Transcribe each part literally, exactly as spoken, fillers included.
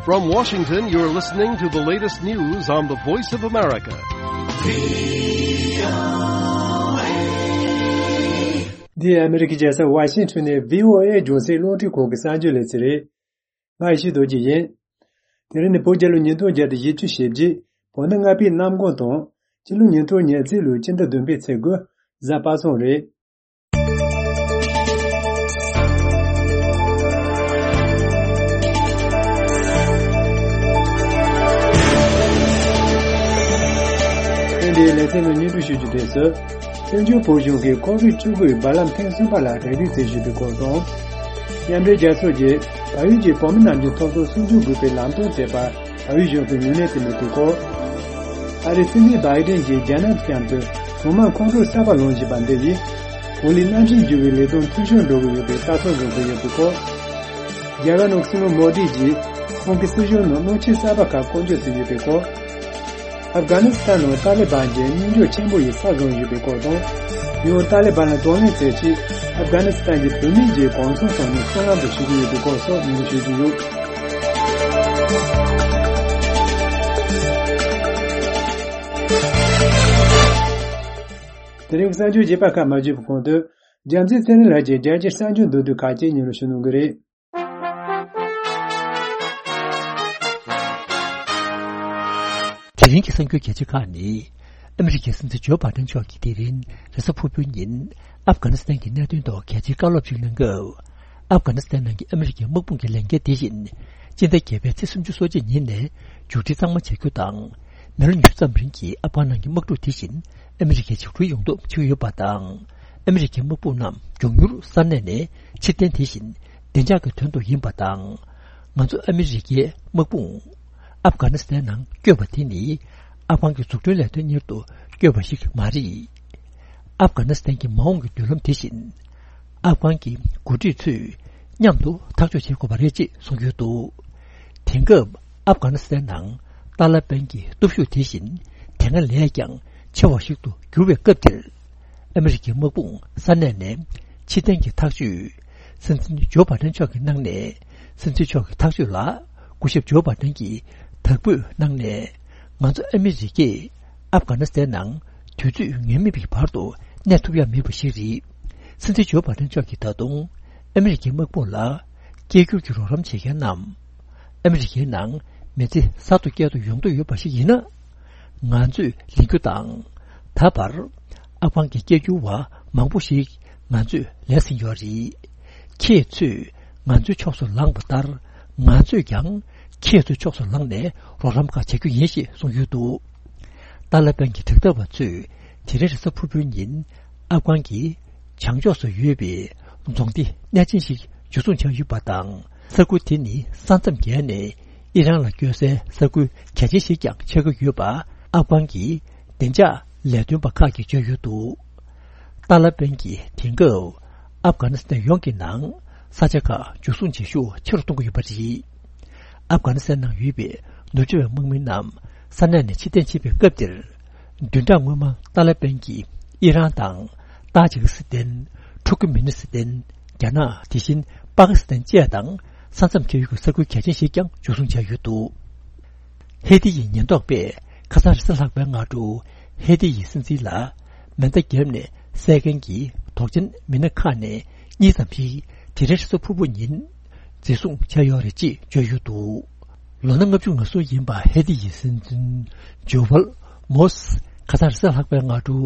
From Washington, you're listening to the latest news on the Voice of America. འདི་ཨ་མི་རི་ཀའི་རྒྱལ་ས་ཝ་ཤིང་ཊོན་ནས་བྷི་ཨོ་ཨེ་རྒྱང་སྲིང་རླུང་འཕྲིན་ཁང་གི་གསར་འགྱུར་ལེ་ཚན་རེད། ང་ཡེ་ཤེས་རྡོ་རྗེ་ཡིན། དེ་རིང་ནི་བོད་རྒྱལ་ལོ་ཉིས་སྟོང་བརྒྱ་དང་བཞི་བཅུ་ཞེ་བརྒྱད། བོད་ཟླ་ལྔ་པའི་གནམ་གང་དང་། སྤྱི་ལོ་ཉིས་སྟོང་ཉེར་གཅིག་ལོའི་སྤྱི་ཟླ་བདུན་པའི་ཚེས་དགུ། གཟའ་པ་སངས་རེད། ཐེངས་འདིའི་ལེ་ཚན་ནང་སྙན་སྒྲོན་ཞུ་རྒྱུ་དེ་ཚོ། བཙན་བྱོལ་བོད་གཞུང་གིས་ཁོང་རིགས་བཅུ་དགུའི་བར་ལམ་ཐེངས་གསུམ་པ་ལ་གྲ་སྒྲིག་བྱེད་བཞིན་པའི་སྐོར་དང་། མཉམ་འབྲེལ་རྒྱལ་ཚོགས་ཀྱིས་བལ་ཡུལ་གྱི་བོད་མི་རྣམས་ཀྱི་ཐོབ་ཐང་སྲུང་སྐྱོབ་དགོས་པའི་ལམ་སྟོན་བྱས་པར་བལ་ཡུལ་གཞུང་གིས་ངོས་ལེན་བྱེད་མུས་པའི་སྐོར། ཨ་རིའི་སྲིད་འཛིན་བའི་ཌེན་གྱིས་རྒྱ་ནག་དང་མཉམ་དུ་གྲོང་དམངས་ཁོང་ཁྲོ་གསར་པ་ལངས་བཞིན་པ་འདི་ཡིས། གོ་ལའི་གནམ་གཤིས་འགྱུར་བའི་ལས་དོན་འཐུས་ཤོར་འགྲོ་གི་ཡོད་པའི་ལྟ་ཚུལ་བཟུང་གི་ཡོད་པའི་སྐོར། རྒྱ་གར་ནང་སྲིད་བློན་མོ་དི་ཡིས་ཁོང་གི་སྲིད་གཞུང་ནང་སྣང་ཆེན་གསར་པ་ཁག་བསྐོ་འཇོག་བྱས་ཡོད་པའི་སྐོར། ཨབ་གྷ་ནི་སི་ཐན་ནང་ཏཱ་ལི་བན་གྱི་དམིགས་འཇོག་ཆེན་པོ་ཡིས་ས་བཟུང་ཡོད་པའི་སྐོར་དང་། ཡང་ཏཱ་ལི་བན་ལ་གདོང་ལེན་བྱེད་ཆེད་ཨབ་གྷ་ནི་སི་ཐན་གྱི་བུད་མེད་ཀྱི་གུང་སེང་ཐོག་ནས་སྲུང་ལམ་དུ་ཞུགས་ཀྱི་ཡོད་པའི་སྐོར་སོགས་སྙན་སྒྲོན་ཞུ་རྒྱུ་ཡོད། དེ་རིང་གསར་འགྱུར་རྒྱས་པ་ཁག་མ་བརྗོད་པའི་གོང་དུ། རྒྱལ་མཚན་ཚེ་རིང་ལགས་ཀྱིས་རྒྱལ་སྤྱིའི་གསར་འགྱུར་མདོར་བསྡུས་ཁག་ཅིག་སྙན་སྒྲོན་ཞུ་གནང་གི་རེད། དེ་རིང་གི་གསར་འགྱུར་གལ་ཆེ་ཁག་ནི། ཨ་མི་རི་ཀའི་སྲིད་འཛིན་ཇོ་བྷ་ཏན་མཆོག་གིས་དེ་རིང་རེས་གཟའ་ཕུར་བུའི་ཉིན་ཨབ་གྷ་ནི་སི་ཐན་གྱི་གནད་དོན་ཐོག་གལ་ཆེའི་བཀའ་སློབ་ཅིག་གནང་སྐབས། ཨབ་གྷ་ནི་སི་ཐན་ནང་གི་ཨ་མི་རི་ཀའི་དམག་དཔུང་གི་ལས་འགན་དེ་བཞིན་སྤྱི་ཟླ་བརྒྱད་པའི་ཚེས་སུམ་ཅུ་སོ་གཅིག་ཉིན་ནས་མཇུག་སྒྲིལ་གཙང་མ་བྱ་རྒྱུ་དང་། མི་ལོ་ཉི་ཤུ་ཙམ་རིང་གི་ཨབ་གྷན་ནང་གི་དམག་འཁྲུག་དེ་བཞིན་ཨ་མི་རི་ཀས་འཇིགས་སྐུལ་ཡོང་ཐབས་བྱེད་ཀྱི་ཡོད་པ་དང་། ཨ་མི་རི་ཀའི་དམག་དཔུང་རྣམས་མགྱོགས་མྱུར་ས་གནས་ནས་ཕྱིར་འཐེན་དེ་བཞིན་བདེ་འཇགས་ཀྱི་དོན་དུ་ཡིན་པ་དང་། ང་ཚོ་ཨ་མི་རི་ཀའི་དམག་དཔུང་ཨབ་གྷ་ནི་སི་ཐན་ནང་བསྐྱོད་པ་དེ་ནི་ཨབ་གྷན་གྱི་འཛུགས་སྐྲུན་ལས་དོན་གཉེར་དུ་བསྐྱོད་པ་ཞིག་མ་རེད། ཨབ་གྷ་ནི་སི་ཐན་གྱི་མ་འོངས་ཀྱི་མདུན་ལམ་དེ་བཞིན་ཨབ་གྷན་གྱི་འགོ་ཁྲིད་ཚོས་མཉམ་དུ་ཐག་གཅོད་བྱེད་དགོས་པ་རེད་ཅེས་གསུངས་ཡོད་འདུག་དེང་སྐབས་ཨབ་གྷ་ནི་སི་ཐན་ནང་ཏཱ་ལ་པན་གྱི་སྟོབས་ཤུགས་དེ་བཞིན་དེ་སྔ་ལས་ཀྱང་ཆེ་བ་ཞིག་ཏུ་གྱུར་བའི་སྐབས་འདིར། ཨ་མི་རི་ཀའི་དམག་དཔུང་ས་གནས་ནས་ཕྱིར་འཐེན་གྱི་ཐག་གཅོད། སྲིད་འཛིན་ཇོ་བྷ་ཏན་མཆོག་གིས་གནང་ནས། སྲིད་འཛིན་མཆོག་གི་ཐག་གཅོད་ལ་སྐུ་ཞབས་ཇོ་བྷ་ཏན་གྱིས་དག་འབོད་གནང་ནས། ང་ཚོ་ཨ་མི་རི་ཀས་ཨབ་གྷ་ནི་སི་ཐན་ནང་དུས་ཚོད་ངེས་མེད་པའི་བར་དུ་གནས་ཐུབ་ཡ་མེད་པ་ཞིག་རེད། སྲིད་འཛིན་ཇོ་བྷ་ཏན་མཆོག་གིས་ད་དུང་ཨ་མི་རི་ཀའི་དམག་དཔུང་ལ་སྐད་སྒྱུར་གྱི་རོགས་རམ་བྱེད་མཁན་རྣམས། ཨ་མི་རི་ཀའི་ནང་མི་ཚེ་གསར་དུ་སྐྱེལ་དུ་ཡོང་འདོད་ཡོད་པ་ཞིག་ཡིན་ན། ང་ཚོས་ལེན་རྒྱུ་དང་། ད་བར་ཨབ་གྷན་གྱི་སྐད་སྒྱུར་བ་མང་པོ་ཞིག་ང་ཚོས་ལེན་ཟིན་ཡོད་རེད། ཁྱེད་ཚོས་ང་ཚོའི་ཕྱོགས་སུ་ལངས་པ་ལྟར། ང་ཚོས་ཀྱང་ཁྱེད་ཚོའི་ཕྱོགས་སུ་ལངས་ནས་རོགས་རམ་ཁག་བྱ་རྒྱུ་ཡིན་ཞེས་གསུངས་ཡོད་འདུག་ཏཱ་ལ་པན་གྱི་དྲག་འཐབ་པ་ཚོས་དེ་རིང་རེས་གཟའ་ཕུར་བུའི་ཉིན་ཨབ་གྷན་གྱི་བྱང་ཕྱོགས་སུ་ཡོད་པའི་རྫོང་སྡེ་གནད་ཆེན་ཞིག་འཇུ་བཟུང་བྱས་ཡོད་པ་དང་། ས་ཁུལ་དེ་ནི་ས་མཚམས་བརྒལ་ནས་ཨི་རན་ལ་སྐྱོད་སའི་ས་ཁུལ་གལ་ཆེན་ཞིག་ཀྱང་ཆགས་ཀྱི་ཡོད་པ་ཨབ་གྷན་གྱི་བདེ་འཇགས་ལས་དོན་པ་ཁག་གིས་བརྗོད་ཡོད་འདུག་ཏཱ་ལ་པན་གྱིས་དེང་སྐབས་ཨབ་གྷ་ནི་སི་ཐན་ཡོངས་ཀྱི་ནང་ས་ཆ་ཁག་འཇུ་བཟུང་བྱེད་ཤུགས་ཆེ་རུ་གཏོང་གི་ཡོད་པ་རེད། ཨབ་གྷ་ནི་སི་ཐན་ནང་ཡོད་པའི་ནུབ་ཕྱོགས་པའི་དམག་མི་རྣམས་ས་གནས་ནས་ཕྱིར་འཐེན་བྱེད་པའི་སྐབས་འདིར། བདུན་ཕྲག་སྔོན་མ་ཏཱ་ལ་པན་གྱིས་ཨི་རན་དང་། ཏཱ་ཇི་ཀི་སི་ཐན། ཐུར་ཀི་མི་ནི་སི་ཐན། རྒྱ་ནག་དེ་བཞིན་པ་ཀི་སི་ཐན་བཅས་དང་ས་མཚམས་བརྒལ་ཡུལ་གྱི་ས་ཁུལ་གལ་ཆེན་ཞིག་ཀྱང་འཇུ་བཟུང་བྱས་ཡོད་འདུག་ཧེ་ཏི་ཡི་ཉེན་རྟོག་པས་ཁ་སང་རེས་གཟའ་ལྷག་པའི་སྔ་དྲོ་ཧེ་ཏི་ཡི་སྲིད་འཛིན་ལ་མེ་མདའ་བརྒྱབ་ནས་བསད་མཁན་གྱི་དོགས་ཅན་མི་སྣ་ཁག་ནས་གཉིས་ཙམ་ཞིག་དེ་རིང་རེས་གཟའ་ཕུར་བུ་ཉིན་འཛིན་བཟུང་བྱས་ཡོད་རེད་ཅེས་བརྗོད་ཡོད་འདུག་ལོ་ན་ལྔ་བཅུ་ང་གསུམ་ཡིན་པ་ཧེ་ཏི་ཡི་སྲིད་འཛིན་ཇོ་ཝལ་མོ་སི་ཁ་སང་རེས་གཟའ་ལྷག་པའི་སྔ་དྲོ་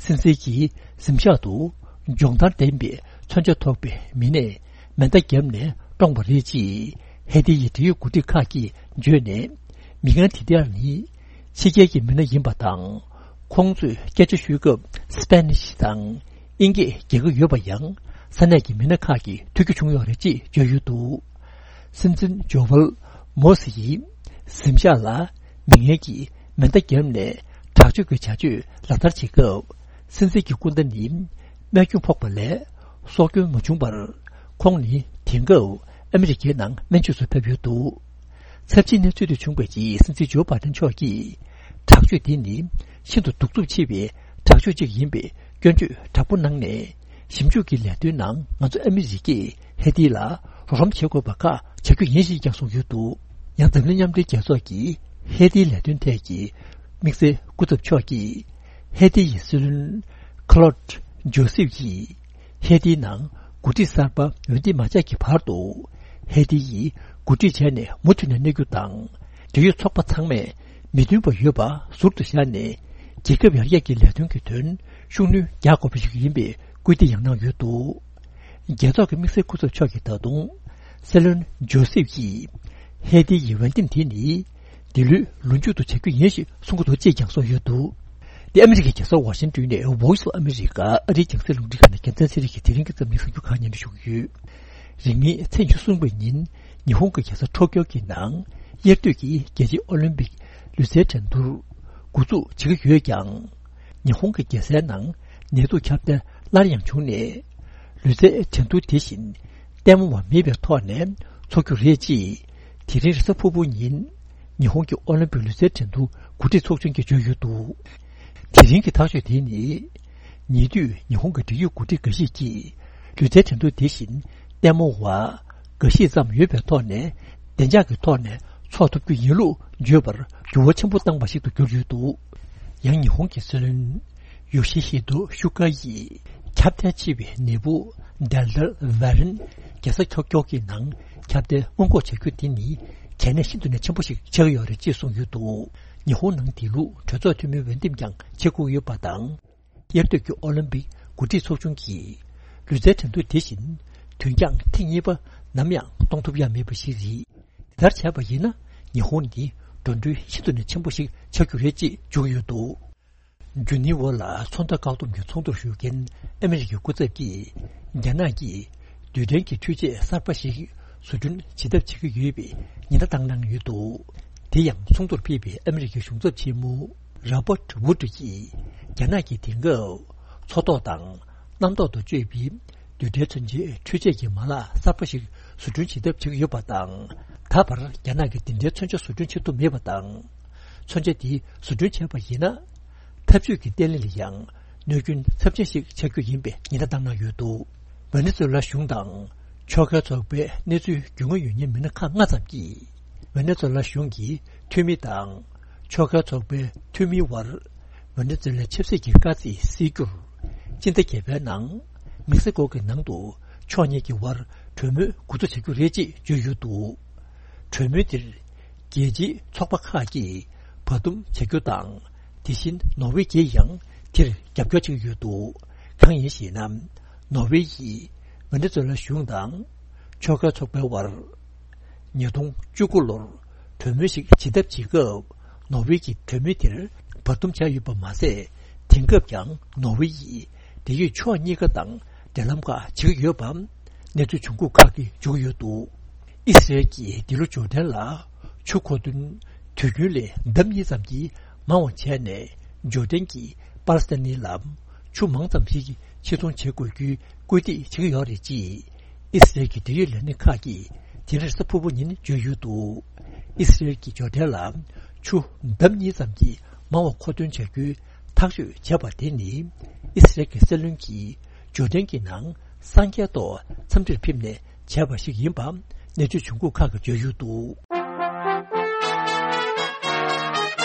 སྲིད་འཛིན་གྱི་གཟིམ་ཤག་ཏུ་སྦྱོང་བརྡར་ལྡན་པའི་མཚོན་ཆ་ཐོགས་པའི་མི་སྣས་མེ་མདའ་བརྒྱབ་ནས་བཀྲོངས་པ་རེད་ཅེས་ཧེ་ཏི་ཡི་འབྲེལ་ཡོད་འགོ་ཁྲིད་ཁག་གིས་བརྗོད་ནས། མི་ངན་དེ་དག་ནི་ཕྱི་རྒྱལ་གྱི་མི་སྣ་ཡིན་པ་དང་། ཁོང་ཚོས་སྐད་ཆ་ཤོད་སྐབས་སི་པེ་ནིཤ་དང་། དབྱིན་སྐད་རྒྱག་གི་ཡོད་པ་ཡང་ས་གནས་ཀྱི་མི་སྣ་ཁག་གིས་ཐོས་རྒྱུ་བྱུང་ཡོད་རེད་ཅེས་བརྗོད་ཡོད་འདུག་སྲིད་འཛིན་ཇོ་ཝལ་མོ་སི་ཡིས་གཟིམ་ཤག་ལ་མི་ངན་གྱིས་མེ་མདའ་བརྒྱབ་ནས་དྲག་སྤྱོད་ཀྱི་བྱ་སྤྱོད་ལག་བསྟར་བྱེད་སྐབས། སྲིད་འཛིན་གྱི་སྐུ་ཟླ་ནི་རྨས་སྐྱོན་ཕོག་པ་ལས་སྲོག་སྐྱོན་མ་བྱུང་བར། ཁོང་ནི་དེང་སྐབས་ཨ་མི་རི་ཀའི་ནང་སྨན་བཅོས་སུ་ཕེབས་ཡོད་འདུག་ཚབས་ཆེའི་གནས་ཚུལ་དེ་བྱུང་བའི་རྗེས་སྲིད་འཛིན་ཇོ་བྷ་ཏན་མཆོག་གིས། དྲག་སྤྱོད་དེ་ནི་ཤིན་ཏུ་གདུག་རྩུབ་ཆེ་བའི་དྲག་སྤྱོད་ཅིག་ཡིན་པའི་སྐྱོན་བརྗོད་དྲག་པོ་གནང་ནས། ཞིབ་འཇུག་གི་ལས་དོན་ནང་ང་ཚོ་ཨ་མི་རི་ཀས་ཧེ་ཏི་ལ་རོགས་རམ་བྱེད་དགོས་པ་ཁག་བྱ་རྒྱུ་ཡིན་ཞེས་ཀྱང་གསུངས་ཡོད་འདུག་ཡང་འཛམ་གླིང་མཉམ་འབྲེལ་རྒྱལ་ཚོགས་ཀྱི་ཧེ་ཏིའི་ལས་དོན་ཐད་ཀྱི་དམིགས་བསལ་སྐུ་ཚབ་མཆོག་གིས་ཧེ་ཏི་ཡི་སྲིད་བློན་ཁ་ལོད་ཇོ་སེབ་ཀྱིས་ཧེ་ཏིའི་ནང་འགོ་ཁྲིད་གསར་པ་འོས་འདེམས་མ་བྱས་ཀྱི་བར་དུ་ཧེ་ཏི་ཡིས་འགོ་ཁྲིད་བྱས་ནས་མུ་མཐུད་ནས་གནས་རྒྱུ་དང་། འབྲེལ་ཡོད་ཚོགས་པ་ཚང་མས་མི་མཐུན་པ་ཡོད་པ་ཟུར་དུ་བཞག་ནས་རྒྱལ་ཁབ་ཡར་རྒྱས་ཀྱི་ལས་དོན་གྱི་དོན་ཤུགས་སྣོན་རྒྱག་དགོས་པ་ཞིག་ཡིན་པའི་སྐུལ་འདེད་ཡང་གནང་ཡོད་འདུག། རྒྱལ་ཚོགས་ཀྱི་དམིགས་བསལ་སྐུ་ཚབ་མཆོག་གིས་ད་དུང་སྲིད་བློན་ཇོ་སེབ་ཀྱིས་ཧེ་ཏི་ཡི་འོས་འདེམས་དེ་ནི་འདི་ལོའི་ལོ་མཇུག་ཏུ་བྱ་རྒྱུ་ཡིན་ཞེས་གསུང་གི་འདུག་ཅེས་ཀྱང་གསུངས་ཡོད་འདུག། འདི་ཨ་མི་རི་ཀའི་རྒྱལ་ས་ཝ་ཤིང་ཏོན་ནས་Voice of America ཨ་རིའི་རྒྱང་སྲིང་རླུང་འཕྲིན་ཁང་ནས་རྒྱལ་མཚན་ཚེ་རིང་གིས་དེ་རིང་གི་རྩོམ་ནས་གསར་འགྱུར་ཁག་སྙན་སྒྲོན་ཞུ་གི་ཡོད། རིང་མིན་ཚེས་ཉི་ཤུ་གསུམ་པའི་ཉིན་ཉི་ཧོང་གི་རྒྱལ་ས་ཊོ་ཀྱོ་གི་ནང་དབྱར་དུས་ཀྱི་རྒྱལ་སྤྱིའི་ཨོ་ལིམ་པིག་ལུས་རྩལ་འགྲན་བསྡུར་འགོ་འཛུགས་བྱེད་ཀྱི་ཡོད་ཀྱང་། ཉི་ཧོང་གི་རྒྱལ་སའི་ནང་ནད་དུག་ཁྱབ་གདལ་སླར་ཡང་བྱུང་ནས། ལུས་རྩལ་འགྲན་བསྡུར་དེ་བཞིན་ལྟད་མོ་བ་མེད་པའི་ཐོག་ནས་འཚོགས་རྒྱུ་རེད་ཅེས་དེ་རིང་རེས་གཟའ་ཕུར་བུ་ཉིན་ཉི་ཧོང་གི་ཨོ་ལིམ་པིག་ལུས་རྩལ་འགྲན་བསྡུར་འགོ་ཁྲིད་ཚོགས་ཆུང་གིས་བརྗོད་ཡོད་འདུག། དེ་རིང་གི་ཐག་གཅོད་དེ་ནི། ཉེ་དུས་ཉི་ཧོང་གི་འབྲེལ་ཡོད་འགོ་ཁྲིད་འགའ་ཞིག་གིས་ལུས་རྩལ་འགྲན་བསྡུར་དེ་བཞིན་ལྟད་མོ་བ་འགའ་ཤས་ཙམ་ཡོད་པའི་ཐོག་ནས་བདེ་འཇགས་ཀྱི་ཐོག་ནས་འཚོགས་ཐུབ་རྒྱུ་ཡིན་ལུགས་བརྗོད་པར་འགྱུར་བ་ཆེན་པོ་བཏང་བ་ཞིག་ཏུ་གྱུར་ཡོད་འདུག། ཡང་ཉི་ཧོང་གི་སྲིད་བློན་ཡོ་ཤི་ཧི་དོ་ཤུ་ཀ་ཡིས་ཁྱབ་གདལ་ཆེ་བའི་ནད་འབུ་Delta Variant རྒྱལ་ས་ཊོ་ཀྱོ་གི་ནང་ཁྱབ་གདལ་སྔོན་འགོག་བྱ་རྒྱུ་དེ་ནི་གལ་གནད་ཤིན་ཏུ་ནས་ཆེན་པོ་ཞིག་ཆགས་ཀྱི་ཡོད་རེད་ཅེས་གསུངས་ཡོད་འདུག། ཉི་ཧོང་ནང་དེ་ལུགས་གྲོས་ཚོགས་འཐུས་མིའི་འོས་འདེམས་ཀྱང་བྱེད་དགོས་ཡོད་པ་དང་། དབྱར་དུས་ཀྱི་ཨོ་ལིམ་པིག་འགོ་ཁྲིད་ཚོགས་ཆུང་གིས་ལུས་རྩལ་འགྲན་བསྡུར་དེ་བཞིན་དུས་འགྱངས་ཐེངས་གཉིས་པ་ནམ་ཡང་གཏོང་ཐུབ་ཡ་མེད་པ་ཞིག་རེད། དེ་ལྟར་བྱས་པ་ཡིན་ན་ཉི་ཧོང་ནི་འགྲོ་གྲོན་ཤིན་ཏུ་ནས་ཆེན་པོ་ཞིག་ཆགས་རྒྱུ་རེད་ཅེས་བརྗོད་ཡོད་འདུག། ཇུ་ནི་ཝ་ལ་མཚོ་མཐའ་བཀག་སྡོམ་གྱི་ཚོགས་འདུར་ཞུགས་མཁན་ཨ་མི་རི་ཀའི་སྐུ་ཚབ་ཀྱིས་རྒྱ་ནག་གིས་རྡུལ་ཕྲན་གྱི་འཕྲུལ་ཆས་གསར་པ་ཞིག་བཟོ་སྐྲུན་བྱེད་ཐབས་བྱེད་ཀྱི་ཡོད་པའི་ཉེན་བརྡ་བཏང་གནང་ཡོད་འདུག། དེ་ཡང་ཚོགས་འདུར་ཕེབས་པའི་ཨ་མི་རི་ཀའི་གཞུང་ཚབ་ཆེན་མོ་རོ་བྷར་ཝུ་ཌི་ཀྱིས་རྒྱ་ནག་གིས་དེང་སྐབས་མཚོ་ཐོག་དང་གནམ་ཐོག་ཏུ་སྤྱོད་པའི་རྡུལ་ཕྲན་མཚོན་ཆའི་འཕྲུལ་ཆས་ཀྱི་མ་ལག་གསར་པ་ཞིག་བཟོ་སྐྲུན་བྱེད་ཐབས་བྱེད་ཀྱི་ཡོད་པ་དང་། ད་བར་རྒྱ་ནག་གིས་འདི་འདྲའི་མཚོན་ཆ་བཟོ་སྐྲུན་བྱེད་ཐུབ་མེད་པ་དང་། མཚོན་ཆ་དེ་བཟོ་སྐྲུན་བྱས་པ་ཡིན་ན། འཐབ་ཇུས་ཀྱི་བརྟན་ལྷིང་ལ་ཡང་གནོད་སྐྱོན་ཚབས་ཆེན་ཞིག་ཆགས་རྒྱུ་ཡིན་པའི་ཉེན་བརྡ་བཏང་གནང་ཡོད་འདུག། ཝེ་ནེ་ཛུ་ཝེ་ལ་གཞུང་དང་ཕྱོགས་འགལ་ཚོགས་པའི་གནས་ཚུལ་རྒྱུས་མངའ་ཡོད་མཁན་མི་སྣ་ཁག་ལྔ་ཙམ་གྱིས་ཝེ་ནེ་ཛུ་ཝེ་ལ་གཞུང་གི་འཐུས་མི་དང་ཕྱོགས་འགལ་ཚོགས་པའི་འཐུས་མིའི་དབར་ཝེ་ནེ་ཛུ་ཝེ་ལའི་ཆབ་སྲིད་ཀྱི་དཀའ་ཚེགས་སེལ་རྒྱུར་སྤྱི་ཟླ་བརྒྱད་པའི་ནང་མེག་སི་ཀོ་གི་ནང་དུ་ཕྱོགས་གཉིས་ཀྱི་དབར་གྲོས་མོལ་འགོ་འཛུགས་བྱ་རྒྱུ་རེད་ཅེས་བརྗོད་ཡོད་འདུག། གྲོས་མོལ་དེར་རྒྱལ་སྤྱིའི་ཚོགས་པ་ཁག་གིས་བར་འདུམ་བྱ་རྒྱུ་དང་། དེ་བཞིན་ནོར་ཝེ་གྱིས་ཡང་དེར་རྒྱབ་སྐྱོར་བྱེད་ཀྱི་ཡོད་འདུག། གང་ཡིན་ཞེ་ན། ནོར་ཝེ་ཡིས་ཝེ་ནེ་ཛུ་ཝེ་ལ་གཞུང་དང་ཕྱོགས་འགལ་ཚོགས་པའི་དབར་ཉིས་སྟོང་བཅུ་དགུ་ལོར་གྲོས་མོལ་ཞིག་བྱེད་ཐབས་བྱེད་སྐབས་ནོར་ཝེ་གྱིས་གྲོས་མོལ་དེར་བར་འདུམ་བྱས་ཡོད་པ་མ་ཟད། དེང་སྐབས་ཀྱང་ནོར་ཝེ་ཡིས་འབྲེལ་ཡོད་ཕྱོགས་གཉིས་ཀ་དང་འབྲེལ་ལམ་ཁག་བྱེད་ཀྱི་ཡོད་པ་གནས་ཚུལ་བྱུང་ཁུངས་ཁག་གིས་བརྗོད་ཀྱི་ཡོད་འདུག། ཨི་སི་རལ་གྱིས་འདི་ལོ་ཇོར་ཌན་ལ་ཆུ་མཁོ་འདོན་དུས་རྒྱུན་ལས་ལྡབ་གཉིས་ཙམ་གྱིས་མང་བ་བྱས་ནས་ཇོར་ཌན་གྱིས་པ་ལི་སི་ཐན་ནི་ལ་ཆུ་མང་ཙམ་ཞིག་ཕྱིར་ཚོང་བྱེད་དགོས་རྒྱུའི་སྐུལ་འདེད་བྱེད་ཀྱི་ཡོད་རེད་ཅེས་ཨི་སི་རལ་གྱི་འབྲེལ་ཡོད་ལས་སྣེ་ཁག་གིས་དེ་རིང་རེས་གཟའ་ཕུར་བུ་ཉིན་བརྗོད་ཡོད་འདུག། ཨི་སི་རལ་གྱིས་ཇོར་ཌན་ལ་ཆུ་ལྡབ་གཉིས་ཙམ་གྱིས་མང་བ་མཁོ་འདོན་བྱ་རྒྱུའི་ཐག་གཅོད་བྱས་པ་དེ་ནི་ཨི་སི་རལ་གྱི་སྲིད་བློན་གྱིས་ཇོར་ཌན་གྱི་ནང་སངས་རྒྱས་ཐོག་འཚམས་འདྲིར་ཕེབས་ནས་བྱས་པ་ཞིག་ཡིན་པ་གནས་ཚུལ་བྱུང་ཁུངས་ཁག་གིས་བརྗོད་ཡོད་འདུག།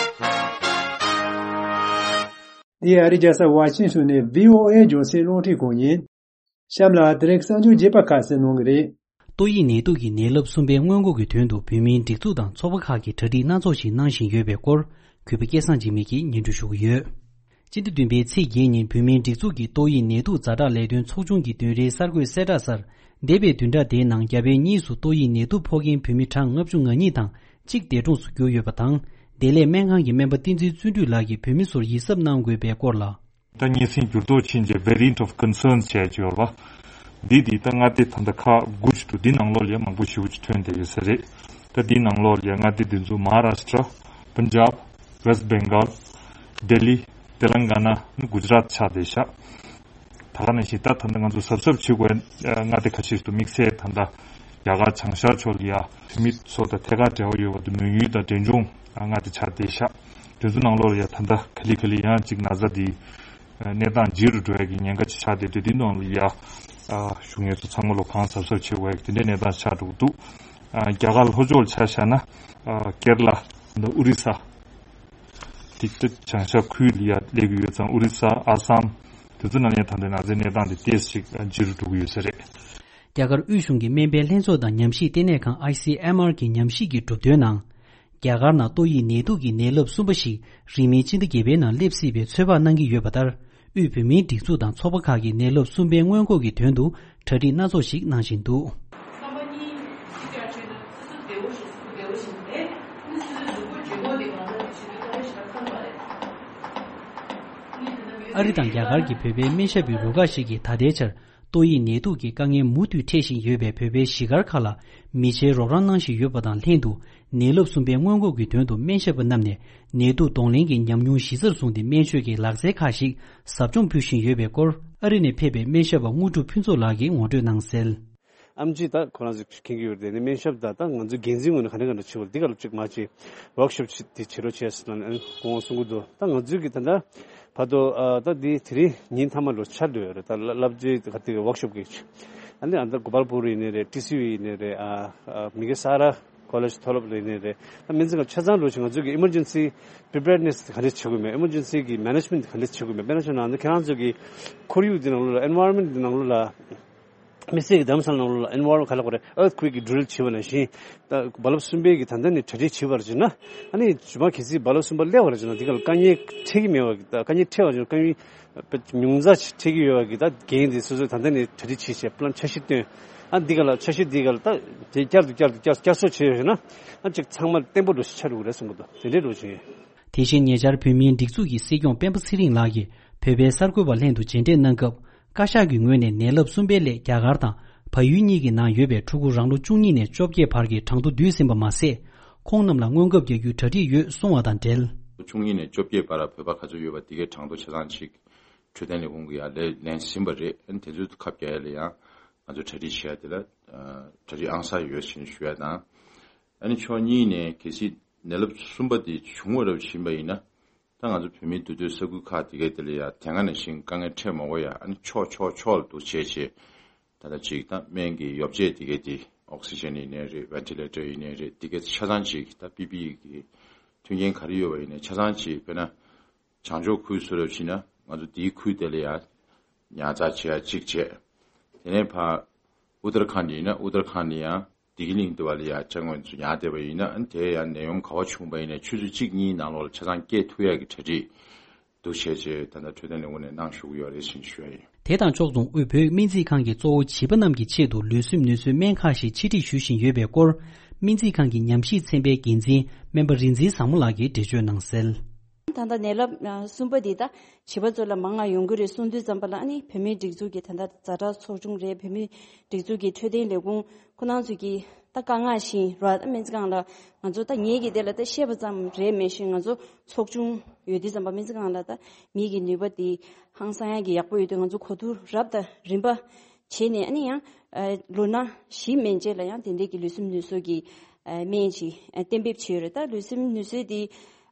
འདི་ཨ་རིའི་རྒྱལ་ས་ཝ་ཤིང་ཊོན་ནས་བྷི་ཨོ་ཨེ་རྒྱང་སྲིང་རླུང་འཕྲིན་ཁང་ཡིན། གཤམ་ལ་དེ་རིང་གསར་འགྱུར་རྒྱས་པ་ཁག་གསན་གནང་གི་རེད། ཏོག་དབྱིབས་ནད་དུག་གི་ནད་རླབས་གསུམ་པའི་སྔོན་འགོག་གི་དོན་དུ་བོད་མིའི་སྒྲིག་འཛུགས་དང་ཚོགས་པ་ཁག་གིས་གྲ་སྒྲིག་སྣ་ཚོགས་ཤིག་གནང་བཞིན་ཡོད་པའི་སྐོར། གུས་པ་སྐལ་བཟང་འཇིགས་མེད་ཀྱིས་སྙན་སྒྲོན་ཞུ་གི་ཡོད། སྤྱི་ཟླ་བདུན་པའི་ཚེས་བརྒྱད་ཉིན་བོད་མིའི་སྒྲིག་འཛུགས་ཀྱི་ཏོག་དབྱིབས་ནད་དུག་ཛ་དྲག་ལས་དོན་ཚོགས་ཆུང་གི་བདུན་རེའི་གསར་འགོད་གསལ་བསྒྲགས་གསར། འདས་པའི་བདུན་ཕྲག་དེའི་ནང་རྒྱ་བལ་གཉིས་སུ་ཏོག་དབྱིབས་ནད་དུག་ཕོག་མཁན་བོད་མི་གྲངས་ལྔ་བཅུ་ང་གཉིས་དང་གཅིག་འདས་གྲོངས་སུ་གྱུར་ཡོད་པ་དང་། བདེ་ལེགས་སྨན་ཁང་གི་སྨན་པ་བསྟན་འཛིན་བརྩོན་འགྲུས་ལགས་ཀྱིས་བོད་མི་ཚོར་ཡིད་གཟབ་གནང་དགོས་པའི་སྐོར་ལ། ད་སྙན་སེང་འགྱུར་ལྡོག་ཕྱིན་རྗེས་Variant of Concerns བྱས་ཀྱི་ཡོད་པ། འདི་འདི་ད་མངའ་སྡེ་ད་ལྟ་ཁག་དགུ་ཞིག་འདུག། འདི་ནང་ལོགས་ལ་མང་པོ་ཞེ་པོ་ཅིག་ཐོན་བསྡད་ཡོད་ས་རེད། ད་འདི་ནང་ལོགས་ལ་མངའ་སྡེ་འདི་ཚོ་མ་ཧ་ར་ཤི་ཏྲ། པན་ཇབ། West Bengal། ལྡི་ལི། ཏེ་ལང་ག་ན། གུ་ཇ་རཱཏ་ཆགས་བསྡད་ཤག། ད་ག་ནང་བཞིན་ད་ད་ལྟ་ང་ཚོ་གཟབ་གཟབ་བྱེད་དགོས་མངའ་སྡེ་ཁ་ཤས་ཤིག་འདུག། དམིགས་བསལ་ད་ལྟ་རྒྱ་གར་བྱང་ཤར་ཕྱོགས་ལ་ཡ་བོད་མི་ཚོ་དང་ཐད་ཀར་འབྲེལ་བ་ཡོད་པ་དང་མོན་ཡུལ་དང་འབྲས་ལྗོངས་མངའ་སྡེ་ཆགས་བསྡད་ཤག། དེ་ཚོ་ནང་ལོགས་ལ་ཡ་ད་ལྟ་ག་ལེ་ག་ལེ་ཡང་ཅིག་ན་ཚ་འདི་གནས་སྟངས་ལྗིད་རུ་འགྲོ་ཡ་གི་ཉེན་ཁ་ཅིག་ཆགས་བསྡད་དུས་འདི་ནང་ལ་ཡ་ཨ་བཞུགས་མཁན་ཚོ་ཚང་མ་ལོ་གང་གཟབ་གཟབ་བྱེད་དགོས་ཡ་གི་དེ་འདྲའི་གནས་སྟངས་ཆགས་འགྲོ་གི་འདུག། ཨ་རྒྱ་གར་ལྷོ་ཕྱོགས་ཆ་བཞག་ན་ཨ་ཀེར་ལ་དང་ཨོ་རི་ས། དེ་ལྟ་བྱང་ཤར་ཁུལ་ལ་ཡ་སླེབས་ཀྱི་ཡོད་ཙང་ཨོ་རི་ས་ཨ་སམ་དེ་ཚོ་ནང་ཡང་ད་ལྟ་ང་ཚོའི་གནས་སྟངས་དེ་ཏོག་ཙམ་ཅིག་ལྗིད་རུ་འགྲོ་གི་ཡོད་ས་རེད། རྒྱ་གར་དབུས་གཞུང་གི་སྨན་པའི་ལྷན་ཚོགས་དང་ཉམས་ཞིབ་ལྟེ་གནས་ཁང་ཨའི་སི་ཨེམ་ཨར་གྱི་ཉམས་ཞིབ་ཀྱི་གྲུབ་དོན་ནང་། རྒྱ་གར་ནང་ཏོག་དབྱིབས་ནད་དུག་གི་ནད་རླབས་གསུམ་པ་ཞིག་རིང་མིན་ཕྱི་ཟླ་བརྒྱད་པའི་ནང་སླེབས་སྲིད་པའི་ཚོད་དཔག་གནང་གི་ཡོད་པ་ལྟར། དབུས་བོད་མིའི་སྒྲིག་འཛུགས་དང་ཚོགས་པ་ཁག་གིས་ནད་རླབས་གསུམ་པའི་སྔོན་འགོག་གི་དོན་དུ་གྲ་སྒྲིག་སྣ་ཚོགས་ཤིག་གནང་བཞིན་འདུག་ཨ་རི་དང་རྒྱ་གར་གྱི་བོད་པའི་སྨན་ཞབས་པའི་རུ་ཁག་ཞིག་གིས་ད་ལྟའི་ཆར་ཏོག་དབྱིབས་ནད་དུག་གི་དཀའ་ངལ་མུ་མཐུད་འཕྲད་བཞིན་ཡོད་པའི་བོད་པའི་གཞིས་སྒར་ཁག་ལ་མི་ཆེན་རོགས་རམ་གནང་བཞིན་ཡོད་པ་དང་ལྷན་དུ། ནད་རླབས་གསུམ་པའི་སྔོན་འགོག་གི་དོན་དུ་སྨན་ཞབས་པ་རྣམས་ནས་ནད་དུག་གདོང་ལེན་གྱི་ཉམས་མྱོང་གཞི་རྩར་བཟུང་སྟེ་སྨན་བཅོས་ཀྱི་ལག་རྩལ་ཁག་ཞིག་ཟབ་སྦྱོང་ཕུལ་བཞིན་ཡོད་པའི་སྐོར། ཨ་རི་ནས་ཕེབས་པའི་སྨན་ཞབས་པ་དངོས་གྲུབ་ཕུན་ཚོགས་ལགས་ཀྱིས་ངོ་སྤྲོད་གནང་གསལ། ཨེམ་ཆི་ད་ཁོ་རང་ཚོས་མཁྱེན་གྱི་ཡོད་རེད། དེ་ནས་སྨན་ཞབས་དང་ད་ང་ཚོའི་འགན་འཛིན་ངོས་ནས་ག་འདྲ་ག་འདྲ་བྱེད་དགོས་འདི་ག་ལ་གཅིག་མ་བྱེད་ཝོག་ཤོབ་དེ་བྱེད་རོགས་བྱས་ཟེར་ནས་ཁོང་གསུང་གི་འདུག་ད་ང་ཚོའི་གི་ད་ལྟ་བར་དུ་ཨ་ད་འདི་དེ་རིང་ཉིན་མཐའ་མ་ལོ་ཆར་འགྲོ་ཡོད་རེད། ད་བསླབ་བྱའི་ག་དེ་གི་ཝོག་ཤོབ་གི་ཨ་ནི་ཨ་ད་གོ་པལ་པུར་ཡིན་ནའི་རེད། ཊི་སི་ཡུ་ཡིན་ནའི་རེད། ཨ་ཨ་མི་གི་ས་ར་ཀོ་ལེཇ་མཐོ་སློབ་ཡིན་ནའི་རེད། ད་སྨན་རྩིས་ཁང་ཆ་ཚང་འགྲོ་ཞིང་ང་ཚོའི་གི་ཨི་མར་ཇེན་སི་པི་རི་པེར་ནེ་སི་ག་འདྲ་བྱེད་དགོས་མེད། ཨི་མར་ཇེན་སི་གི་མེ་ནེ་ཇི་མེན་ཊི་ག་འདྲ་བྱེད་དགོས་མེད། དཔེར་ན་ཆ་ནང་ཁྱེད་རང་ཚོ་གི་ཁོར་ཡུག་འདི་ནང་ལོགས་ལ་ཨེན་ཝའི་རོན་མེན་ཊི་འདི་ནང་ལོགས་ལ། མི་སེར་གྱི་འདམ་ས་ནང་ལོགས་ལ་ཨེན་ཝར་ག་ལ་གོ་རེ་ཨར་ཐི་ཀུ་ཝེག་གི་ཌི་རིལ་བྱེད་པ་ནང་བཞིན། ད་རྦ་རླབས་གསུམ་པའི་གི་ད་ལྟ་ནས་གྲ་སྒྲིག་བྱེད་པར་བྱེད་ན། ཨ་ནི་ཇུ་མ་གལ་སྲིད་རྦ་རླབས་གསུམ་པ་སླེབས་པར་བྱེད་ན་འདི་ག་ལ་དཀའ་ངལ་འཕྲད་ཀྱི་མེད་པ་གི་ད་དཀའ་ངལ་འཕྲད་པར་བྱེད་ན་དཀའ་ངལ་ཉུང་ཙག་ཅིག་འཕྲད་ཀྱི་ཡོད་པ་གི་ད་འགན་འདི་སོ་སོས་ད་ལྟ་ནས་གྲ་སྒྲིག་བྱེད་བྱེད་པླན་འཆར་གཞི་བཏོན། ཨ་འདི་ག་ལ་འཆར་གཞི་འདི་ག་ལ་ད་དེ་བསྐྱར་དུ་བསྐྱར་དུ་བསྐྱར་བསྐྱར་གསོ་བྱེད་ཡོད་ན། ཨ་ཅིག་ཚང་མ་བརྟན་པོ་འགྲོ་ཞིག་ཆགས་འགྲོ་གི་རེད་གསུང་གི་འདུག་དེ་འདྲའི་འགྲོ་བཞིན་ཡོད། དེ་བཞིན་ཉེ་ཆར་བོད་མིའི་སྒྲིག་འཛུགས་ཀྱི་སྲིད་སྐྱོང་སྤེན་པ་ཚེ་རིང་ལགས་ཀྱིས་བོད་པའི་གསར་འགོད་པ་ལྷན་དུ་མཇལ་འཕྲད་གནང་སྐབས། བཀའ་ཤག་གི་ངོས་ནས་ནད་རླབས་གསུམ་པའི་སླད་རྒྱ་གར་དང་བལ་ཡུལ་གཉིས་ཀྱི་ནང་ཡོད་པའི་ཕྲུ་གུ་རང་ལོ་བཅུ་གཉིས་ནས་བཅོ་བརྒྱད་བར་གྱི་གྲངས་ཐོ་བསྡུས་ཟིན་པ་མ་ཟད། ཁོང་རྣམས་ལ་སྔོན་ཁབ་རྒྱག་རྒྱུའི་གྲ་སྒྲིག་ཡོད་གསུང་བ་དང་འབྲེལ། བཅུ་གཉིས་ནས་བཅོ་བརྒྱད་བར་བོད་པ་ག་ཚོད་ཡོད་པ་དེ་གའི་གྲངས་ཐོ་ཆ་ཚང་ཅིག་འཕྲོད་བསྟེན་ལས་ཁུངས་ཀྱིས་ཡར་ལེན་ཟིན་པ་རེད། ཨ་ནི་དེ་ཚོའི་ཁ་བརྒྱབ་ཡ་ལ་ཡང་ང་ཚོ་གྲ་སྒྲིག་བྱེད་ཡ་དེ་ལ་གྲ་སྒྲིག་ཨང་གསར་ཡོད་ཅེས་ཞུ་ཡ་དང་། ཨ་ནི་ཕྱོགས་གཉིས་ནས་གལ་སྲིད་ནད་རླབས་གསུམ་པ་དེ་བྱུང་བ་རབས་ཕྱིན་པ་ཡིན་ན། ད་ང་ཚོ་བོད་མིའི་འདུས་སྡོད་ས་ཁུལ་ཁག་དེ་གའི་དེ་ལ་ཡ་དེ་སྔ་ནང་བཞིན་དཀའ་ངལ་འཕྲད་མ་དགོས་ཡ། ཨ་ནི་ཕྱོགས་ཕྱོགས་ཕྱོགས་ལ་འདུག་བྱས་བྱས། ད་ལྟ་ཅིག་ད་སྨན་གྱི་ཡོ་བྱད་དེ་གའི་དེ་ཨོག་སི་ཇན་ཡིན་ནའི་རེད། ཝེན་ཊི་ལེ་ཊར་ཡིན་ནའི་རེད། དེ་གའི་ཆ་ཚང་ཅིག་ད་པི་པི་ཨི་གི་མཐུན་རྐྱེན་ག་རེ་ཡོད་པ་ཡིན་ནའི་ཆ་ཚང་ཅིག་དཔེར་ན་བྱང་ཕྱོགས་ཁུལ་བཟོ་འདྲ་བྱས་ན་ང་ཚོ་དེའི་ཁུལ་དེ་ལ་ཡ་ཉར་ཚགས་བྱེད་ཡ་གཅིག་བྱས། དེ་ནས་ཕར་ཨུ་ཏར་ཁཱན་ཌ་ཡིན་ན་ཨུ་ཏར་ཁཱན་ཌ་ཡང་བདེ་སྐྱིད་གླིང་དེ་བ་ལ་ཡ་ཅ་དངོས་ཚོ་ཉར་བསྡད་པ་ཡིན་ན། ཨ་ནི་དེ་ཡང་ནད་ཡོམ་ག་བ་བྱུང་བ་ཡིན་ནའི་ཆུ་ཚོད་གཅིག་གཉིས་ནང་ལོགས་ལ་ཆ་ཚང་སྐྱེལ་ཐུབ་ཡ་གི་གྲ་སྒྲིག་འདུག་བྱས་བྱས་ད་ལྟ་འཕྲོད་བསྟེན་ལས་ཁུངས་ནས་གནང་བཞུགས་ཡོད་རེད་ཅེས་ཞུ་ཡ་ཡིན། དེ་དང་ཕྱོགས་མཚུངས་དབུས་བོད་སྨན་རྩིས་ཁང་གིས་གཙོ་བོ་བྱིས་པ་རྣམས་ཀྱི་ཆེད་དུ་ལུས་སེམས་ནུས་གསོའི་སྨན་ཁག་ཞིག་ཆེད་སྒྲིག་ཞུ་བཞིན་ཡོད་པའི་སྐོར། སྨན་རྩིས་ཁང་གི་ཉམས་ཞིབ་ཚན་པའི་འགན་འཛིན་སྨན་པ་རིག་འཛིན་བཟང་མོ་ལགས་ཀྱིས་འགྲེལ་བརྗོད་གནང་གསལ། ད་ལྟ་ནད་རླབས་གསུམ་པ་འདི་ད་བྱིས་པ་ཚོ་ལ་མང་ང་ཡོང་གི་རེད་གསུང་དུས་ཙམ་པ་ལ། ཨ་ནི་བོད་མིའི་སྒྲིག་འཛུགས་ཀྱི་ད་ལྟ་ཛ་དྲག་ཚོགས་ཆུང་རེད། བོད་མིའི་སྒྲིག་འཛུགས་ཀྱི་འཕྲོད་བསྟེན་ལས་ཁུངས་ཁོ་རང་ཚོ་གིས་ད་དཀའ་ངལ་བཞིན་ར་ད་སྨན་རྩིས་ཁང་ལ་ང་ཚོ་ད་ངེད་ཀྱི་དེ་ལ་ད་བཤད་པ་ཙམ་རེད་མེད་བཞིན་ང་ཚོ་ཚོགས་ཆུང་ཡོད་དུས་ཙམ་པ་སྨན་རྩིས་ཁང་ལ་ད་མིའི་གི་ནུས་པ་དེ་ཧང་སང་ཡག་གི་ཡག་པོ་ཡོད་དུས་ང་ཚོ་གོ་བསྡུར་རབ་དང་རིམ་པ་བྱས་ནས། ཨ་ནི་ཡང་ལོ་ན་བཞི་མན་ཆད་ལ་ཡང་དེ་འདྲས་ཀྱི་ལུས་སེམས་ནུས་གསོ་གི་སྨན་ཅིག་གཏན་འབེབས་བྱས་ཡོད་རེད། ད་ལུས་སེམས་ནུས་གསོའི་དེ་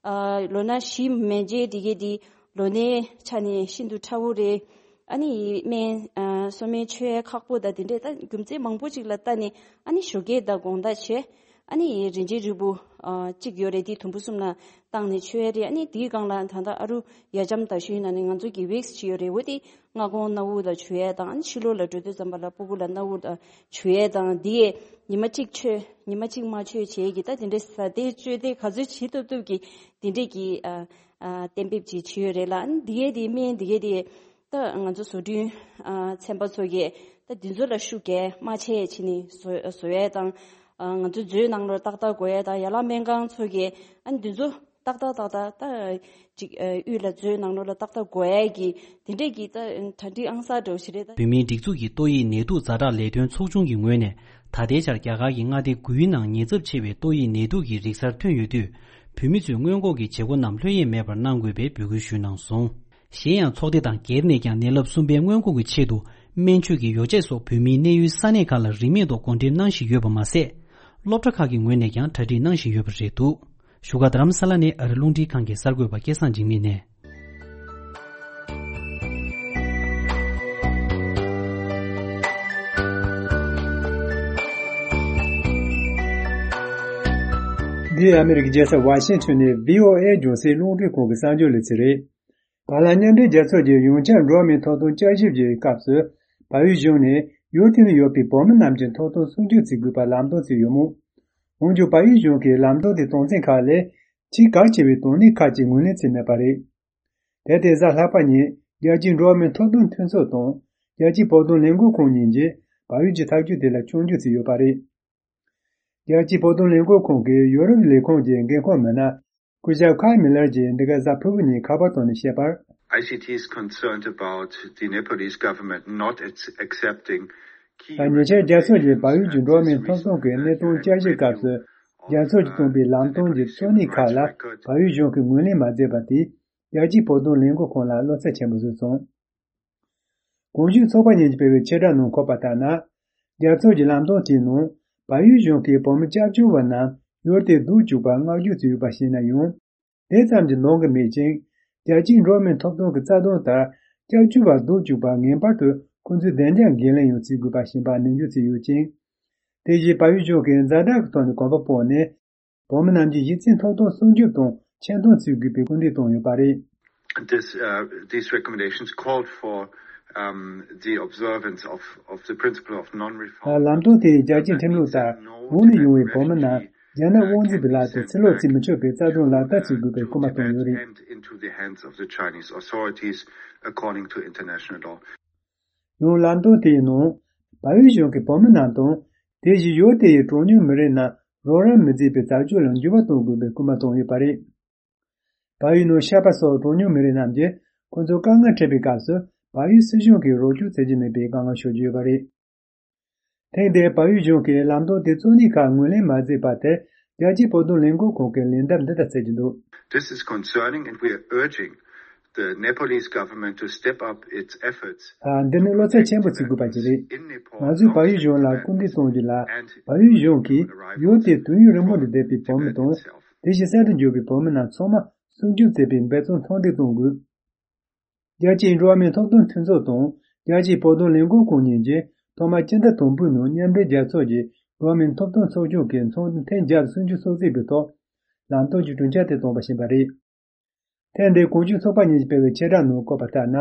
ལོ་ན་བཞི་མན་ཆད་དེ་གའི་དེ་ལོ་ནའི་ཆ་ནས་ཤིན་ཏུ་ཕྲ་བོ་རེད། ཨ་ནི་སྨན་གསོ་སྨན་མཆོད་ཡ་ཁག་པོ་དང་དེ་འདྲས་ད་རྒྱུ་མཚན་མང་པོ་ཅིག་ལ་ལྟ་ནས། ཨ་ནི་ཞོགས་ཀས་དང་དགོང་དག་བྱས། ཨ་ནི་རིན་ཆེན་རིལ་བུ་གཅིག་ཡོད་རེད། དེ་དུམ་བུ་གསུམ་ལ་བཏང་ནས་མཆོད་ཡ་རེད། ཨ་ནི་དེའི་སྒང་ལ་ད་ལྟ་ཨ་རུ་ཡ་ལྕམ་དར་ཤུན་ནང་ནས་ང་ཚོ་གི་ཝེག་སི་ཅིག་ཡོད་རེད། འོ་དེ་སྔ་དགོང་སྣ་བུག་ལ་བྱུག་ཡས་དང་། ཕྱི་ལོགས་ལ་འགྲོ་དུས་ཙམ་པ་ལ་སྤུ་གུ་ལ་སྣ་བུག་ལ་བྱུག་ཡས་དང་། འདི་ཡས་ཉི་མ་གཅིག་མཆོད་ཉི་མ་གཅིག་མ་མཆོད་བྱས་ཀྱི་ད་དེ་འདྲའི་ཟ་ཏེ་སྤྱོད་ཏེ་ག་ཚོད་བྱེད་ཐུབ་ཐུབ་ཀྱི་དེ་འདྲས་ཀྱི་ཨ་ཨ་གཏན་འབེབས་ཅིག་བྱས་ཡོད་རེད་ལ། ཨ་ནི་འདི་ཡས་དེ་སྨན་འདི་ཡས་དེ་ད་ང་ཚོ་བཟོ་སྐྲུན་ཨ་ཚན་པ་ཚོ་གིས་ད་འདི་ཚོ་ལ་ཤུགས་རྒྱག་མ་བྱས་བྱས་ནས་བཟོ་བཟོ་ཡས་དང་། ཨ་ང་ཚོ་མཛོད་ནང་ལོགས་ཏག་ཏག་དགོས་ཡས་དང་། ཡན་ལག་སྨན་ཁང་ཚོ་གིས་ཨ་ནི་འདི་ཚོ་ཏག་ཏག་ཏག་ཏག་ད་ཅིག་ཨ་དབུས་ལ་མཛོད་ནང་ལོགས་ལ་ཏག་ཏག་དགོས་ཡས་ཀྱི་དེ་འདྲས་ཀྱི་ད་གྲ་སྒྲིག་ཨང་གསར་འདྲ་བོ་ཞིག་རེད་ད། བོད་མིའི་སྒྲིག་འཛུགས་ཀྱི་ཏོག་དབྱིབས་ནད་དུག་ཛ་དྲག་ལས་དོན་ཚོགས་ཆུང་གི་ངོས་ནས་ད་ལྟའི་ཆར་རྒྱ་གར་གྱི་མངའ་སྡེ་དགུའི་ནང་ཉེན་ཚབས་ཆེ་བའི་ཏོག་དབྱིབས་ནད་དུག་གི་རིགས་གསར་ཐོན་ཡོད་དུས། བོད་མི་ཚོས་སྔོན་འགོག་གི་བྱེད་སྒོ་རྣམས་ལྷོད་གཡེང་མེད་པར་གནང་དགོས་པའི་འབོད་སྐུལ་ཞུས་གནང་སོང་། གཞན་ཡང་ཚོགས་སྡེ་དང་སྒེར་ནས་ཀྱང་ནད་རླབས་གསུམ་པའི་སྔོན་འགོག་གི་ཆེད་དུ་སྨན་བཅོས་ཀྱི་ཡོ་བྱད་སོགས་བོད་མིའི་གནས་ཡུལ་ས་གནས་ཁག་ལ་རིན་མེད་ཐོག་བགོ་འགྲེམས་གནང་བཞིན་ཡོད་པ་མ་ཟད། སློབ་གྲྭ་ཁག་གི་ངོས་ནས་ཀྱང་གྲ་སྒྲིག་གནང་བཞིན་ཡོད་པ་རེད་འདུག་བཞུགས་སྒར་རྡ་རམ་ས་ལ་ནས་ཨ་རི་རླུང་འཕྲིན་ཁང་གི་གསར་འགོད་པ་སྐལ་བཟང་འཇིགས་མེད་ནས། འདི་ཨ་མི་རི་ཀའི་རྒྱལ་ས་ཝ་ཤིང་ཊོན་ནས་ཝི་ཨོ་ཨེ་རྒྱང་སྲིང་རླུང་འཕྲིན་ཁང་གི་གསར་འགྱུར་ལེ་ཚན་རེད། བར་ལ་མཉམ་འབྲེལ་རྒྱལ་ཚོགས་ཀྱི་ཡོངས་ཁྱབ་འགྲོ་བ་མིའི་ཐོབ་ཐང་བསྐྱར་ཞིབ་ཀྱི་སྐབས་སུ། བལ་ཡུལ་གཞུང་ནས་ཡུལ་དེ་ན་ཡོད་པའི་བོད་མི་རྣམས་ཀྱི་ཐོབ་ཐང་སྲུང་སྐྱོབ་བྱེད་དགོས་པར་ལམ་སྟོན་བྱས་ཡོད་མོད། འོན་ཀྱང་བལ་ཡུལ་གཞུང་གིས་ལམ་སྟོན་དེའི་དོན་ཚན་ཁག་ལས། ཆེས་གལ་ཆེ་བའི་དོན་གནད་ཁག་ཅིག་ངོས་ལེན་བྱས་མེད་པ་རེད། དེ་ལྟར་གཟའ་ལྷག་པ་ཉིན་རྒྱལ་སྤྱིའི་འགྲོ་བ་མིའི་ཐོབ་ཐང་མཐུན་ཚོགས་དང་རྒྱལ་སྤྱིའི་བོད་དོན་ལས་འགུལ་ཁང་གཉིས་ཀྱིས་བལ་ཡུལ་གྱི་ཐག་གཅོད་དེ་ལ་སྐྱོན་བརྗོད་བྱས་ཡོད་པ་རེད། རྒྱལ་སྤྱིའི་བོད་དོན་ལས་འགུལ་ཁང་གི་ཡོ་རོབ་ལས་ཁུངས་ཀྱི་འགན་འཁུར་མི་སྣ་སྐུ་ཞབས་ཁཱལ་མི་ལར་གྱིས་འདི་ག་གཟའ་ཕུར་བུ་ཉིན་ཁ་པར་ཐོག་ནས་བཤད་པར། I C T is concerned about the Nepalese government not ac- accepting key ད་ཉེ་ཆར་རྒྱལ་ཚོགས་ཀྱི་བལ་ཡུལ་གྱི་འགྲོ་བ་མིའི་ཐོབ་ཐང་གི་གནད་དོན་བསྐྱར་ཞིབ་སྐབས་སུ། རྒྱལ་ཚོགས་ཀྱིས་བཏོན་པའི་ལམ་སྟོན་གྱི་གཙོ་གནད་ཁག་ལ་བལ་ཡུལ་གཞུང་གིས་ངོས་ལེན་མ་མཛད་པ་དེས། རྒྱལ་སྤྱིའི་བོད་དོན་ལས་འགུལ་ཁང་ལ་བློ་འཚབ་ཆེན་པོ་བཟོས་སོང་། གོང་ཞུས་ཚོགས་པ་གཉིས་ཀྱིས་སྤེལ་བའི་ཕྱིར་བསྒྲགས་ནང་འཁོད་པ་ལྟར་ན། རྒྱལ་ཚོགས་ཀྱི་ལམ་སྟོན་དེའི་ནང་། བལ་ཡུལ་གཞུང་གིས་བོད་མི་སྐྱབས་བཅོལ་བ་རྣམས་ཡུལ་དེར་སྡོད་བཅུག་པར་བསྔགས་བརྗོད་བྱས་ཡོད་པ་ཤེས་ན་ཡང་། དེ་ཙམ་གྱིས་འདང་གི་མེད་ཅིང་། རྒྱལ་སྤྱིའི་འགྲོ་བ་མིའི་ཐོབ་ཐང་གི་རྩ་དོན་ལྟར། སྐྱབས་བཅོལ་བར་སྡོད་བཅུག་པར་ངེས་པར་དུ་ཁོང་ཚོའི་བདེ་འཇགས་འགན་ལེན་ཡང་བྱེད་དགོས་པ་ཞིག་ཡིན་པར་ནན་བརྗོད་བྱས་ཡོད་ཅིང་། དེ་བཞིན་བལ་ཡུལ་གཞུང་གིས་ཛ་དྲག་གི་ཐོག་ནས་གོམ་པ་སྤོས་ནས། བོད་མི་རྣམས་ཀྱི་གཞི་རྩའི་ཐོབ་ཐང་སྲུང་སྐྱོབ་དང་ཆེ་མཐོང་བྱེད་དགོས་པའི་སྐུལ་འདེད་བཏང་ཡོད་པ་རེད། This, uh, these recommendations called for, um, the observance of, of the principle of non-refoulement. ལམ་སྟོན་དེས་རྒྱལ་སྤྱིའི་ཁྲིམས་ལུགས་ལྟར། འོང་ནས་ཡོང་བའི་བོད་མི་རྣམས་རྒྱ་ནག་དབང་འཛིན་པའི་ལག་ཏུ་ཕྱིར་ལོག་བྱེད་མི་ཆོག་པའི་རྩ་དོན་ལག་བསྟར་བྱེད་དགོས་པའི་སྐུལ་མ་བཏང་ཡོད་རེད། Into the hands of the Chinese authorities according to international law. ཡང་ལམ་སྟོན་དེའི་ནང་། བལ་ཡུལ་གཞུང་གིས་བོད་མི་རྣམས་དང་། དེ་བཞིན་ཡུལ་དེ་ཡི་གྲངས་ཉུང་མི་རིགས་རྣམས་རོགས་རམ་མི་མཛད་པའི་བྱ་སྤྱོད་ལ་འགྱུར་བ་གཏོང་དགོས་པའི་སྐུལ་མ་བཏང་ཡོད་པ་རེད། བལ་ཡུལ་ནང་ཤར་པ་སོགས་གྲངས་ཉུང་མི་རིགས་རྣམས་ཀྱིས་ཁོང་ཚོར་དཀའ་ངལ་འཕྲད་པའི་སྐབས་སུ་བལ་ཡུལ་སྲིད་གཞུང་གིས་རོགས་སྐྱོར་བྱེད་ཀྱི་མེད་པའི་དཀའ་ངལ་ཤོར་གྱི་ཡོད་པ་རེད། ཐེངས་འདིར་བལ་ཡུལ་གཞུང་གིས་ལམ་སྟོན་དེ་གཙོ་གནད་ཁག་ངོས་ལེན་མ་མཛད་པ་དེར་རྒྱལ་སྤྱིའི་བོད་དོན་ལས་འགུལ་ཁང་གིས་ལན་འདེབས་འདི་ལྟར་སྩལ་གྱི་འདུག This is concerning and we are urging the Nepalese government to step up its efforts. ཨ། འདི་ནི་བློ་འཚབ་ཆེན་པོ་བྱེད་དགོས་པ་ཞིག་རེད། In Nepal, ང་ཚོས་བལ་ཡུལ་གཞུང་ལ་སྐུལ་འདེད་གཏོང་རྒྱུ་ལ། བལ་ཡུལ་གཞུང་གིས་ཡུལ་དེའི་དུས་ཡུན་རིང་པོ་ནས་བསྡད་པའི་བོད་མི་དང་། དེ་བཞིན་གསར་དུ་འབྱོར་བའི་བོད་མི་རྣམས་ཚང་མ་སྲུང་སྐྱོབ་བྱེད་པའི་འབད་བརྩོན་མཐོར་འདེགས་གཏོང་དགོས། རྒྱལ་སྤྱིའི་འགྲོ་བ་མིའི་ཐོབ་ཐང་མཐུན་ཚོགས་དང་རྒྱལ་སྤྱིའི་བོད་དོན་ལས་འགུལ་ཁང་གཉིས་ཀྱིས་ཐོག་མར་སྤྱི་ཟླ་དང་པོའི་ནང་མཉམ་འབྲེལ་རྒྱལ་ཚོགས་ཀྱི་འགྲོ་བ་མིའི་ཐོབ་ཐང་ཚོགས་ཆུང་གི་ཚོགས་འདུ་ཐེངས་བརྒྱ་སུམ་ཅུ་སོ་གཅིག་པའི་ཐོག་ལམ་སྟོན་གྱི་གྲོས་འཆར་དེ་བཏོན་པ་ཡིན་པ་རེད། ཐེངས་འདིའི་གོང་ཞུས་ཚོགས་པ་གཉིས་ཀྱིས་སྤེལ་བའི་ཕྱིར་བསྒྲགས་ནང་བཀོད་པ་ལྟར་ན།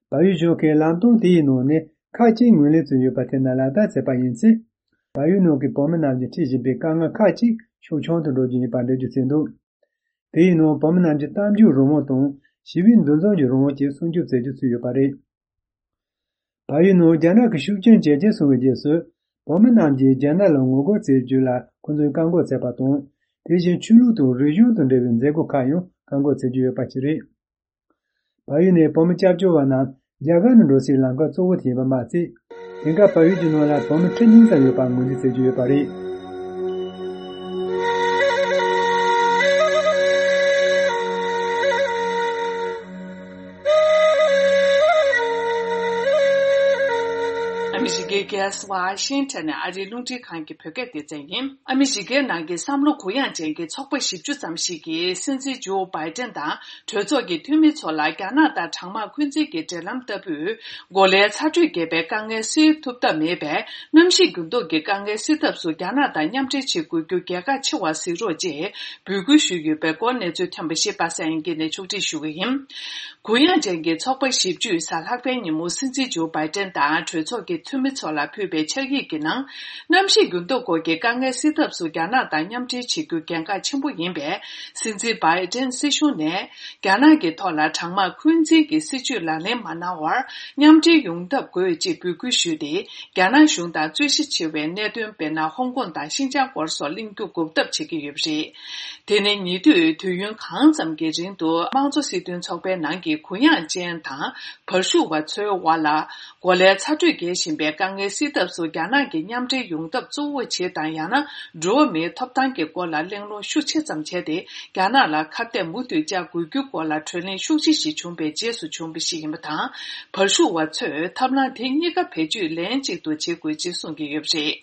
བལ་ཡུལ་གཞུང་གིས་ལམ་སྟོན་དེའི་ནང་ནས་ཁག་ཅིག་ངོས་ལེན་བྱས་ཡོད་པ་དེ་རྣམས་ལག་བསྟར་བྱས་པ་ཡིན་ཚེ། བལ་ཡུལ་ནང་གི་བོད་མི་རྣམས་ཀྱིས་འཕྲད་བཞིན་པའི་དཀའ་ངལ་ཁག་ཅིག་ཤུགས་ཆུང་དུ་འགྲོ་རྒྱུ་ཡིན་པར་འགྲེལ་བརྗོད་བྱས་འདུག་དེའི་ནང་བོད་མི་རྣམས་ཀྱི་གཏམ་བརྗོད་རང་དབང་དང་ཞི་བའི་འདུ་འཛོམས་ཀྱི་རང་དབང་བཅས་སྲུང་སྐྱོབ་མཛད་རྒྱུ་ཚུད་ཡོད་པ་རེད། བལ་ཡུལ་ནང་རྒྱ་ནག་གི་ཤུགས་རྐྱེན་ཇེ་ཆེར་སོང་བའི་རྗེས་སུ། བོད་མི་རྣམས་ཀྱིས་རྒྱ་ནག་ལ་ངོ་རྒོལ་བྱེད་རྒྱུ་ལ་ཁོང་ཚོས་བཀག་འགོག་བྱས་པ་དང་། དེ་བཞིན་ཆོས་ལུགས་དང་རིག་གཞུང་དང་འབྲེལ་བའི་མཛད་སྒོ་ཁག་ཡང་བཀག་འགོག་བྱེད་རྒྱུ་ཡོད་པ་ཞིག་རེད། བལ་ཡུལ་ནས་བོད་མི་སྐྱབས་བཅོལ་བ་རྣམས་རྒྱ་གར་ནང་འགྲོ་སའི་ལམ་ཁ་གཙོ་བོ་དེ་ཡིན་པ་མ་ཟད། དེང་སྐབས་བལ་ཡུལ་གྱི་ནང་ལ་བོད་མི་ཁྲི་གཉིས་ཙམ་ཡོད་པ་ངོས་འཛིན་བྱེད་ཀྱི་ཡོད་པ་རེད། ཨ་མི་རི་ཀའི་རྒྱལ་ས་ཝ་ཤིང་ཊོན་ནས་ཨ་རིའི་རླུང་འཕྲིན་ཁང་གི་བོད་སྐད་སྡེ་ཚན་ཡིན། ཨ་མི་རི་ཀའི་ནང་གི་བསམ་བློ་གུ་ཡངས་ཅན་གྱི་ཚོགས་པ་བཞི་བཅུ་ཙམ་ཞིག་གིས་སྲིད་འཛིན་ཇོ་བྷའི་ཏན་དང་གྲོས་ཚོགས་ཀྱི་འཐུས་མི་ཚོ་ལ་རྒྱ་ནག་དང་གྲང་དམག་འཁོན་འཛིན་གྱི་འབྲེལ་ལམ་ལྟ་བུས། གོ་ལའི་ཚ་དྲོད་རྒྱས་པའི་དཀའ་ངལ་སེལ་ཐུབ་ཐབས་མེད་པས། གནམ་གཤིས་འགྱུར་ལྡོག་གི་དཀའ་ངལ་སེལ་ཐབས་སུ་རྒྱ་ནག་དང་མཉམ་འབྲེལ་བྱེད་དགོས་རྒྱུ་གལ་འགངས་ཆེ་བར་གཟིགས་རོགས་ཅེས་འབོད་སྐུལ་ཞུས་ཡོད་པའི་སྐོར་གནས་ཚུལ་ཐོན་པ་ཞིག་པ་སངས་དབྱངས་སྐྱིད་ནས་ཕྱོགས་སྒྲིག་ཞུ་གི་ཡིན། གུ་ཡངས་ཅན་གྱི་ཚོགས་པ་བཞི་བཅུས་གཟའ་ལྷག་པའི་ཉིན་མོ་སྲིད་འཛིན་ཇོ་བྷའི་ཏན་དང་གྲོས་ཚོགས་ཀྱི་འཐུས་མི་ཚོ་ལ་ཕུལ་བའི་ཕྱག་ཡིག་གི་ནང་། གནམ་གཤིས་འགྱུར་ལྡོག་སྐོར་གྱི་དཀའ་ངལ་སེལ་ཐབས་སུ་རྒྱ་ནག་དང་མཉམ་འབྲེལ་བྱེད་རྒྱུ་གལ་འགངས་ཆེན་པོ་ཡིན་པས། སྲིད་འཛིན་བྷའི་ཏན་སྲིད་གཞུང་ནས། རྒྱ་ནག་གི་ཐོག་ལ་གྲང་དམག་འཁོན་འཛིན་གྱི་སྲིད་བྱུས་ལག་ལེན་མ་གནང་བར། མཉམ་འབྲེལ་ཡོང་ཐབས་དགོས་ཅེས་འབོད་སྐུལ་ཞུས་ཏེ། རྒྱ་ནག་གཞུང་དང་རྩོད་གཞི་ཆེ་བའི་གནད་དོན། དཔེར་ན། ཧོང་ཀོང་དང་ཤིན་ཅང་སྐོར་སོགས་གླེང་རྒྱུ་འགོག་ཐབས་བྱེད་ཀྱི་ཡོད་པ་རེད། དེ་ནི་ཉེ་དུས་དུས་ཡུན་གང་ཙམ་གྱི་རིང་དུ་དམངས་གཙོ་སྲིད་དོན་ཚོགས་པའི་ནང་གི་གུ་ཡངས་ཅན་དང་བར་ཞུགས་པ་ཚོའི་དབར་ལ། གོ་ལའི་ཚ་དྲོད་རྒྱས་བཞིན་པའི་དཀའ་ངལ་སེལ་ཐབས་སུ་རྒྱ་ནག་གི་མཉམ་འབྲེལ་ཡོང་ཐབས་གཙོ་བོ་བྱེད་དང་། ཡང་ན་འགྲོ་བ་མིའི་ཐོབ་ཐང་གི་སྐོར་ལ་གླེང་སློང་ཤུགས་ཆེ་ཙམ་བྱས་ཏེ། རྒྱ་ནག་ལ་ཁ་གཏད་མུ་མཐུད་བཅག་དགོས་རྒྱུའི་སྐོར་ལ་གྲོས་གླེང་ཤུགས་ཆེ་ཞིག་བྱུང་བའི་རྗེས་སུ་བྱུང་བ་ཞིག་ཡིན་པ་དང་། བར་ཞུགས་པ་ཚོས་ཐབས་ལམ་དེ་གཉིས་ཀ་བེད་སྤྱོད་ལན་གཅིག་ཏུ་བྱེད་དགོས་ཅེས་གསུང་གི་ཡོད་པ་རེད།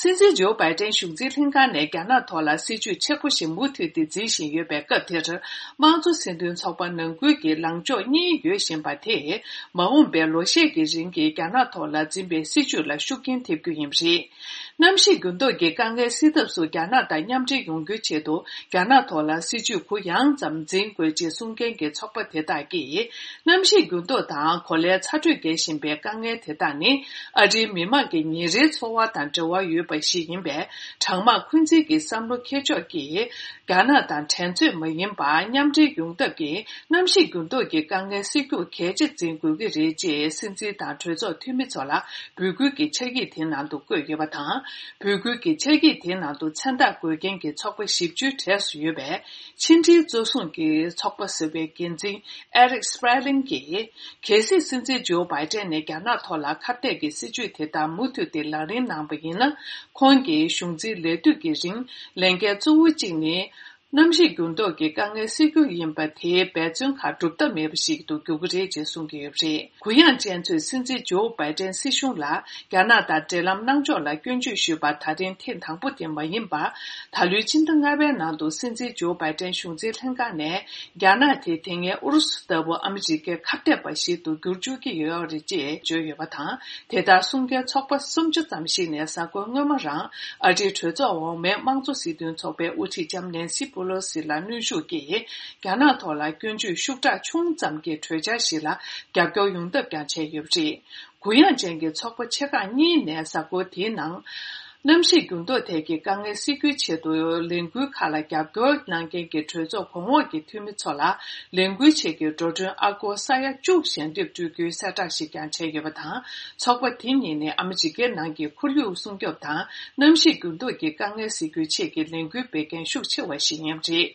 སྲིད་འཛིན་ཇོ་བྷའི་ཏན་གཞུང་འཛིན་ལྷན་ཁང་ནས་རྒྱ་ནག་ཐོག་ལ་སྲིད་བྱུས་ཆེ་ཁག་ཞིག་མུ་མཐུད་དེ་འཛིན་བཞིན་ཡོད་པའི་སྐབས་དེར། དམངས་གཙོ་སྲིད་དོན་ཚོགས་པ་ནང་ཁུལ་གྱི་ལངས་ཕྱོགས་གཉིས་ཡོད་བཞིན་པ་དེས། མ་འོངས་པའི་ལོ་ཤས་ཀྱི་རིང་གི་རྒྱ་ནག་ཐོག་ལ་འཛིན་ པའི་སྲིད་བྱུས་ལ་ཤུགས་རྐྱེན་ཐེབས་རྒྱུ་ཡིན་པ་རེད། གནམ་གཤིས་འགྱུར་ལྡོག་གི་དཀའ་ངལ་སེལ་ཐབས་སུ་རྒྱ་ནག་དང་མཉམ་འབྲེལ་ཡོང་རྒྱུའི་ཆེད་དུ། རྒྱ་ནག་ཐོག་ལ་སྲིད་བྱུས་གུ་ཡངས་ཙམ་འཛིན་དགོས་ཅེས་གསུང་མཁན་གྱི་ཚོགས་པ་དེ་དག་གིས། གནམ་གཤིས་འགྱུར་ལྡོག་དང་གོ་ལའི་ཚ་དྲོད་རྒྱས་བཞིན་པའི་དཀའ་ངལ་དེ་དག་ནི། ཨ་རིའི་མི་དམངས་ཀྱི་ཉིན་རེའི་འཚོ་བ་དང་འབྲེལ་བ་ཡོད་པ་ཞིག་ཡིན་པས། གྲང་དམག་འཁོན་འཛིན་གྱི་བསམ་བློ་འཁྱེར་ཕྱོགས་ཀྱིས། རྒྱ་ནག་དང་འགྲན་རྩོད་མ་ཡིན་པར་མཉམ་འབྲེལ་ཡོང་ཐབས་ཀྱིས། གནམ་གཤིས་འགྱུར་ལྡོག་གི་དཀའ་ངལ་སེལ་རྒྱུར་གལ་ཆེ་འཛིན་དགོས་ཀྱི་རེད་ཅེས། སྲིད་འཛིན་དང་གྲོས་ཚོགས་འཐུས་མི་ཚོ་ལ་འབོད་སྐུལ་གྱི་ཕྱག་ཡིག་དེའི་ནང་དུ་བཀོད་ཡོད་པ་དང་། འབོད་སྐུལ་གྱི་ཕྱག་ཡིག་དེའི་ནང་དུ་མཚན་རྟགས་འགོད་མཁན་གྱི་ཚོགས་པ་བཞི་བཅུའི་གྲས་སུ་ཡོད་པའི། ཕྱི་འབྲེལ་གཙོ་བཟུང་གི་ཚོགས་པ་ཟེར་བའི་འགན་འཛིན་Eric Sperling གྱིས། གལ་སྲིད་སྲིད་འཛིན་ཇོ་བྷའི་ཏན་ནས་རྒྱ་ནག་ཐོག་ལ་ཁ་གཏད་ཀྱི་སྲིད་བྱུས་དེ་དག་མུ་མཐུད་དེ་ལག་ལེན་གནང་པ་ཡིན་ན། ཁོང་གིས་གཞུང་འཛིན་ལས་དུས་ཀྱི་རིང་ལས་འགན་གཙོ་བོ་གཅིག་ནི། གནམ་གཤིས་འགྱུར་ལྡོག་གི་དཀའ་ངལ་སེལ་རྒྱུ་ཡིན་པ་དེའི་འབད་བརྩོན་ཁག་སྒྲུབ་ཐབས་མེད་པ་ཞིག་ཏུ་འགྱུར་གྱི་རེད་ཅེས་གསུང་གི་ཡོད་པ་རེད། གུ་ཡངས་ཅན་ཚོས་སྲིད་འཛིན་ཇོ་བྷའི་ཏན་སྲིད་གཞུང་ལ་རྒྱ་ནག་དང་འབྲེལ་ལམ་གནང་ཕྱོགས་ལ་སྐྱོན་བརྗོད་ཞུས་པ་ད་རིང་ཐེངས་དང་པོ་དེ་མ་ཡིན་པར། ད་ལོའི་སྤྱི་ཟླ་ལྔ་པའི་ནང་དུ་སྲིད་འཛིན་ཇོ་བྷའི་ཏན་གཞུང་འཛིན་ལྷན་ཁང་ནས། རྒྱ་ནག་དེ་དེ་སྔའི་ཨུ་རུ་སུ་ལྟ་བུ་ཨ་མི་རི་ཀའི་ཁ་གཏད་པ་ཞིག་ཏུ་འགྱུར་བཅུག་གི་ཡོད་རེད་ཅེས་བརྗོད་ཡོད་པ་དང་། དེ་ལྟར་གསུང་མཁན་ཚོགས་པ་སུམ་ཅུ་ཙམ་ཞིག་ནས་གཟའ་འཁོར་སྔོན་མ་རང་ཨ་རིའི་གྲོས་ཚོགས་འོག་མའི་དམངས་གཙོ་སྲིད་དོན་ཚོགས་པའི་དབུ་ཁྲིད་ལྕམ་ནན་སི་པོ་ལོ་སི་ལ་གནོན་ཤུགས་ཀྱིས། རྒྱ་ནག་ཐོག་ལ་སྐྱོན་བརྗོད་ཤུགས་དྲག་ཆུང་ཙམ་གྱི་གྲོས་འཆར་ཞིག་ལ་རྒྱབ་སྐྱོར་ཡོང་ཐབས་ཀྱང་བྱས་ཡོད་པ་རེད། གུ་ཡངས་ཅན་གྱི་ཚོགས་པ་ཆེ་ཁག་གཉིས་ནས་གཟའ་འཁོར་དེའི་ནང་། གནམ་གཤིས་འགྱུར་ལྡོག་ཐད་ཀྱི་དཀའ་ངལ་སེལ་རྒྱུའི་ཆེད་དུ་ལས་འགུལ་ཁག་ལ་རྒྱབ་སྐྱོར་གནང་མཁན་གྱི་གྲོས་ཚོགས་གོང་འོག་གི་འཐུས་མི་ཚོ་ལ་ལས་འགུལ་ཆེད་ཀྱི་འགྲོ་གྲོན་ཨ་སྒོར་ས་ཡ་བཅུ་ཞལ་འདེབས་སྤྲོད་རྒྱུའི་གསལ་བསྒྲགས་ཤིག་ཀྱང་བྱས་ཡོད་པ་དང་། ཚོགས་པ་དེ་གཉིས་ནས་ཨ་མི་རི་ཀའི་ནང་གི་ཁོར་ཡུག་སྲུང་སྐྱོབ་དང་གནམ་གཤིས་འགྱུར་ལྡོག་གི་དཀའ་ངལ་སེལ་རྒྱུའི་ཆེད་ཀྱི་ལས་འགུལ་སྤེལ་མཁན་ཤུགས་ཆེ་བ་ཞིག་ཡིན་པ་རེད།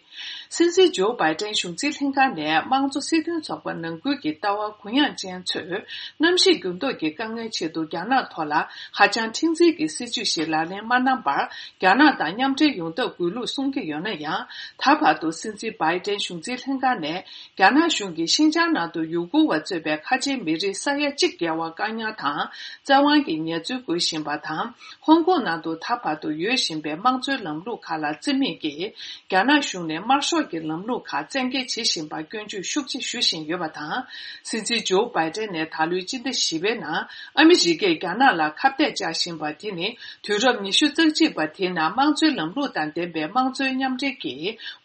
སྲིད་འཛིན་ཇོ་བྷའི་ཏན་གཞུང་འཛིན་ལྷན་ཁང་ནས་དམངས་གཙོ་སྲིད་དོན་ཚོགས་པ་ནང་ཁུལ་གྱི་ལྟ་བ་གུ་ཡངས་ཅན་ཚོས། གནམ་གཤིས་འགྱུར་ལྡོག་གི་དཀའ་ངལ་ཆེད་དུ་རྒྱ་ནག་ཐོག་ལ་ཧ་ཅང་མཁྲེགས་འཛིན་གྱི་སྲིད་བྱུས་ཤིག་ལག་ལེན་མ་གནང་བར། རྒྱ་ནག་དང་མཉམ་འབྲེལ་ཡོང་ཐབས་དགོས་ལུགས་གསུང་གི་ཡོད་ན་ཡང་། ད་བར་དུ་སྲིད་འཛིན་བྷའི་ཏན་གཞུང་འཛིན་ལྷན་ཁང་ནས། རྒྱ་ནག་གཞུང་གིས་ཤིན་ཅང་ནང་དུ་ཡུ་གུར་བ་གཙོས་པའི་ཁ་ཆེའི་མི་རིགས་ས་ཡ་གཅིག་བརྒལ་བ་བཀག་ཉར་དང་། བཙན་དབང་གི་ཉེས་འཛུགས་འགོད་བཞིན་པ་དང་། ཧོང་ཀོང་ནང་དུ་ད་བར་དུ་ཡོད་བཞིན་པའི་དམངས་གཙོའི་ལམ་ལུགས་ཁག་ལ་བརྩི་མེད་ཀྱིས། རྒྱ་ནག་གཞུང་ནས་དམར་ཤོག་གི་ལམ་ལུགས་ཁག་བཙན་འགེལ་བྱེད་བཞིན་པར་སྐྱོན་བརྗོད་ཤུགས་ཆེ་ཞུ་བཞིན་ཡོད་པ་དང་། སྲིད་འཛིན་ཇོ་བྷའི་ཏན་ནས་ད་ལོའི་སྤྱི་ཟླ་བཞི་པའི་ནང་ཨ་མི་རི་ཀས་རྒྱ་ནག་ལ་ཁ་གཏད་བཅག་བཞིན་པ་དེ་ནི། དུས་རབས་ཉི་ཤུ་རྩ་གཅིག་པ་དེའི་ནང་དམངས་གཙོའི་ལམ་ལུགས་དང་ལྡན་པའི་དམངས་གཙོའི་མཉམ་འབྲེལ་གྱི་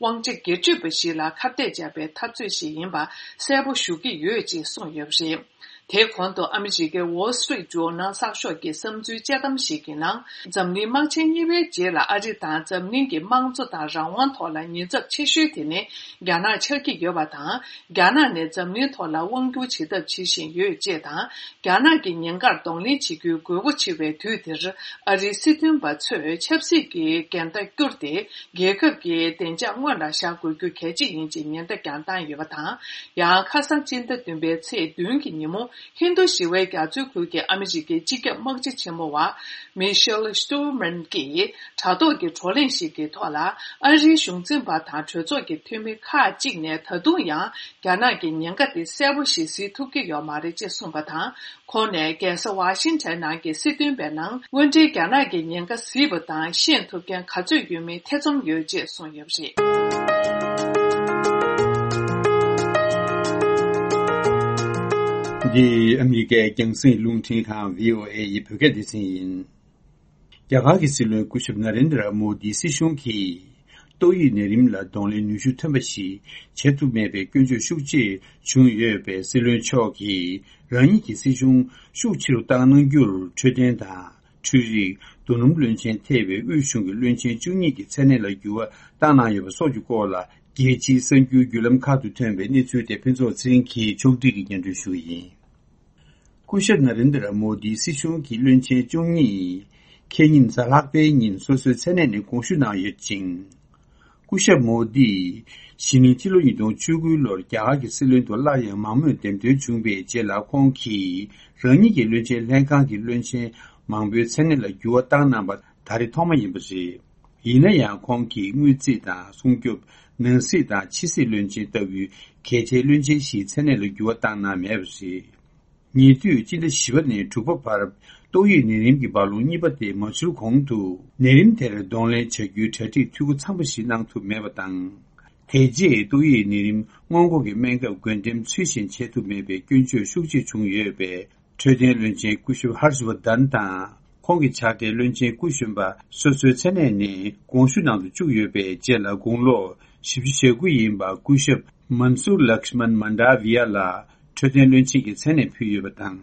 དབང་ཆ་སྒེར་གཅོད་པ་ཞིག་ལ་ཁ་གཏད་བཅག་པའི་འཐབ་རྩོད་ཞིག་ཡིན་པ་གསལ་པོ་ཞུ་གི་ཡོད་ཅེས་གསུངས་ཡོད་པ་རེད། དེའི་གོང་དུ་ཨ་མི་རི་ཀའི་Wall Street Journal་གསར་ཤོག་གི་བསམ་ཚུལ་དཔྱད་གཏམ་ཞིག་གི་ནང་། འཛམ་གླིང་དམག་ཆེན་གཉིས་པའི་རྗེས་ལ་ཨ་རི་དང་འཛམ་གླིང་གི་དམངས་གཙོ་དང་རང་དབང་ཐོག་ལ་ཉེན་ཚབས་ཆེ་ཤོས་དེ་ནི་རྒྱ་ནག་ཆགས་ཀྱི་ཡོད་པ་དང་། རྒྱ་ནག་ནས་འཛམ་གླིང་ཐོག་ལ་དབང་བསྒྱུར་བྱེད་ཐབས་བྱེད་བཞིན་ཡོད་ཅེས་དང་། རྒྱ་ནག་གི་ཉེན་ཁར་གདོང་ལེན་བྱེད་རྒྱུའི་དགོས་མཁོ་ཆེ་བའི་དུས་འདིར། ཨ་རིའི་སྲིད་དོན་པ་ཚོས་ཆབ་སྲིད་ཀྱི་འགལ་ཟླ་བསྐྱུར་ཏེ། རྒྱལ་ཁབ་ཀྱི་བདེ་འཇགས་སྔོན་ལ་བཞག་དགོས་རྒྱུ་གལ་ཆེ་ཡིན་ཅེས་ཉེན་བརྡ་ཀྱང་བཏང་ཡོད་པ་དང་། ཡང་ཁ་སང་སྤྱི་ཟླ་བདུན་པའི་ཚེས་བདུན་གྱི་ཉིན་མོ། ཧིན་རྡུ་ཞི་བའི་རྒྱ་མཚོའི་ཁུལ་གྱི་ཨ་མི་རི་ཀའི་སྤྱི་ཁྱབ་དམག་སྤྱི་ཆེན་མོ་བ་Michelle Stuhlman་གྱིས་དྲ་ཐོག་གི་བགྲོ་གླེང་ཞིག་གི་ཐོག་ལ། ཨ་རིའི་གཞུང་འཛིན་པ་དང་གྲོས་ཚོགས་ཀྱི་འཐུས་མི་ཁག་ཅིག་ནས་ད་དུང་ཡང་རྒྱ་ནག་གི་ཉེན་ཁ་དེ་གསལ་པོ་ཞིག་གཟིགས་ཐུབ་ཀྱི་ཡོད་མ་རེད་ཅེས་གསུངས་པ་དང་། ཁོང་ནས་རྒྱལ་ས་ཝ་ཤིང་ཊོན་ནང་གི་སྲིད་དོན་པའི་ནང་། དངོས་འབྲེལ་རྒྱ་ནག་གི་ཉེན་ཁ་གཟིགས་པ་དང་ཤེས་ཐུབ་མཁན་ག་ཚོད་ཡོད་མེད་ཐེ་ཚོམ་ཡོད་ཅེས་གསུངས་ཡོད་པ་རེད། འདི་ཨ་མི་རི་ཀའི་རྒྱང་སྲིང་རླུང་འཕྲིན་ཁང་བྷི་ཨོ་ཨེ་ཡི་བོད་སྐད་སྡེ་ཚན་ཡིན། རྒྱ་གར་གྱི་སྲིད་བློན་སྐུ་ཞབས་ན་རེན་དྲ་མོ་དིའི་སྲིད་གཞུང་གིས། ཏོག་དབྱིབས་ནད་རིམས་ལ་གདོང་ལེན་ནུས་ཤུགས་ཐོན་པ་ཞིག་བྱེད་ཐུབ་མེད་པའི་སྐྱོན་བརྗོད་ཤུགས་ཆེ་བྱུང་ཡོད་པས། སྲིད་བློན་མཆོག་གིས་རང་ཉིད་ཀྱི་སྲིད་གཞུང་ཤུགས་ཆེ་རུ་བཏང་གནང་རྒྱུར་འཕྲོད་བསྟེན་དང་། འཕྲུལ་རིག་རྡོ་སྣུམ་བློན་ཆེན་ཐེ་བའི་དབུས་གཞུང་གི་བློན་ཆེན་བཅུ་གཉིས་ཀྱི་མཚན་གནས་ལ་འགྱུར་བ་བཏང་གནང་ཡོད་པ་སོགས་ཀྱི་སྐོར་ལ། རྒྱལ་སྤྱིའི་གསར་འགྱུར་བརྒྱུད་ལམ་ཁག་ཏུ་ཐོན་པའི་གནས་ཚུལ་དེ་ཕུན་ཚོགས་ཚེ་རིང་གིས་ཕྱོགས་སྒྲིག་གིས་སྙན་སྒྲོན་ཞུ་གི་ཡིན། སྐུ་ཞབས་ན་རེན་དྲ་མོ་དིའི་སྲིད་གཞུང་གི་བློན་ཆེན་བཅུ་གཉིས་ཁེ་ཉིན་གཟའ་ལྷག་པའི་ཉིན་སོ་སོའི་མཚན་གནས་ནས་དགོངས་ཞུ་གནང་ཡོད་ཅིང་། སྐུ་ཞབས་མོ་དིས་གཞེས་ནིང་སྤྱི་ལོ་ཉིས་སྟོང་བཅུ་དགུ་ལོར་རྒྱ་གར་གྱི་སྲིད་བློན་དུ་སླར་ཡང་མང་མོས་འདེམས་ཐོན་བྱུང་བའི་རྗེས་ལ། ཁོང་གིས་རང་ཉིད་ཀྱི་བློན་ཆེན་ལྷན་ཁང་གི་བློན་ཆེན་མང་པོའི་མཚན་གནས་ལ་འགྱུར་བ་བཏང་གནང་པ་ད་རེས་ཐོག་མ་ཡིན་པ་རེད། ཡིན་ན་ཡང་། ཁོང་གིས་དངུལ་རྩིས་དང་སྲུང་སྐྱོབ། ནང་སྲིད་དང་ཕྱི་སྲིད་བློན་ཆེན་ལྟ་བུའི་གལ་ཆེའི་བློན་ཆེན་བཞིའི་མཚན་གནས་ལ་འགྱུར་བ་བཏང་གནང་མེད་པ་རེད། ཉེ་དུས་སྤྱི་ཟླ་བཞི་པ་ནས་དྲུག་པ་བར་ཏོག་དབྱིབས་ནད་རིམས་ཀྱི་རྦ་ཀློང་གཉིས་པ་དེ་མ་འཕྱུར་གོང་དུ། ནད་རིམས་དེར་གདོང་ལེན་བྱ་རྒྱུའི་གྲ་སྒྲིག་འཐུས་སྒོ་ཚང་པ་ཞིག་གནང་ཐུབ་མེད་པ་དང་། དེ་རྗེས་ཏོག་དབྱིབས་ནད་རིམས་སྔོན་འགོག་གི་སྨན་ཁབ་བགོ་འགྲེམས་ཚུལ་བཞིན་བྱེད་ཐུབ་མེད་པའི་སྐྱོན་བརྗོད་ཤུགས་ཆེ་བྱུང་ཡོད་པས། འཕྲོད་བསྟེན་བློན་ཆེན་སྐུ་ཞབས་ཧར་ཤ་ཝར་དན་དང་། ཁོང་གི་ཕྱག་སྦྲེལ་བློན་ཆེན་སྐུ་གཞོན་པ་སོ་སོའི་མཚན་གནས་ནས་དགོངས་ཞུ་གནང་དུ་བཅུག་ཡོད་པའི་རྗེས་ལ། དགུང་ལོ་བཞི་བཅུ་ཞེ་དགུ་ཡིན་པ་སྐུ་ཞབས་མན་སུར་ལགས་མན་མན་ཌ་བི་ཡ་ལ་འཕྲོད་བསྟེན་བློན་ཆེན་གྱི་མཚན་གནས་ཕུལ་ཡོད་པ་དང་།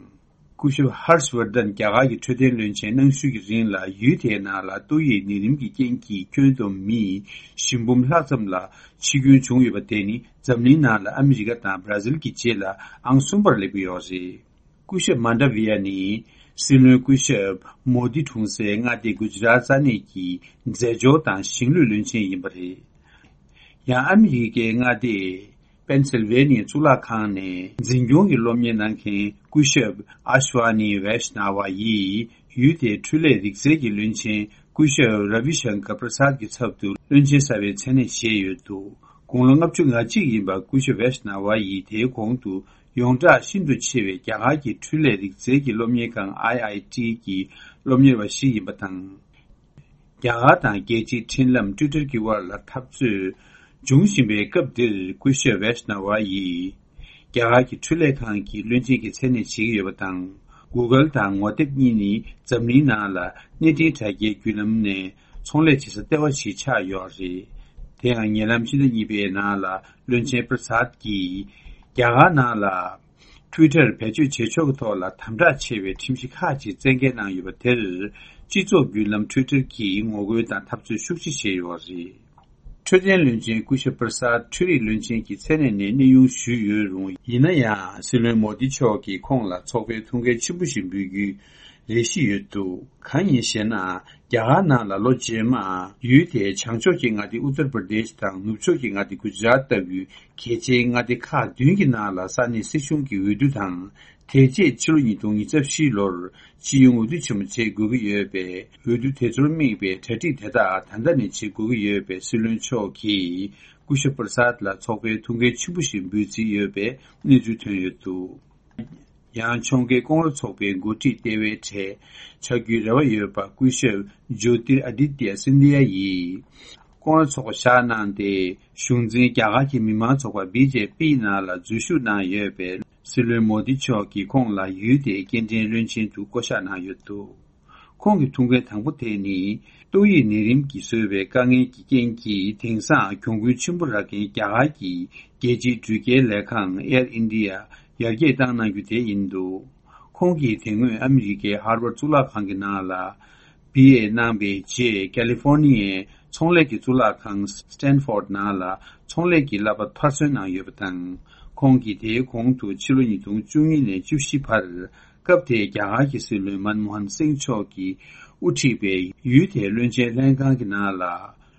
སྐུ་ཞབས་ཧར་ཤ་ཝར་དན་རྒྱ་གར་གྱི་འཕྲོད་བསྟེན་བློན་ཆེན་གནང་ཤུལ་གྱི་རིང་ལ། ཡུལ་དེའི་ནང་ལ་ཏོག་དབྱིབས་ནད་རིམས་ཀྱི་རྐྱེན་གྱིས་ཁྱོན་བསྡོམས་མི་བཞི་འབུམ་ལྷག་ཙམ་ལ་འཆི་སྐྱོན་བྱུང་ཡོད་པ་དེ་ནི། འཛམ་གླིང་ནང་ལ་ཨ་མི་རི་ཀ་དང་བྷ་ར་ཟིལ་གྱི་རྗེས་ལ་ཨང་གསུམ་པར་སླེབས་ཀྱི་ཡོད་རེད། སྐུ་ཞབས་མན་ཌ་བི་ཡ་ནི་སྲིད་བློན་སྐུ་ཞབས་མོ་དི་འཁྲུངས་སའི་མངའ་སྡེ་གུ་ཇི་རཱཏ་ས་གནས་ཀྱི་རྫས་སྦྱོར་དང་ཞིང་ལུད་བློན་ཆེན་ཡིན་པ་རེད། ཡང་ཨ་མི་རི་ཀའི་མངའ་སྡེ་པེན་སིལ་ཝེ་ནི་ཡའི་གཙུག་ལག་ཁང་ནས་འཛིན་སྐྱོང་གི་སློབ་གཉེར་གནང་མཁན་སྐུ་ཞབས་ཨ་ཤ་ཝ་ནི་ཝེཤ་ན་ཝ་ཡིས། ཡུལ་དེའི་འཕྲུལ་ལས་རིག་རྩལ་གྱི་བློན་ཆེན་སྐུ་ཞབས་ར་བི་ཤང་ཀར་པྲ་སཱད་ཀྱི་ཚབ་ཏུ་བློན་ཆེན་གསར་པའི་མཚན་གནས་བཞེས་ཡོད་འདུག་དགུང་ལོ་ལྔ་བཅུ་ང་གཅིག་ཡིན་པ་སྐུ་ཞབས་ཝེཤ་ན་ཝ་ཡིས་དེའི་གོང་དུ་ཡོངས་གྲགས་ཤིན་ཏུ་ཆེ་བའི་རྒྱ་གར་གྱི་འཕྲུལ་ལས་རིག་རྩལ་གྱི་སློབ་གཉེར་ཁང་ཨའི་ཨའི་ཊི་གི་སློབ་གཉེར་བ་ཞིག་ཡིན་པ་དང་། རྒྱ་གར་དང་རྒྱལ་སྤྱིའི་འཕྲིན་ལམ་ཊུའི་ཊར་གྱི་དབར་ལ་འཐབ་རྩོད་འབྱུང་བཞིན་པའི་སྐབས་འདིར། སྐུ་ཞབས་ཝེཤ་ན་ཝ་ཡིས་རྒྱ་གར་གྱི་འཕྲུལ་ལས་ཁང་གི་བློན་ཆེན་གྱི་མཚན་གནས་བཞེས་ཀྱི་ཡོད་པ་དང་། གུ་གལ་དང་ངོ་དེབ་གཉིས་ནི་འཛམ་གླིང་ནང་ལ་གནས་འཕྲིན་དྲ་རྒྱའི་བརྒྱུད་ལམ་ནས་ཚོང་ལས་བྱེད་ས་ལྟེ་བ་ཞིག་ཆགས་ཡོད་རེད། དེ་ཡང་ཉེ་ལམ་ཕྱི་ཟླ་གཉིས་པའི་ནང་ལ་བློན་ཆེན་པྲ་སཱད་ཀྱིས་རྒྱ་གར་ནང་ལ། ཊུའི་ཊར་བེད་སྤྱོད་བྱེད་ཕྱོགས་ཀྱི་ཐོག་ལ་དམ་དྲག་ཆེ་བའི་ཁྲིམས་གཞི་ཁག་ཅིག་བཙན་འགེལ་གནང་ཡོད་པ་དེར། སྤྱི་ཚོགས་བརྒྱུད་ལམ་ཊུའི་ཊར་གྱིས་ངོ་རྒོལ་དང་འཐབ་རྩོད་ཤུགས་ཆེ་བྱས་ཡོད་པ་རེད། འཕྲོད་བསྟེན་བློན་ཆེན་སྐུ་ཞབས་པྲ་སཱད་འཕྲུལ་རིག་བློན་ཆེན་གྱི་མཚན་གནས་ནས་གནས་དབྱུང་ཞུས་ཡོད་རུང་། ཡིན་ན་ཡང་། སྲིད་བློན་མོ་དི་མཆོག་གིས་ཁོང་ལ་ཚོགས་པའི་ཐུགས་འགན་ཆེན་པོ་ཞིག་འབུལ་རྒྱུའི་རེ་ཞིག་ཡོད་འདུག་གང་ཡིན་ཞེ་ན། རྒྱ་གར་ནང་ལ་ལོ་རྗེས་མ་ཡུལ་དེའི་བྱང་ཕྱོགས་ཀྱི་མངའ་སྡེ་ཨུ་ཏར་པྲ་དེཤ་དང་ནུབ་ཕྱོགས་ཀྱི་མངའ་སྡེ་གུ་ཇི་རཱཏ་ལྟ་བུའི་གལ་ཆེའི་མངའ་སྡེ་ཁག་བདུན་གྱི་ནང་ལ་ས་གནས་སྲིད་གཞུང་གི་འོས་བསྡུ་དང་། དེ་རྗེས་ཕྱི་ལོ་ཉིས་སྟོང་ཉི་ཤུ་རྩ་བཞི་ལོར་སྤྱི་ཡོངས་འོས་བསྡུ་ཆེན་མོ་བྱེད་དགོས་ཀྱི་ཡོད་པས། འོས་བསྡུ་དེ་ཚོར་དམིགས་པའི་གྲ་སྒྲིག་དེ་དག་ད་ལྟ་ནས་བྱེད་དགོས་ཀྱི་ཡོད་པས། སྲིད་བློན་མཆོག་གིས་སྐུ་ཞབས་པྲ་སཱད་ལ་ཚོགས་པའི་ཐུགས་འགན་ཆེན་པོ་ཞིག་འབུལ་རྩིས་ཡོད་པའི་གནས་ཚུལ་ཐོན་ཡོད་འདུག་ཡང་ཕྱོགས་འགལ་ཀོང་རོ་ཚོགས་པའི་འགོ་ཁྲིད་ལྟེ་བའི་གྲས་ཆགས་རྒྱུའི་རེ་བ་ཡོད་པ་སྐུ་ཞབས་ཇོ་ཏིར་ཨ་དི་ཏི་ཡ་སིན་དྷི་ཡ་ཡིས་ཀོང་རོ་ཚོགས་པ་བཞག་གནང་སྟེ། གཞུང་འཛིན་རྒྱ་གར་གྱི་མི་མང་ཚོགས་པ་བི་ཇེ་པི་ནང་ལ་འཛུལ་ཞུགས་གནང་ཡོད་པས། སྲིད་བློན་མོ་དི་མཆོག་གིས་ཁོང་ལ་ཡུལ་དེའི་སྐྱེལ་འདྲེན་བློན་ཆེན་དུ་བསྐོ་གཞག་གནང་ཡོད་འདུག་ཁོང་གི་ཐུགས་འགན་དང་པོ་དེ་ནི། ཏོག་དབྱིབས་ནད་རིམས་ཀྱིས་བཟོས་པའི་དཀའ་ངལ་གྱི་རྐྱེན་གྱིས། དེང་སང་གྱོང་གུན་ཆེན་པོ་རག་མཁན་རྒྱ་གར་གྱི་རྒྱལ་སྤྱིའི་འགྲུལ་སྐྱེལ་ལས་ཁང་ཨེར་ཨིན་ཌི་ཡ་ཡར་རྒྱས་བཏང་གནང་རྒྱུ་དེ་ཡིན་འདུག་ཁོང་གིས་དེ་སྔོན་ཨ་མི་རི་ཀའི་ཧར་ཝརཌ་གཙུག་ལག་ཁང་གི་ནང་ལ་བི་ཨེ་གནང་པའི་རྗེས། ཀ་ལི་ཧྥོར་ནི་ཡའི་ཚོང་ལས་ཀྱི་གཙུག་ལག་ཁང་སི་ཊན་ཧྥོར་ཌི་ནང་ལ་ཚོང་ལས་ཀྱི་བསླབ་པ་མཐར་སོན་གནང་ཡོད་པ་དང་། ཁོང་གིས་དེའི་གོང་དུ་ཕྱི་ལོ་ཉིས་སྟོང་བཅུ་གཉིས་ནས་བཅུ་བཞི་བར། སྐབས་དེའི་རྒྱ་གར་གྱི་སྲིད་བློན་མན་མོ་ཧན་སིང་མཆོག་གིས་དབུ་ཁྲིད་པའི་ཡུལ་དེའི་བློན་ཆེན་ལྷན་ཁང་གི་ནང་ལ་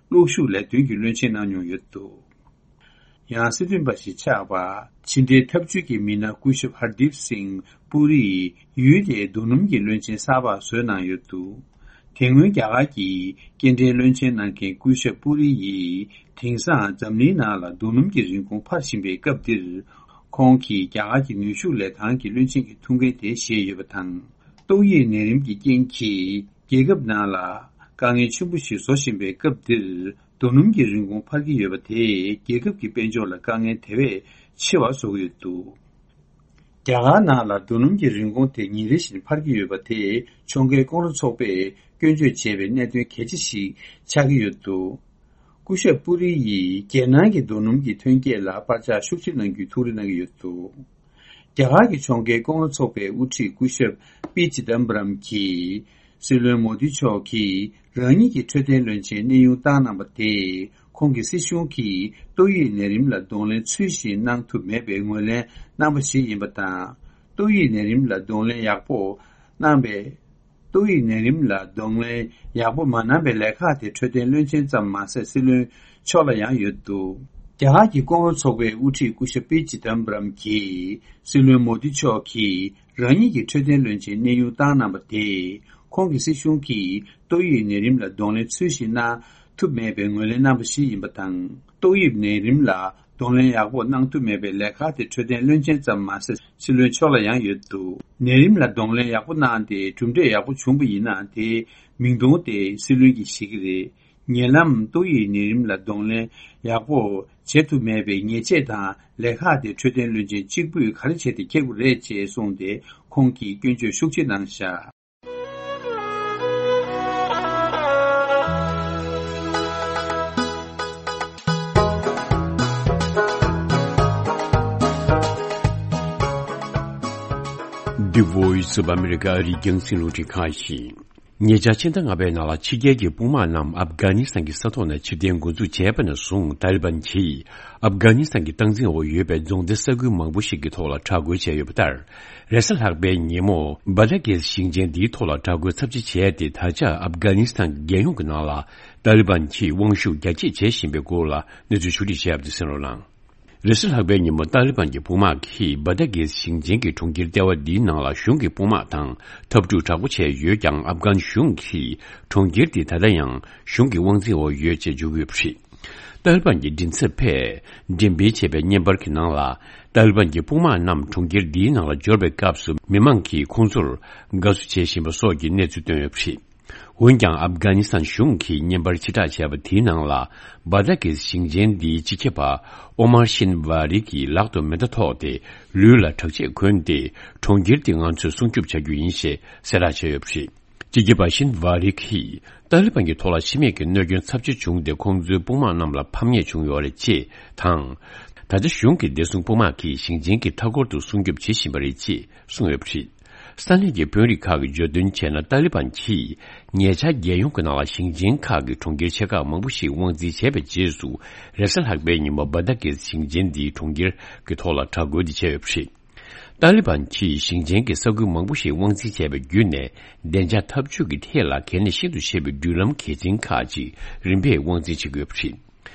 གློག་ཤུགས་ལས་དོན་གྱི་བློན་ཆེན་གནང་མྱོང་ཡོད་འདུག་ཡང་སྲིད་དོན་པ་ཞིག་ཆགས་པ། ཕྱི་འབྲེལ་ཐབས་ཇུས་ཀྱི་མི་སྣ་སྐུ་ཞབས་ཧར་དིབ་སིང་པུ་རིས་ཡུལ་དེའི་རྡོ་སྣུམ་གྱི་བློན་ཆེན་གསར་པ་བཟོས་གནང་ཡོད་འདུག་དེ་སྔོན་རྒྱ་གར་གྱི་སྐྱེལ་འདྲེན་བློན་ཆེན་གནང་མཁན་སྐུ་ཞབས་པུ་རི་ཡིས། དེང་སང་འཛམ་གླིང་ནང་ལ་རྡོ་སྣུམ་གྱི་རིན་གོང་འཕར་བཞིན་པའི་སྐབས་འདིར། ཁོང་གིས་རྒྱ་གར་གྱི་ནུས་ཤུགས་ལས་ཁང་གི་བློན་ཆེན་གྱི་ཐུགས་འགན་དེ་བཞེས་ཡོད་པ་དང་། ཏོག་དབྱིབས་ནད་རིམས་ཀྱི་རྐྱེན་གྱིས། རྒྱལ་ཁབ་ནང་ལ་དཀའ་ངལ་ཆེན་པོ་ཞིག་བཟོ་བཞིན་པའི་སྐབས་འདིར། རྡོ་སྣུམ་གྱི་རིན་གོང་འཕར་གྱི་ཡོད་པ་དེས། རྒྱལ་ཁབ་ཀྱི་དཔལ་འབྱོར་ལ་དཀའ་ངལ་དེ་བས་ཆེ་བ་བཟོ་གི་ཡོད་འདུག་རྒྱ་གར་ནང་ལ་རྡོ་སྣུམ་གྱི་རིན་གོང་དེ་ཉིན་རེ་བཞིན་འཕར་གྱི་ཡོད་པ་དེས། ཕྱོགས་འགལ་ཀོང་རོ་ཚོགས་པས་སྐྱོན་བརྗོད་བྱས་པའི་གནད་དོན་གལ་ཆེ་ཞིག་ཆགས་ཀྱི་ཡོད་འདུག་སྐུ་ཞབས་པུ་རི་ཡིས་རྒྱལ་ནང་གི་རྡོ་སྣུམ་གྱི་ཐོན་སྐྱེད་ལ་པར་ཆག་ཤུགས་ཆེ་གནང་རྒྱུའི་ཐུགས་རེ་གནང་གི་ཡོད་འདུག་རྒྱ་གར་གྱི་ཕྱོགས་འགལ་ཀོང་རོ་ཚོགས་པའི་དབུ་ཁྲིད་སྐུ་ཞབས་པི་ཅི་དམ་པ་རམ་གྱིས། སྲིད་བློན་མོ་དི་མཆོག་གིས་རང་ཉིད་ཀྱི་འཕྲོད་བསྟེན་བློན་ཆེན་གནས་དབྱུང་བཏང་གནང་པ་དེས། ཁོང་གི་སྲིད་གཞུང་གིས་ཏོག་དབྱིབས་ནད་རིམས་ལ་གདོང་ལེན་ཚུལ་བཞིན་གནང་ཐུབ་མེད་པའི་ངོས་ལེན་གནང་པ་ཞིག་ཡིན་པ་དང་། ཏོག་དབྱིབས་ནད་རིམས་ལ་གདོང་ལེན་ཡག་པོ་གནང་པའི། ཏོག་དབྱིབས་ནད་རིམས་ལ་གདོང་ལེན་ཡག་པོ་མ་གནང་པའི་ལས་ཁག་དེ་འཕྲོད་བསྟེན་བློན་ཆེན་ཙམ་མ་ཟད། སྲིད་བློན་མཆོག་ལ་ཡང་ཡོད་འདུག་རྒྱ་གར་གྱི་ཀོང་རོ་ཚོགས་པའི་དབུ་ཁྲིད་སྐུ་ཞབས་པི་ཅི་དམ་པ་རམ་གྱིས། སྲིད་བློན་མོ་དི་མཆོག་གིས་རང་ཉིད་ཀྱི་འཕྲོད་བསྟེན་བློན་ཆེན་གནས་དབྱུང་བཏང་གནང་པ་དེས། ཁོང་གི་སྲིད་གཞུང་གིས་ཏོག་དབྱིབས་ནད་རིམས་ལ་གདོང་ལེན་ཚུལ་བཞིན་གནང་ཐུབ་མེད་པའི་ངོས་ལེན་གནང་པ་ཞིག་ཡིན་པ་དང་། ཏོག་དབྱིབས་ནད་རིམས་ལ་གདོང་ལེན་ཡག་པོ་གནང་ཐུབ་མེད་པའི་ལས་ཁག་དེ་འཕྲོད་བསྟེན་བློན་ཆེན་ཙམ་མ་ཟད། སྲིད་བློན་མཆོག་ལ་ཡང་ཡོད་འདུག་ནད་རིམས་ལ་གདོང་ལེན་ཡག་པོ་གནང་སྟེ་གྲུབ་འབྲས་ཡག་པོ་བྱུང་པ་ཡིན་ན། དེའི་མིང་དོན་དེ་སྲིད་བློན་གྱིས་ཤེས་ཀྱི་རེད། ཉེ་ལམ་ཏོག་དབྱིབས་ནད་རིམས་ལ་གདོང་ལེན་ཡག་པོ་བྱེད་ཐུབ་མེད་པའི་ཉེས་ཆད་དང་ལས་ཁག་དེ་འཕྲོད་བསྟེན་བློན་ཆེན་གཅིག་པུས་ག་རེ་བྱས་ཏེ་འཁྱེར་དགོས་རེད་ཅེས་གསུངས་ཏེ། ཁོང་གིས་སྐྱོན་བརྗོད་ཤུགས་ཆེ་གནང་བཞག The Voice of America ཨ་རིའི་རྒྱང་སྲིང་རླུང་འཕྲིན་ཁང་ཡིན། ཉེ་ཆར་ཕྱི་ཟླ་ལྔ་པའི་ནང་ལ་ཕྱི་རྒྱལ་གྱི་དཔུང་དམག་རྣམས་ཨབ་གྷ་ནི་སི་ཐན་གྱི་ས་ཐོག་ནས་ཕྱིར་འཐེན་འགོ་འཛུགས་བྱས་པ་ནས་བཟུང་། ཏཱ་ལི་བན་གྱིས་ཨབ་གྷ་ནི་སི་ཐན་གྱི་སྟངས་འཛིན་འོག་ཡོད་པའི་རྫོང་སྡེ་ས་ཁུལ་མང་པོ་ཞིག་གི་ཐོག་ལ་དྲག་རྒོལ་བྱས་ཡོད་པ་ལྟར། རེས་གཟའ་ལྷག་པའི་ཉིན་མོ་སྦ་ཏ་གེ་སི་ཞིང་ཆེན་འདིའི་ཐོག་ལ་དྲག་རྒོལ་ཚབས་ཆེ་བྱས་ཏེ། ད་ཆ་ཨབ་གྷ་ནི་སི་ཐན་གྱི་རྒྱལ་ཡོངས་ཀྱི་ནང་ལ་ཏཱ་ལི་བན་གྱིས་དབང་ཤུགས་རྒྱ་སྐྱེད་བྱེད་བཞིན་པའི་སྐོར་ལ་གནས་ཚུལ་ཕྱོགས་བསྒྲིགས་བྱས་པ་དེ་གསན་རོགས་གནང་། རེས་གཟའ་ལྷག་པའི་ཉིན་མོ་ཏཱ་ལི་བན་གྱི་དཔུང་དམག་གིས་སྦ་ཏ་གེ་སི་ཞིང་ཆེན་གྱི་གྲོང་ཁྱེར་ལྟེ་བ་འདིའི་ནང་ལ་གཞུང་གི་དཔུང་དམག་དང་འཐབ་འཁྲུག་དྲག་པོ་བྱས་ཡོད་ཀྱང་། ཨབ་གྷན་གཞུང་གིས་གྲོང་ཁྱེར་དེ་ད་ལྟ་ཡང་གཞུང་གི་དབང་འཛིན་འོག་ཡོད་ཅེས་བརྗོད་ཀྱི་ཡོད་པ་རེད། ཏཱ་ལི་བན་གྱི་མགྲིན་ཚབ་པས་འགྲེམས་སྤེལ་བྱས་པའི་བརྙན་པར་གྱི་ནང་ལ། ཏཱ་ལི་བན་གྱི་དཔུང་དམག་རྣམས་གྲོང་ཁྱེར་འདིའི་ནང་ལ་འབྱོར་བའི་སྐབས་སུ། མི་མང་གིས་ཁོང་ཚོར་དགའ་བསུ་བྱེད་བཞིན་པ་སོགས་ཀྱི་གནས་ཚུལ་བཏོན་ཡོད་པ་རེད། འོན་ཀྱང་། ཨབ་གྷ་ནི་སི་ཐན་གཞུང་གིས་བརྙན་པར་ཕྱིར་བསྒྲགས་བྱས་པ་དེའི་ནང་ལ། སྦ་ཏ་གེ་སི་ཞིང་ཆེན་འདིའི་སྤྱི་ཁྱབ་པ་ཨོ་མར་ཤིན་ཝ་རི་གི་ལག་ཏུ་མེ་མདའ་ཐོགས་ཏེ། ལུས་ལ་དྲག་ཆས་གོན་ཏེ། གྲོང་ཁྱེར་དེ་ང་ཚོས་སྲུང་སྐྱོབ་བྱ་རྒྱུ་ཡིན་ཞེས་གསལ་བསྒྲགས་བྱས་ཡོད་པ་རེད། སྤྱི་ཁྱབ་པ་ཤིན་ཝ་རི་གིས། ཏཱ་ལི་བན་གྱི་ཐོག་ལ་ཕྱི་མིག་གི་གནོད་སྐྱོན་ཚབས་ཆེ་བྱུང་སྟེ། ཁོང་ཚོའི་དཔུང་དམག་རྣམས་ལ་ཕམ་ཉེས་བྱུང་ཡོད་རེད་ཅེས་དང་། ད་ཆ་གཞུང་གི་བདེ་སྲུང་དཔུང་དམག་གིས་ཞིང་ཆེན་གྱི་མཐའ་འཁོར་དུ་སྲུང་སྐྱོབ་བྱེད་བཞིན་པ་རེད་ཅེས་གསུངས་ཡོད་པ་རེད། ས་གནས་ཀྱི་དཔོན་རིགས་ཁག་གིས་བརྗོད་དོན་བྱས་ན། ཏཱ་ལི་བན་གྱིས་ཉེ་ཆར་རྒྱལ་ཡོངས་ཀྱི་ནང་ལ་ཞིང་ཆེན་ཁག་གི་གྲོང་ཁྱེར་ཆེ་ཁག་མང་པོ་ཞིག་དབང་འཛིན་བྱས་པའི་རྗེས་སུ། རེས་གཟའ་ལྷག་པའི་ཉིན་མོ་སྦ་ཏ་གེ་སི་ཞིང་ཆེན་འདིའི་གྲོང་ཁྱེར་གྱི་ཐོག་ལ་དྲག་རྒོལ་འདི་བྱས་ཡོད་པ་རེད། ཏཱ་ལི་བན་གྱིས་ཞིང་ཆེན་གྱི་ས་ཁུལ་མང་པོ་ཞིག་དབང་འཛིན་བྱས་པ་བརྒྱུད་ནས། བདེ་འཇགས་འཐབ་ཇུས་ཀྱི་ཐད་ལ་གལ་གནད་ཤིན་ཏུ་ཆེ་བའི་འགྲུལ་ལམ་གལ་ཆེན་ཁག་ཅིག་རིམ་པས་དབང་འཛིན་བྱེད་ཀྱི་ཡོད་པ་རེད།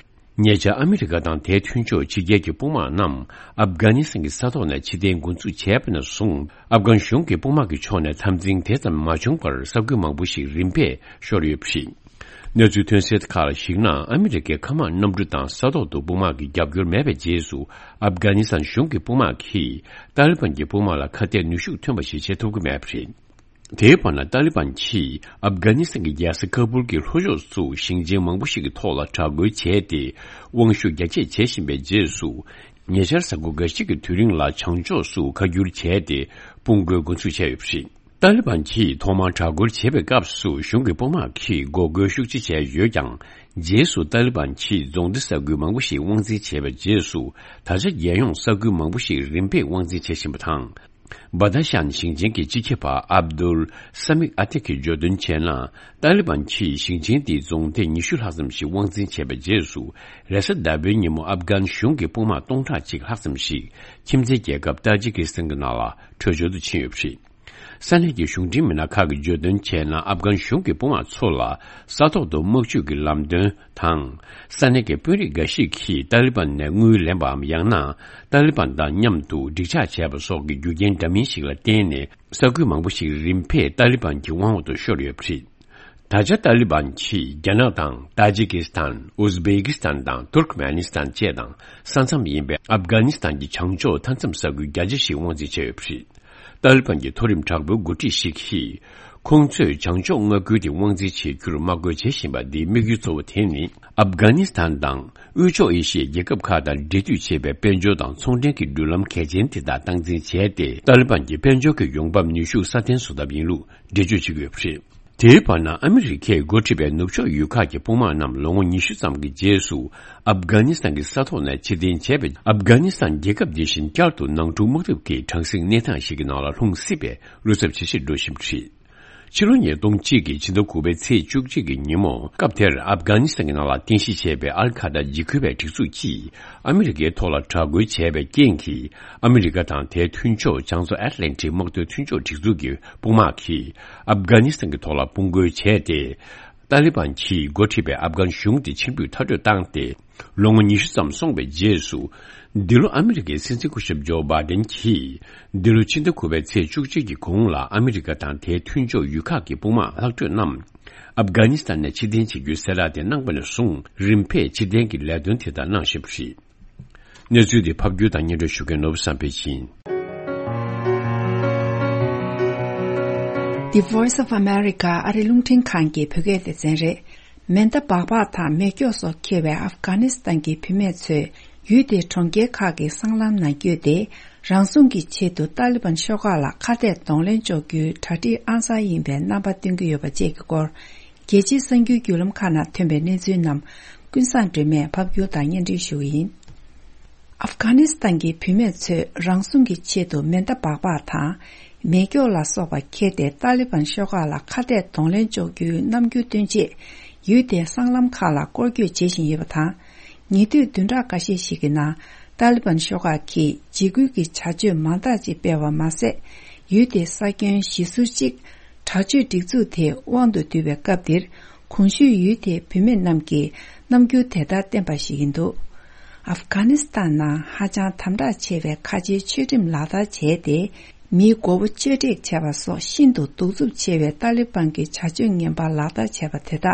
ཉེ་ཆར་ཨ་མི་རི་ཀ་དང་དེའི་མཐུན་ཕྱོགས་ཕྱི་རྒྱལ་གྱི་དཔུང་དམག་རྣམས་ཨབ་གྷ་ནི་སི་ཐན་གྱི་ས་ཐོག་ནས་ཕྱིར་འཐེན་འགོ་འཛུགས་བྱས་པ་ནས་བཟུང་། ཨབ་གྷན་གཞུང་གི་དཔུང་དམག་གི་ཕྱོགས་ནས་འཐབ་འཛིང་དེ་ཙམ་མ་བྱུང་བར། ས་ཁུལ་མང་པོ་ཞིག་རིམ་པས་ཤོར་ཡོད་པ་རེད། གནས་ཚུལ་ཐོན་གསལ་ཁག་ལ་གཞིགས་ན། ཨ་མི་རི་ཀའི་མཁའ་དམག་གནམ་གྲུ་དང་ས་ཐོག་ཏུ་དཔུང་དམག་གི་རྒྱབ་སྐྱོར་མེད་པའི་རྗེས་སུ། ཨབ་གྷ་ནི་སི་ཐན་གཞུང་གི་དཔུང་དམག་གིས་ཏཱ་ལི་བན་གྱི་དཔུང་དམག་ལ་ཁ་གཏད་ནུས་ཤུགས་ཐོན་པ་ཞིག་བྱེད་ཐུབ་ཀྱི་མེད་པ་རེད། དེའི་བར་ན། ཏཱ་ལི་བན་གྱིས་ཨབ་གྷ་ནི་སི་ཐན་གྱི་རྒྱལ་ས་ཁ་བུལ་གྱི་ལྷོ་ཕྱོགས་སུ་ཞིང་ཆེན་མང་པོ་ཞིག་གི་ཐོག་ལ་དྲག་རྒོལ་བྱས་ཏེ། དབང་ཤུགས་རྒྱ་སྐྱེད་བྱེད་བཞིན་པའི་རྗེས་སུ། ཉེ་ཆར་གཟའ་འཁོར་འགའ་ཤས་ཀྱི་དུས་རིང་ལ་བྱང་ཕྱོགས་སུ་ཁ་བསྒྱུར་བྱས་ཏེ། དཔུང་རྒོལ་འགོ་འཛུགས་བྱས་ཡོད་པ་རེད། ཏཱ་ལི་བན་གྱིས་ཐོག་མར་དྲག་རྒོལ་བྱེད་པའི་སྐབས་སུ། གཞུང་གི་དཔུང་དམག་གིས་འགོག་རྒོལ་ཤུགས་ཆེ་བྱས་ཡོད་ཀྱང་། རྗེས་སུ་ཏཱ་ལི་བན་གྱིས་རྫོང་སྡེ་ས་ཁུལ་མང་པོ་ཞིག་དབང་འཛིན་བྱས་པའི་རྗེས་སུ། ད་ཆ་རྒྱལ་ཡོངས་ས་ཁུལ་མང་པོ་ཞིག་རིམ་པས་དབང་འཛིན་བྱེད་བཞིན་པ་དང་། སྦ་ཏ་ཤན་ཞིང་ཆེན་གྱི་སྤྱི་ཁྱབ་པ་ཨབ་དུལ་ས་མིག་ཨ་ཏིག་གིས་བརྗོད་དོན་བྱས་ན། ཏཱ་ལི་བན་གྱིས་ཞིང་ཆེན་དེའི་རྫོང་སྡེ་ཉི་ཤུ་ལྷག་ཙམ་ཞིག་དབང་འཛིན་བྱས་པའི་རྗེས་སུ། རེས་གཟའ་ཟླ་བའི་ཉིན་མོ་ཨབ་གྷན་གཞུང་གི་དཔུང་དམག་སྟོང་ཕྲག་གཅིག་ལྷག་ཙམ་ཞིག་ཁྱིམ་མཚེས་རྒྱལ་ཁབ་ཏཱ་ཇི་ཀི་སི་ཐན་གྱི་ནང་ལ་བྲོས་བྱོལ་དུ་ཕྱིན་ཡོད་པ་རེད། ས་གནས་ཀྱི་གཞུང་འབྲེལ་མི་སྣ་ཁག་གིས་བརྗོད་དོན་བྱས་ན། ཨབ་གྷན་གཞུང་གི་དཔུང་དམག་ཚོ་ལ་ས་ཐོག་ཏུ་དམག་ཇུས་ཀྱི་ལམ་སྟོན་དང་། ས་གནས་ཀྱི་དཔོན་རིགས་འགའ་ཞིག་གིས་ཏཱ་ལི་བན་ནས་དངུལ་ལེན་པའམ། ཡང་ན། ཏཱ་ལི་བན་དང་མཉམ་དུ་འགྲིག་འཇགས་བྱས་པ་སོགས་ཀྱི་རྒྱུ་རྐྱེན་འདྲ་མིན་ཞིག་ལ་བརྟེན་ནས། ས་ཁུལ་མང་པོ་ཞིག་རིམ་པས་ཏཱ་ལི་བན་གྱི་དབང་འོག་ཏུ་ཤོར་ཡོད་པ་རེད། ད་ཆ་ཏཱ་ལི་བན་གྱིས་རྒྱ་ནག་དང་ཏཱ་ཇི་ཀི་སི་ཐན། ཨུ་ཛི་བེ་ཀི་སི་ཐན་དང་ཐུར་ཁ་མེ་ནི་སི་ཐན་བཅས་དང་ས་མཚམས་ཡིན་པའི་ཨབ་གྷ་ནི་སི་ཐན་གྱི་བྱང་ཕྱོགས་མཐའ་མཚམས་ས་ཁུལ་བརྒྱ་ཆ་ཞིག་དབང་འཛིན་བྱས་ཡོད་པ་རེད། ཏཱ་ལི་བན་གྱི་མཐོ་རིམ་དྲག་པོའི་འགོ་ཁྲིད་ཞིག་གིས། ཁོང་ཚོས་བྱང་ཕྱོགས་མངའ་ཁུལ་དེ་དབང་འཛིན་བྱེད་རྒྱུར་དམག་རྒོལ་བྱེད་བཞིན་པ་འདིའི་དམིགས་ཡུལ་གཙོ་བོ་དེ་ནི། ཨབ་གྷ་ནི་སི་ཐན་དང་དབུས་ཕྱོགས་ཨེ་ཤི་ཡའི་རྒྱལ་ཁབ་ཁག་དང་འབྲེལ་མཐུད་བྱེད་པའི་དཔལ་འབྱོར་དང་ཚོང་འབྲེལ་གྱི་འགྲུལ་ལམ་གལ་ཆེན་དེ་དག་སྟངས་འཛིན་བྱས་ཏེ། ཏཱ་ལི་བན་གྱི་དཔལ་འབྱོར་གྱི་ཡོང་འབབ་ནུས་ཤུགས་སྲ་བརྟན་བཟོ་ཐབས་ཡིན་ལུགས་འགྲེལ་བརྗོད་བྱེད་ཀྱི་ཡོད་པ་རེད། དེའི་བར་ན། ཨ་མི་རི་ཀས་འགོ་ཁྲིད་པའི་ནུབ་ཕྱོགས་ཡུལ་ཁག་གི་དཔུང་དམག་རྣམས་ལོ་ངོ་ཉི་ཤུ་ཙམ་གྱི་རྗེས་སུ་ཨབ་གྷ་ནི་སི་ཐན་གྱི་ས་ཐོག་ནས་ཕྱིར་འཐེན་བྱས་པས། ཨབ་གྷ་ནི་སི་ཐན་རྒྱལ་ཁབ་འདི་བཞིན་བསྐྱར་དུ་ནང་འཁྲུག་དམག་འཐབ་ཀྱི་གྲང་གཟིགས་གནས་སྟངས་ཤིག་གི་ནང་ལ་ལྷུང་སྲིད་པའི་བློ་འཚབ་ཇེ་ཆེར་འགྲོ་བཞིན་པ་རེད། ཕྱི་ལོ་ཉིས་སྟོང་གཅིག་གི་ཕྱི་ཟླ་དགུ་པའི་ཚེས་བཅུ་གཅིག་གི་ཉིན་མོ། སྐབས་དེར་ཨབ་གྷ་ནི་སི་ཐན་གྱི་ནང་ལ་རྟེན་གཞི་བྱས་པའི་ཨལ་ཁ་ད་འཇིགས་སྐུལ་བའི་སྒྲིག་འཛུགས་ཀྱིས་ཨ་མི་རི་ཀའི་ཐོག་ལ་དྲག་རྒོལ་བྱས་པའི་རྐྱེན་གྱིས། ཨ་མི་རི་ཀ་དང་དེའི་མཐུན་ཕྱོགས་བྱང་མཚོ་ཨེཊ་ལན་ཊིག་དམག་དོན་མཐུན་ཕྱོགས་སྒྲིག་འཛུགས་ཀྱི་དཔུང་དམག་གིས་ཨབ་གྷ་ནི་སི་ཐན་གྱི་ཐོག་ལ་དཔུང་རྒོལ་བྱས་ཏེ། ཏཱ་ལི་བན་གྱིས་འགོ་ཁྲིད་པའི་ཨབ་གྷན་གཞུང་དེ་ཕྱིར་འབུད་མཐའ་སྐྲོད་བཏང་སྟེ། ལོ་ངོ་ཉི་ཤུ་ཙམ་སོང་བའི་རྗེས་སུ། འདི་ལོ་ཨ་མི་རི་ཀའི་སྲིད་འཛིན་སྐུ་ཞབས་ཇོ་བྷའི་ཌེན་གྱིས། འདི་ལོ་ཕྱི་ཟླ་དགུ་པའི་ཚེས་བཅུ་གཅིག་གི་གོང་ལ་ཨ་མི་རི་ཀ་དང་དེའི་མཐུན་ཕྱོགས་ཡུལ་ཁག་གི་དཔུང་དམག་ལྷག་འཕྲོས་རྣམས་ཨབ་གྷ་ནི་སི་ཐན་ནས་ཕྱིར་འཐེན་བྱེད་རྒྱུའི་གསལ་བསྒྲགས་དེ་གནང་པ་ནས་བཟུང་། རིམ་པས་ཕྱིར་འཐེན་གྱི་ལས་དོན་དེ་དག་གནང་བཞིན་པ་རེད། གནས་ཚུལ་འདི་ཕབ་སྒྱུར་དང་སྙན་སྒྲོན་ཞུ་མཁན་ནོར་བུ་བསམ་འཕེལ་ཡིན། The Voice of America ཨ་རི་རླུང་འཕྲིན་ཁང་གི་བོད་སྐད་སྡེ་ཚན་རེད། མེ་མདའ་སྦག་སྦག་དང་མེ་སྒྱོགས་སོགས་འཁྱེར་བའི་ཨབ་གྷ་ནི་སི་ཐན་གྱི་བུད་མེད་ཚོས་ཡུལ་དེའི་གྲོང་ཁྱེར་ཁག་གི་སྲང་ལམ་ནང་བསྐྱོད་དེ། རང་སྲུང་གི་ཆེད་དུ་ཏཱ་ལི་བན་ཤོག་ཁག་ལ་ཁ་གཏད་གདོང་ལེན་གཅོག་རྒྱུའི་གྲ་སྒྲིག་ཨང་གསར་ཡིན་པའི་རྣམ་པ་སྟོན་གྱི་ཡོད་པ་བཅས་ཀྱི་སྐོར། རྒྱལ་སྤྱིའི་གསར་འགྱུར་བརྒྱུད་ལམ་ཁག་ནང་ཐོན་པའི་གནས་ཚུལ་རྣམས་ཀུན་བཟང་སྒྲོལ་མས་ཕབ་སྒྱུར་དང་སྙན་སྒྲོན་ཞུ་གི་ཡིན། ཨབ་གྷ་ནི་སི་ཐན་གྱི་བུད་མེད་ཚོས་རང་སྲུང་གི་ཆེད་དུ་མེ་མདའ་སྦག་སྦག་དང་། མེ་སྒྱོགས་ལ་སོགས་པ་འཁྱེར་ཏེ་ཏཱ་ལི་བན་ཤོག་ཁག་ལ་ཁ་གཏད་གདོང་ལེན་གཅོག་རྒྱུའི་རྣམ་འགྱུར་སྟོན་ཆེད། ཡུལ་དེའི་སྲང་ལམ་ཁག་ལ་སྐོར་སྐྱོད་བྱེད་བཞིན་ཡོད་པ་དང་། ཉེ་དུས་བདུན་ཕྲག་འགའ་ཤས་ཤིག་གི་ནང་ཏཱ་ལི་བན་ཤོག་ཁག་གིས་འཇིགས་སྐུལ་གྱི་བྱ་སྤྱོད་མང་དག་ཅིག་སྤེལ་བ་མ་ཟད། ཡུལ་དེའི་ས་ཁྱོན་གཞིས་ཟུར་གཅིག་དྲག་སྤྱོད་སྒྲིག་འཛུགས་དེས་དབང་དུ་བསྡུས་པའི་སྐབས་འདིར། གོང་ཞུས་ཡུལ་དེའི་བུད་མེད་རྣམས་ཀྱིས་རྣམ་འགྱུར་དེ་ལྟར་བསྟན་པ་ཞིག་ཡིན་འདུག་ཨབ་གྷ་ནི་སི་ཐན་ནང་ཧ་ཅང་དམ་དྲག་ཆེ་བའི་ཁ་ཆེའི་ཆོས་ཁྲིམས་ལག་བསྟར་བྱས་ཏེ། མིའི་མགོ་བོ་གཅོད་བྲེག་བྱས་པ་སོགས་ཤིན་ཏུ་གདུག་རྩུབ་ཆེ་བའི་ཏཱ་ལི་བན་གྱི་བྱ་སྤྱོད་ངན་པ་ལག་བསྟར་བྱས་པ་དེ་དག་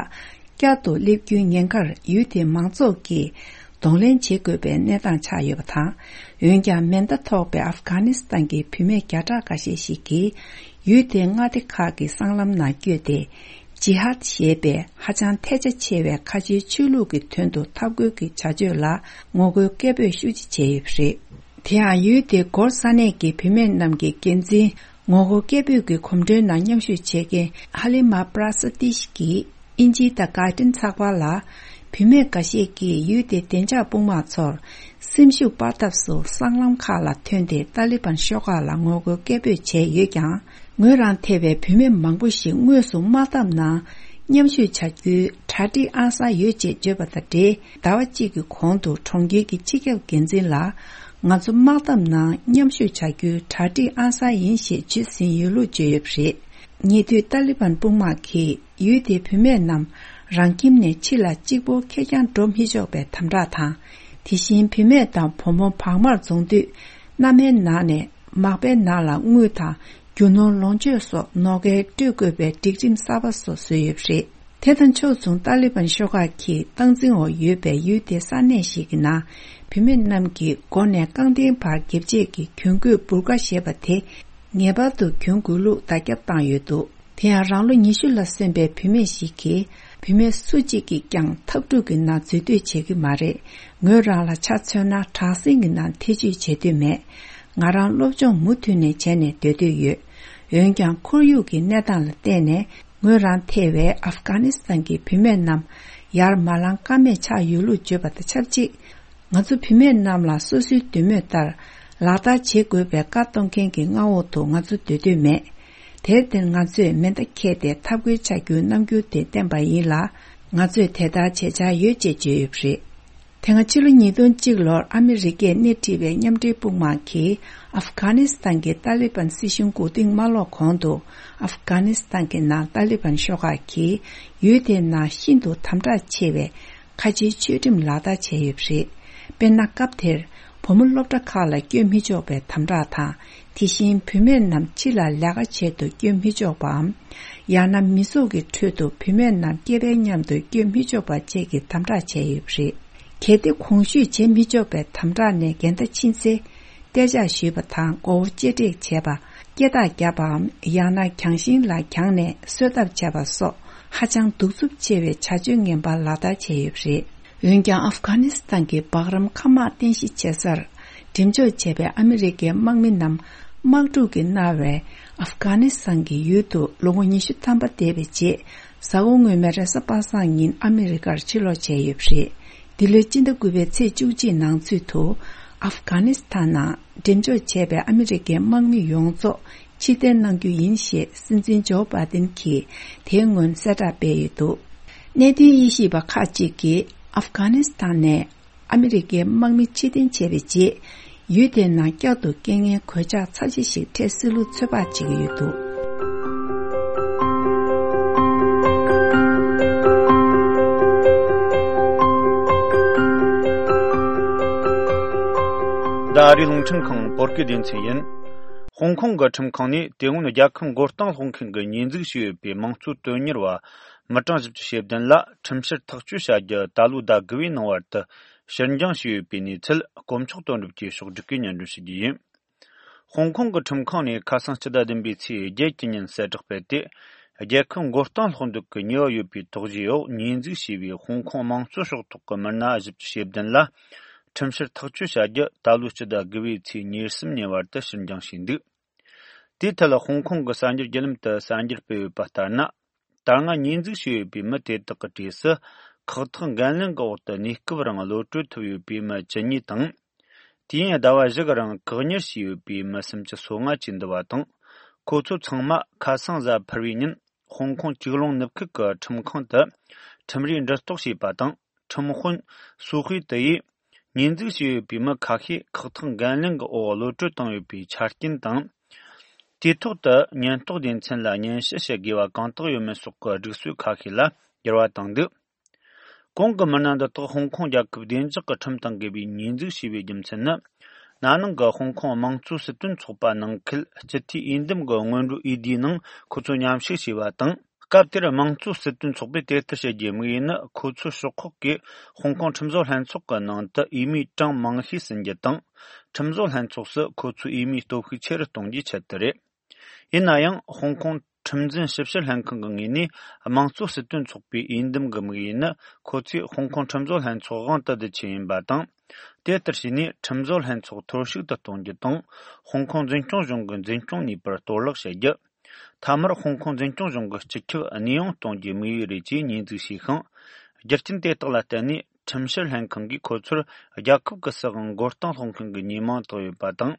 བསྐྱར་དུ་སླེབས་རྒྱུའི་ཉེན་ཁར་ཡུལ་དེའི་མང་ཚོགས་ཀྱིས་གདོང་ལེན་བྱེད་དགོས་པའི་གནས་སྟངས་ཆགས་ཡོད་པ་དང་། འོན་ཀྱང་མེ་མདའ་ཐོགས་པའི་ཨབ་གྷ་ནི་སི་ཐན་གྱི་བུད་མེད་བརྒྱ་ཕྲག་འགའ་ཤས་ཤིག་གིས་ཡུལ་དེའི་མངའ་སྡེ་ཁག་གི་སྲང་ལམ་ནང་བསྐྱོད་དེ། ཇི་ཧད་ཞེས་པའི་ཧ་ཅང་ཐལ་ཆ་ཆེ་བའི་ཁ་ཆེའི་ཆོས་ལུགས་ཀྱི་དོན་དུ་འཐབ་རྒོལ་གྱི་བྱ་སྤྱོད་ལ་ངོ་རྒོལ་སྐད་འབོད་ཤུགས་ཆེ་བྱས་ཡོད་པ་རེད། དེ་ཡང་ཡུལ་དེའི་སྒོར་ས་གནས་ཀྱི་བུད་མེད་རྣམས་ཀྱི་འགན་འཛིན། ངོ་རྒོལ་སྐད་འབོད་ཀྱི་གོམ་བགྲོད་ནང་མཉམ་ཞུགས་བྱེད་མཁན་ཧ་ལི་མ་པྲ་སི་ཏིཤ་གིས་དབྱིན་ཇིའི་The Guardian་ཚགས་པར་ལ། བུད་མེད་འགའ་ཤས་ཀྱིས་ཡུལ་དེའི་བདེ་འཇགས་དཔུང་དམག་ཚོར་སེམས་ཤུགས་སྤར་ཐབས་སུ་སྲང་ལམ་ཁག་ལ་ཐོན་ཏེ་ཏཱ་ལི་བན་ཤོག་ཁག་ལ་ངོ་རྒོལ་སྐད་འབོད་བྱས་ཡོད་ཀྱང་། ངོས་རང་ཐེ་བའི་བུད་མེད་མང་པོ་ཞིག་དངོས་སུ་དམག་འཐབ་ནང་མཉམ་ཞུགས་བྱ་རྒྱུའི་གྲ་སྒྲིག་ཨང་གསར་ཡོད་ཅེས་བརྗོད་པ་དང་འབྲེལ། ཟླ་བ་གཅིག་གི་གོང་དུ་གྲོང་ཁྱེར་གྱི་སྤྱི་ཁྱབ་འགན་འཛིན་ལ། ང་ཚོ་དམག་འཐབ་ནང་མཉམ་ཞུགས་བྱ་རྒྱུའི་གྲ་སྒྲིག་ཨང་གསར་ཡིན་ཞེས་བརྗོད་ཟིན་ཡོད་ལུགས་བརྗོད་ཡོད་པ་རེད། ཉེ་དུས་ཏཱ་ལི་བན་དཔུང་དམག་གིས་ཡུལ་དེའི་བུད་མེད་རྣམས་རང་ཁྱིམ་ནས་ཕྱི་ལ་གཅིག་པོ་ཁེར་རྐྱང་འགྲོ་མི་ཆོག་པའི་དམ་དྲག་དང་། དེ་བཞིན་བུད་མེད་དང་བུ་མོ་བག་མར་འཛོམས་དུས། མནའ་མའི་ནང་ནས་མག་པའི་ནང་ལ་དངུལ་དང་རྒྱུ་ནོར་ལོངས་སྤྱོད་སོགས་ནོར་འཁྱེར་སྤྲོད་དགོས་པའི་སྒྲིག་ཁྲིམས་གསར་པ་སོགས་བཟོས་ཡོད་པ་རེད། དེ་དང་ཕྱོགས་མཚུངས་ཏཱ་ལི་བན་ཤོག་ཁག་གིས་སྟངས་འཛིན་འོག་ཡོད་པའི་ཡུལ་དེའི་ས་གནས་ཤིག་གི་ནང་བུད་མེད་རྣམས་ཀྱི་མགོ་ནས་རྐང་གདན་བར་འགེབས་བྱེད་ཀྱི་གྱོན་གོས་འབུར་ཁ་ཞེས་པ་དེ་ངེས་པར་དུ་གྱོན་དགོས་ལུགས་བརྡ་ཁྱབ་བཏང་ཡོད་འདུག་དེ་ཡང་རང་ལོ་ཉི་ཤུ་ལ་སོན་པའི་བུད་མེད་ཞིག་གིས་བུད་མེད་སུ་གཅིག་གིས་ཀྱང་འཐབ་འཁྲུག་གི་ནང་འཛུལ་འདོད་བྱེད་ཀྱི་མ་རེད། ངོས་རང་ལ་ཆ་མཚོན་ན་དྲག་ཟིང་གི་ནང་ཐེ་བྱུས་བྱེད་འདོད་མེད། ང་རང་སློབ་སྦྱོང་མུ་མཐུད་ནས་བྱས་ནས་སྡོད་འདོད་ཡོད། འོན་ཀྱང་ཁོར་ཡུག་གི་གནས་སྟངས་ལ་བརྟེན་ནས་ངོས་རང་ཐེ་བའི་ཨབ་གྷ་ནི་སི་ཐན་གྱི་བུད་མེད་རྣམས་ཡར་མ་ལངས་ཀ་མེད་ཆགས་ཡོད་ལུགས་བརྗོད་པ་དང་ཆབས་ཅིག་ང་ཚོ་བུད་མེད་རྣམས་ལ་སོ་སོའི་འདོད་མོས་ལྟར་ལག་བསྟར་བྱེད་དགོས་པའི་བཀའ་གཏོང་མཁན་གྱི་མངའ་འོག་ཏུ་ང་ཚོ་སྡོད་འདོད་མེད། དེར་བརྟེན་ང་ཚོས་མེ་མདའ་འཁྱེར་ཏེ་འཐབ་རྒོལ་བྱ་རྒྱུའི་རྣམ་འགྱུར་དེ་བསྟན་པ་ཡིན་ལ། ང་ཚོས་དེ་ལྟར་བྱེད་འཆར་ཡོད་ཅེས་བརྗོད་ཡོད་པ་རེད། དེ་སྔ་ཕྱི་ལོ་ཉིས་སྟོང་གཅིག་ལོར་ཨ་མི་རི་ཀས་སྣེ་ཁྲིད་པའི་མཉམ་འབྲེལ་དཔུང་དམག་གིས་ཨབ་གྷ་ནི་སི་ཐན་གྱི་ཏཱ་ལི་བན་སྲིད་གཞུང་མགོ་རྟིང་མ་སློག་གོང་དུ། ཨབ་གྷ་ནི་སི་ཐན་གྱི་ནང་ཏཱ་ལི་བན་ཤོག་ཁག་གིས་ཡུལ་དེའི་ནང་ཤིན་ཏུ་དམ་དྲག་ཆེ་བའི་ཁ་ཆེའི་ཆོས་ཁྲིམས་ལག་བསྟར་བྱས་ཡོད་པ་རེད། དཔེར་ན། སྐབས་དེར་བུ་མོ་སློབ་གྲྭ་ཁག་ལ་བསྐྱོད་མི་ཆོག་པའི་དམ་དྲག་དང་། དེ་བཞིན་བུད་མེད་རྣམས་ཕྱི་ལ་ལས་ཀ་བྱེད་དུ་བསྐྱོད་མི་ཆོག་པའམ། ཡང་ན་མི་ཚོགས་ཀྱི་ཁྲོད་དུ་བུད་མེད་རྣམས་སྐྱེས་པའི་མཉམ་དུ་བསྐྱོད་མི་ཆོག་པ་བཅས་ཀྱི་དམ་དྲག་བྱས་ཡོད་པ་རེད། གལ་ཏེ་གོང་ཞུས་བྱེད་མི་ཆོག་པའི་དམ་དྲག་ནས་འགལ་ཟླ་ཕྱིན་ཚེ། གཏད་འཇགས་ཞུས་པ་དང་མགོ་བོ་གཅེས་སྤྲས་བྱས་པ། སྐེ་ཐག་བརྒྱབ་པའམ། ཡང་ན་གྱང་ཤིང་ལ་གྱང་ནས་གསོད་གཏབ་བྱས་པ་སོགས་ཧ་ཅང་གདུག་རྩུབ་ཆེ་བའི་བྱ་སྤྱོད་ངན་པ་ལག་བསྟར་བྱས་ཡོད་པ་རེད། འོན་ཀྱང་། ཨབ་གྷ་ནི་སི་ཐན་གྱི་སྦག་རམ་མཁའ་དམག་རྟེན་གཞི་བྱེད་སར་འགྲེམས་འཇོག་བྱས་པའི་ཨ་མི་རི་ཀའི་དམག་མི་རྣམས་དམག་འཁྲུག་གིས་མནར་བའི་ཨབ་གྷ་ནི་སི་ཐན་གྱི་ཡུལ་དུ་ལོ་ངོ་ཉི་ཤུ་ཐམ་པ་འདས་པའི་རྗེས། གཟའ་འཁོར་སྔོན་མའི་རེས་གཟའ་པ་སངས་ཉིན་ཨ་མི་རི་ཀར་ཕྱིར་ལོག་བྱས་ཡོད་པ་རེད། འདི་ལོའི་སྤྱི་ཟླ་དགུ་པའི་ཚེས་བཅུ་གཅིག་ནང་ཚུད་དུ། ཨབ་གྷ་ནི་སི་ཐན་ནང་འགྲེམས་འཇོག་བྱས་པའི་ཨ་མི་རི་ཀའི་དམག་མི་ཡོངས་རྫོགས་ཕྱིར་འཐེན་གནང་རྒྱུ་ཡིན་ཞེས་སྲིད་འཛིན་ཇོ་བྷའི་ཏིན་གྱིས་དེའི་སྔོན་གསལ་བསྒྲགས་སྤེལ་ཡོད་འདུག་གནད་དོན་དབྱེ་ཞིབ་པ་ཁག་ཅིག་གིས་ཨབ་གྷ་ནི་སི་ཐན་ནས་ཨ་མི་རི་ཀའི་དམག་མི་ཕྱིར་འཐེན་བྱས་པའི་རྗེས། ཡུལ་དེའི་ནང་བསྐྱར་དུ་རྐྱེན་ངན་གོད་ཆག་ཚབས་ཆེ་ཞིག་འཕྲད་སྲིད་ལུགས་ཚོད་དཔག་བྱེད་ཀྱི་ཡོད་འདུག་འདི་ཨ་རིའི་རླུང་འཕྲིན་ཁང་བོད་སྐད་སྡེ་ཚན་ཡིན། ཧོང་ཀོང་གི་ཁྲིམས་ཁང་ནས་དེ་སྔོན་རྒྱལ་ཁབ་མགོ་རྟིང་སློག་མཁན་གྱི་ཉེས་འཛུགས་བྱས་ཡོད་པའི་དམངས་གཙོའི་དོན་གཉེར་བ་མི་གྲངས་བཞི་བཅུ་ཞེ་བདུན་ལ་ཁྲིམས་བཤེར་ཐག་གཅོད་བྱ་རྒྱུ་ད་ལོའི་ཟླ་དགུ་པའི་ནང་བར་དུ་ཕྱིར་འགྱངས་བྱས་ཡོད་པའི་གནས་ཚུལ་དཀོན་མཆོག་དོན་གྲུབ་ཀྱིས་ཕྱོགས་བསྒྲིགས་ཀྱིས་སྙན་སྒྲོན་ཞུ་རྒྱུ་ཡིན། ཧོང་ཀོང་གི་ཁྲིམས་ཁང་ནས་ཁ་སང་སྤྱི་ཟླ་བདུན་པའི་ཚེས་བརྒྱད་ཀྱི་ཉིན་གསལ་བསྒྲགས་སྤེལ་ཏེ། རྒྱལ་ཁབ་མགོ་རྟིང་སློག་འདོད་ཀྱི་ཉེས་པ་ཡོད་པའི་དོགས་གཞི་འོག་ཉེས་འཛུགས་བྱས་པའི་ཧོང་ཀོང་དམངས་གཙོ་ཕྱོགས་གཏོགས་ཀྱི་མི་སྣ་བཞི་བཅུ་ཞེ་བདུན་ལ་ཁྲིམས་བཤེར་ཐག་གཅོད་བྱ་རྒྱུ་ད་ལོའི་སྤྱི་ཟླ་དགུ་པའི་ཚེས་ཉེར་གསུམ་ཉིན་བར་དུ་ཕྱིར་འགྱངས་བྱས་འདུག་དེའི་ཐད་ལ་ཧོང་ཀོང་གི་གསར་འགྱུར་བརྒྱུད་ལམ་དུ་གསར་འགྱུར་སྤེལ་ཡོད་པ་ལྟར་ན། ད་སྔ་ཉེས་འཛུགས་བྱས་ཡོད་པའི་མི་དེ་དག་གི་གྲས་སུ་ཁག་ཐེག་འགན་ལེན་གྱི་འོག་ཏུ་གནས་སྐབས་རིང་གློད་གྲོལ་ཐུབ་ཡོད་པའི་མི་བཅུ་གཉིས་དང་། དུས་ཡུན་ཟླ་བ་བཞི་གི་རིང་བཀག་ཉར་བྱས་ཡོད་པའི་མི་སུམ་ཅུ་སོ་ལྔ་བཅས་འདུ་བ་དང་། ཁོ་ཚོ་ཚང་མ་ཁ་སང་གཟའ་ཕུར་བུའི་ཉིན་ཧོང་ཀོང་ཅིག་ལོང་ནུབ་ཁུལ་གྱི་ཁྲིམས་ཁང་དུ་ཁྲིམས་རའི་འབྲེལ་གཏོགས་བྱས་པ་དང་། ཁྲིམས་དཔོན་སུའུ་ཧུའེ་ཏི་ཡིས་ཉེས་འཛུགས་བྱས་ཡོད་པའི་མི་ཁ་ཤས་ཁག་ཐེག་འགན་ལེན་གྱི་འོག་གློད་གྲོལ་བཏང་ཡོད་པའི་ཆ་རྐྱེན་དང་། དུས་ཐོག་ཏུ་ཉེན་རྟོག་སྡེ་ཚན་ལ་སྙན་ཞུ་བྱེད་དགོས་པ་གང་དག་ཡོད་མེད་སོགས་ཀྱི་སྒྲིག་སྲོལ་ཁ་ཤས་ལ་འགྱུར་བ་བཏང་འདུག་གོང་གི་མི་སྣ་འདི་དག་ཧོང་ཀོང་རྒྱལ་ཁབ་བདེ་འཇགས་ཀྱི་ཁྲིམས་དང་འགལ་བའི་ཉེས་འཛུགས་བྱས་པའི་རྒྱུ་མཚན་ནི། ན་ནིང་གི་ཧོང་ཀོང་དམངས་གཙོ་སྲིད་དོན་ཚོགས་པ་ནང་ཁུལ་སྤྱི་འཐུས་འོས་འདེམས་ཀྱི་སྔོན་འགྲོ་འོས་བསྡུའི་ནང་ཁོ་ཚོ་མཉམ་ཞུགས་བྱས་པ་དང་། སྐབས་དེར་དམངས་གཙོ་སྲིད་དོན་ཚོགས་པས་དེ་ལྟར་བྱེད་རྒྱུའི་དམིགས་ཡུལ་ནི། ཁོ་ཚོའི་ཕྱོགས་ཁག་གིས་ཧོང་ཀོང་ཁྲིམས་བཟོ་ལྷན་ཚོགས་ཀྱི་ནང་དུ་འོས་མིའི་གྲངས་མང་ཤོས་ཟིན་རྒྱུ་དང་། ཁྲིམས་བཟོ་ལྷན་ཚོགས་སུ་ཁོ་ཚོའི་འོས་མིའི་སྟོབས་ཤུགས་ཆེ་རུ་གཏོང་རྒྱུའི་ཆེད་དུ་རེད། ཡིན་ན་ཡང་། ཧོང་ཀོང་ཁྲིམས་འཛིན་ཞིབ་བཤེར་ལྷན་ཁང་གི་ངོས་ནས། དམངས་གཙོ་སྲིད་དོན་ཚོགས་པའི་འོས་འདེམས་ཀྱི་དམིགས་ཡུལ་ནི། ཁོ་ཚོས་ཧོང་ཀོང་ཁྲིམས་བཟོ་ལྷན་ཚོགས་དབང་དུ་བསྡུ་ཆེད་ཡིན་པ་དང་། དེ་ལྟར་བྱས་ནས། ཁྲིམས་བཟོ་ལྷན་ཚོགས་འཐོར་ཞིག་ཏུ་གཏོང་རྒྱུ་དང་། ཧོང་ཀོང་འཛིན་སྐྱོང་གཞུང་གི་འཛིན་སྐྱོང་ནུས་པར་གཏོར་བརླག་བྱེད་རྒྱུ། མཐའ་མར་ཧོང་ཀོང་འཛིན་སྐྱོང་གཞུང་གི་སྤྱི་ཁྱབ་གནས་དབྱུང་གཏོང་རྒྱུའི་དམིགས་ཡུལ་རེད་ཅེས་ཉེས་འཛུགས་བྱས་ཤིང་། རྒྱུ་རྐྱེན་དེ་དག་ལ་བརྟེན་ནས། ཁྲིམས་བཤེར་ལྷན་ཁང་གིས་ཁོ་ཚོར་རྒྱལ་ཁབ་ཀྱི་སྲིད་དབང་མགོ་རྟིང་སློག་མཁན་གྱི་ཉེས་མིང་བཏགས་ཡོད་པ་དང་།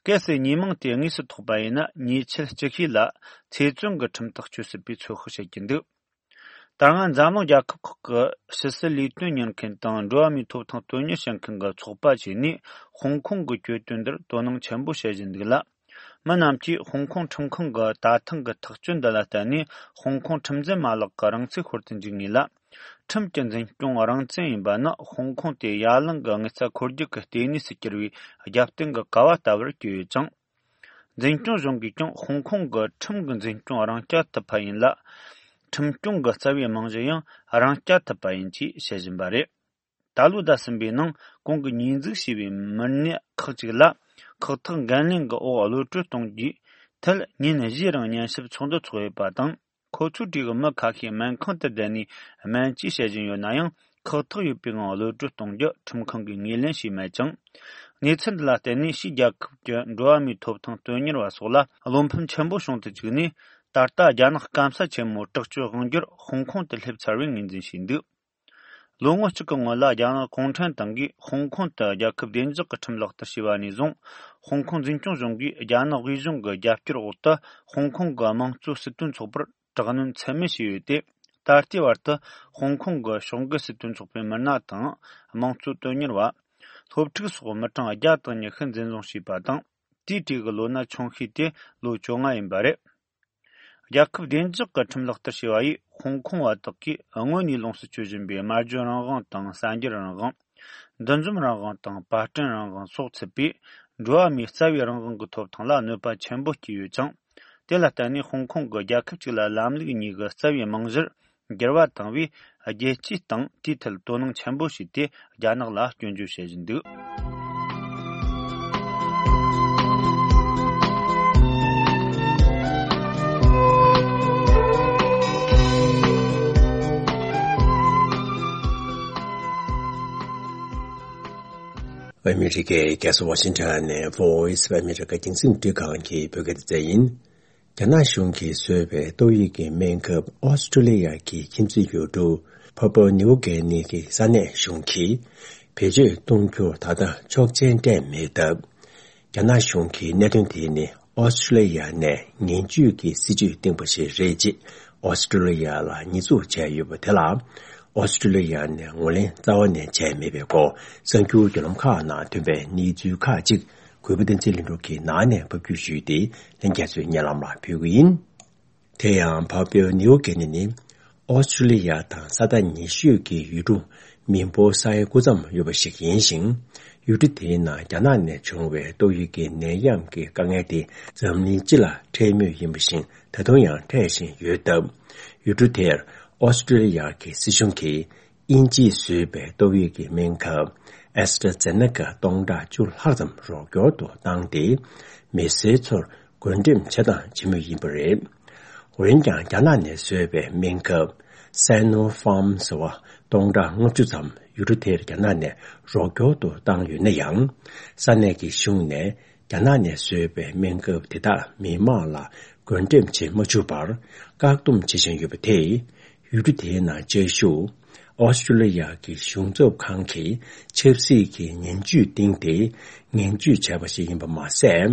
གལ་སྲིད་ཉེས་མིང་དེ་དངོས་སུ་ཐོགས་པ་ཡིན་ན། ཉེས་ཆད་ཅི་ཤོས་ལ་ཚེ་བཙོན་གྱི་ཁྲིམས་ཐག་གཅོད་སྲིད་པའི་ཚོད་དཔག་བྱེད་ཀྱི་འདུག་ད་སྔ་འཛམ་གླིང་རྒྱལ་ཁབ་ཁག་གི་ཕྱི་སྲིད་ལས་དོན་གཉེར་མཁན་དང་། འགྲོ་བ་མིའི་ཐོབ་ཐང་དོན་གཉེར་བྱེད་མཁན་གྱི་ཚོགས་པ་བཅས་ནས། ཧོང་ཀོང་གི་གྱོད་དོན་འདིར་དོ་སྣང་ཆེན་པོ་བྱེད་བཞིན་འདུག་ལ། མི་རྣམས་ཀྱིས་ཧོང་ཀོང་ཁྲིམས་ཁང་གི་ད་ཐེངས་ཀྱི་ཐག་གཅོད་འདི་ལ་བརྟེན་ནས། ཧོང་ཀོང་ཁྲིམས་འཛིན་མ་ལག་གི་རང་ཚུགས་ཤོར་དུ་འཇུག་ངེས་ལ། ཁྲིམས་ཀྱི་འཛིན་སྐྱོང་རང་བཙན་ཡིན་པ་ནི། ཧོང་ཀོང་དེ་ཡ་གླིང་གི་དངུལ་རྩ་འཁོར་རྒྱུག་གི་ལྟེ་གནས་སུ་གྱུར་བའི་རྒྱབ་རྟེན་གྱི་ཀ་བ་ལྟ་བུར་གྱུར་ཡོད་ཅིང་། འཛིན་སྐྱོང་གཞུང་གིས་ཀྱང་ཧོང་ཀོང་གི་ཁྲིམས་ཀྱི་འཛིན་སྐྱོང་རང་རྐྱ་ཐུབ་པ་ཡིན་ལ། ཁྲིམས་སྐྱོང་གི་རྩ་བའི་རྨང་གཞི་ཡང་རང་རྐྱ་ཐུབ་པ་ཡིན་ཅེས་བཤད་བཞིན་པ་རེད། ད་ལོའི་ཟླ་གསུམ་པའི་ནང་གོང་གི་ཉེས་འཛུགས་བྱས་པའི་མི་སྣ་ཁག་ཅིག་ལ་ཁག་ཐེག་འགན་ལེན་གྱི་འོག་གློད་གྲོལ་གཏོང་རྒྱུའི་ཐད་ཉིན་བཞིའི་རིང་ཉན་ཞིབ་ཚོགས་འདུ་ཚོགས་ཡོད་པ་དང་། ཁོ་ཚོའི་གྲས་ཀྱི་མི་ཁ་ཤས་སྨན་ཁང་དུ་བསྡད་ནས་སྨན་བཅོས་བྱེད་བཞིན་ཡོད་ན་ཡང་། ཁག་ཐེག་ཡོད་པའི་ངང་གློད་གྲོལ་གཏོང་རྒྱུ་ཁྲིམས་ཁང་གིས་ངོས་ལེན་བྱས་མེད་ཅིང་། གནས་ཚུལ་འདི་ལ་བརྟེན་ནས་ཕྱིའི་རྒྱལ་ཁབ་ཀྱི་འགྲོ་བ་མིའི་ཐོབ་ཐང་དོན་གཉེར་བ་སོགས་ལ་བློ་ཕམ་ཆེན་པོ་བྱུང་དུ་བཅུག་ནས། ད་ལྟ་རྒྱ་ནག་སྐམ་ས་ཆེན་མོའི་དྲག་སྤྱོད་དབང་སྒྱུར་ཧོང་ཀོང་དུ་སླེབས་ཚར་བའི་ངོས་འཛིན་བྱས་འདུག་ལོ་ངོ་གཅིག་གི་སྔོན་ལ། རྒྱ་ནག་གུང་ཁྲན་ཏང་གིས་ཧོང་ཀོང་དུ་རྒྱལ་ཁབ་བདེ་འཇགས་ཀྱི་ཁྲིམས་ལག་བསྟར་བྱས་པ་ནས་བཟུང་། ཧོང་ཀོང་འཛིན་སྐྱོང་གཞུང་གིས་རྒྱ་ནག་དབུས་གཞུང་གི་རྒྱབ་སྐྱོར་འོག་ཏུ། ཧོང་ཀོང་གི་དམངས་གཙོ་སྲིད་དོན་ཚོགས་པར་དྲག་གནོན་ཚད་མེད་བྱས་ཡོད་དེ། ད་ལྟའི་བར་དུ་ཧོང་ཀོང་གི་ཕྱོགས་འགལ་སྲིད་དོན་ཚོགས་པའི་མི་སྣ་དང་། དམངས་གཙོ་དོན་གཉེར་བ། སློབ་ཕྲུག་སོགས་མི་གྲངས་བརྒྱ་དང་ཉི་ཤུ་འཛིན་བཟུང་བྱས་པ་དང་། དེའི་གྲས་ཀྱི་ལོ་ན་ཆུང་ཤོས་དེ་ལོ་བཅོ་ལྔ་ཡིན་པ་རེད། རྒྱལ་ཁབ་བདེ་འཇགས་ཀྱི་ཁྲིམས་ལག་བསྟར་བྱས་པ་ཡིས། ཧོང་ཀོང་བ་དག་གིས་སྔོན་ནས་ལོངས་སུ་སྤྱོད་བཞིན་པའི་སྨྲ་བརྗོད་རང་དབང་དང་། གསར་འགྱུར་རང་དབང་། འདུ་འཛོམས་རང་དབང་དང་། པར་སྐྲུན་རང་དབང་སོགས་ཚུད་པའི་འགྲོ་བ་མིའི་རྩ་བའི་རང་དབང་གི་ཐོབ་ཐང་ལ་གནོད་པ་ཆེན་པོ་སྐྱེལ་ཡོད་ཅིང་། དེ་ལ་བརྟེན་ནས་ཧོང་ཀོང་གི་རྒྱལ་ཁབ་ཅིག་ལ་ལམ་ལུགས་གཉིས་ཀྱི་རྩ་བའི་རྨང་གཞིར་འགྱུར་བ་བཏང་བས། རྒྱལ་སྤྱིའི་སྟེང་དེའི་ཐད་དོ་སྣང་ཆེན་པོ་བྱས་ཏེ། རྒྱ་ནག་ལ་སྐྱོན་བརྗོད་བྱེད་བཞིན་འདུག་ཨ་མི་རི་ཀའི་རྒྱལ་ས་ཝ་ཤིང་ཊོན་ནས་Voice of America རྒྱང་སྲིང་རླུང་འཕྲིན་ཁང་གི་བོད་སྐད་སྡེ་ཚན་ཡིན། རྒྱ་ནག་གཞུང་གིས་བཟོས་པའི་ཏོག་དབྱིབས་ཀྱི་སྨན་ཁབ་ཨོ་སི་ཀྲོ་ལི་ཡ་གི་ཁྱིམ་མཚེས་ཡུལ་གྲུ་ཕ་པུ་ནིའུ་གྷི་ནི་གི་ས་གནས་གཞུང་གིས་བེད་སྤྱོད་གཏོང་རྒྱུར་ད་ལྟ་ཆོག་མཆན་སྤྲད་མེད་སྟབས། རྒྱ་ནག་གཞུང་གིས་གནད་དོན་དེ་ནི་ཨོ་སི་ཀྲོ་ལི་ཡ་ནས་ངན་ཇུས་ཀྱི་སྲིད་ཇུས་བཏིང་པ་ཞིག་རེད་ཅེས་ཨོ་སི་ཀྲོ་ལི་ཡ་ལ་ཉེས་འཛུགས་བྱས་ཡོད་པ་དེ་ལ། ཨོ་སི་ཀྲོ་ལི་ཡ་ནས་ངོས་ལེན་རྩ་བ་ནས་བྱས་མེད་པའི་སྐོར། གསར་འགྱུར་བརྒྱུད་ལམ་ཁག་ནང་ཐོན་པའི་གནས་ཚུལ་ཁག་ཅིག་གུས་པ་བསྟན་འཛིན་ལྷུན་གྲུབ་ཀྱིས་ནང་ནས་ཕབ་སྒྱུར་ཞུས་ཏེ། ལྷན་རྒྱས་ཚོའི་སྙན་ལམ་ལ་ཕུལ་གྱི་ཡིན། དེ་ཡང་ཕ་པུ་ནིའུ་གྷི་ནི་ནི་ཨོ་སི་ཀྲོ་ལི་ཡ་དང་ས་ཐག་ཉེ་ཤོས་ཀྱི་ཡུལ་གྲུ་མིན་པོ་སའི་སྐུ་མཚམས་ཡོད་པ་ཞིག་ཡིན་ཞིང་། ཡུལ་གྲུ་དེའི་ནང་རྒྱ་ནག་ནས་བྱུང་བའི་ཏོག་དབྱིབས་ཀྱི་ནད་ཡམས་ཀྱི་དཀའ་ངལ་དེ་འཛམ་གླིང་སྤྱི་ལ་འཕྲད་མུས་ཡིན་པ་བཞིན། ད་དུང་ཡང་འཕྲད་བཞིན་ཡོད་སྟབས། ཡུལ་གྲུ་དེར་ཨོ་སི་ཀྲོ་ལི་ཡ་གི་སྲིད་གཞུང་གིས་དབྱིན་ཇིས་བཟོས་པའི་ཏོག་དབྱིབས་ཀྱི་སྨན་ཁབ་ཨེ་སི་ཊ་ཛེ་ནེ་ཀ་སྟོང་ཕྲག་བཅུ་ལྷག་ཙམ་རོགས་སྐྱོར་དུ་བཏང་སྟེ། མི་སེར་ཚོར་བགོ་འགྲེམས་བྱེད་སྟངས་བྱེད་མུས་ཡིན་པ་རེད། འོན་ཀྱང་། རྒྱ་ནག་ནས་བཟོས་པའི་སྨན་ཁབ་Sinopharm ཟེར་བ་སྟོང་ཕྲག་ལྔ་བཅུ་ཙམ་ཡུལ་གྲུ་དེར་རྒྱ་ནག་ནས་རོགས་སྐྱོར་དུ་བཏང་ཡོད་ན་ཡང་། ས་གནས་ཀྱི་གཞུང་ནས་རྒྱ་ནག་ནས་བཟོས་པའི་སྨན་ཁབ་དེ་དག་མི་མང་ལ་བགོ་འགྲེམས་བྱེད་མ་བཅུག་པར་བཀག་སྡོམ་བྱེད་བཞིན་ཡོད་པ་དེས། ཡུལ་གྲུ་དེའི་ནང་བཅའ་བཞུགས་ཨོ་སི་ཀྲུ་ལི་ཡ་གི་གཞུང་ཚབ་ཁང་གིས་ཆབ་སྲིད་ཀྱི་ངན་ཇུས་བཏིང་སྟེ། ངན་ཇུས་བྱས་པ་ཞིག་ཡིན་པ་མ་ཟད།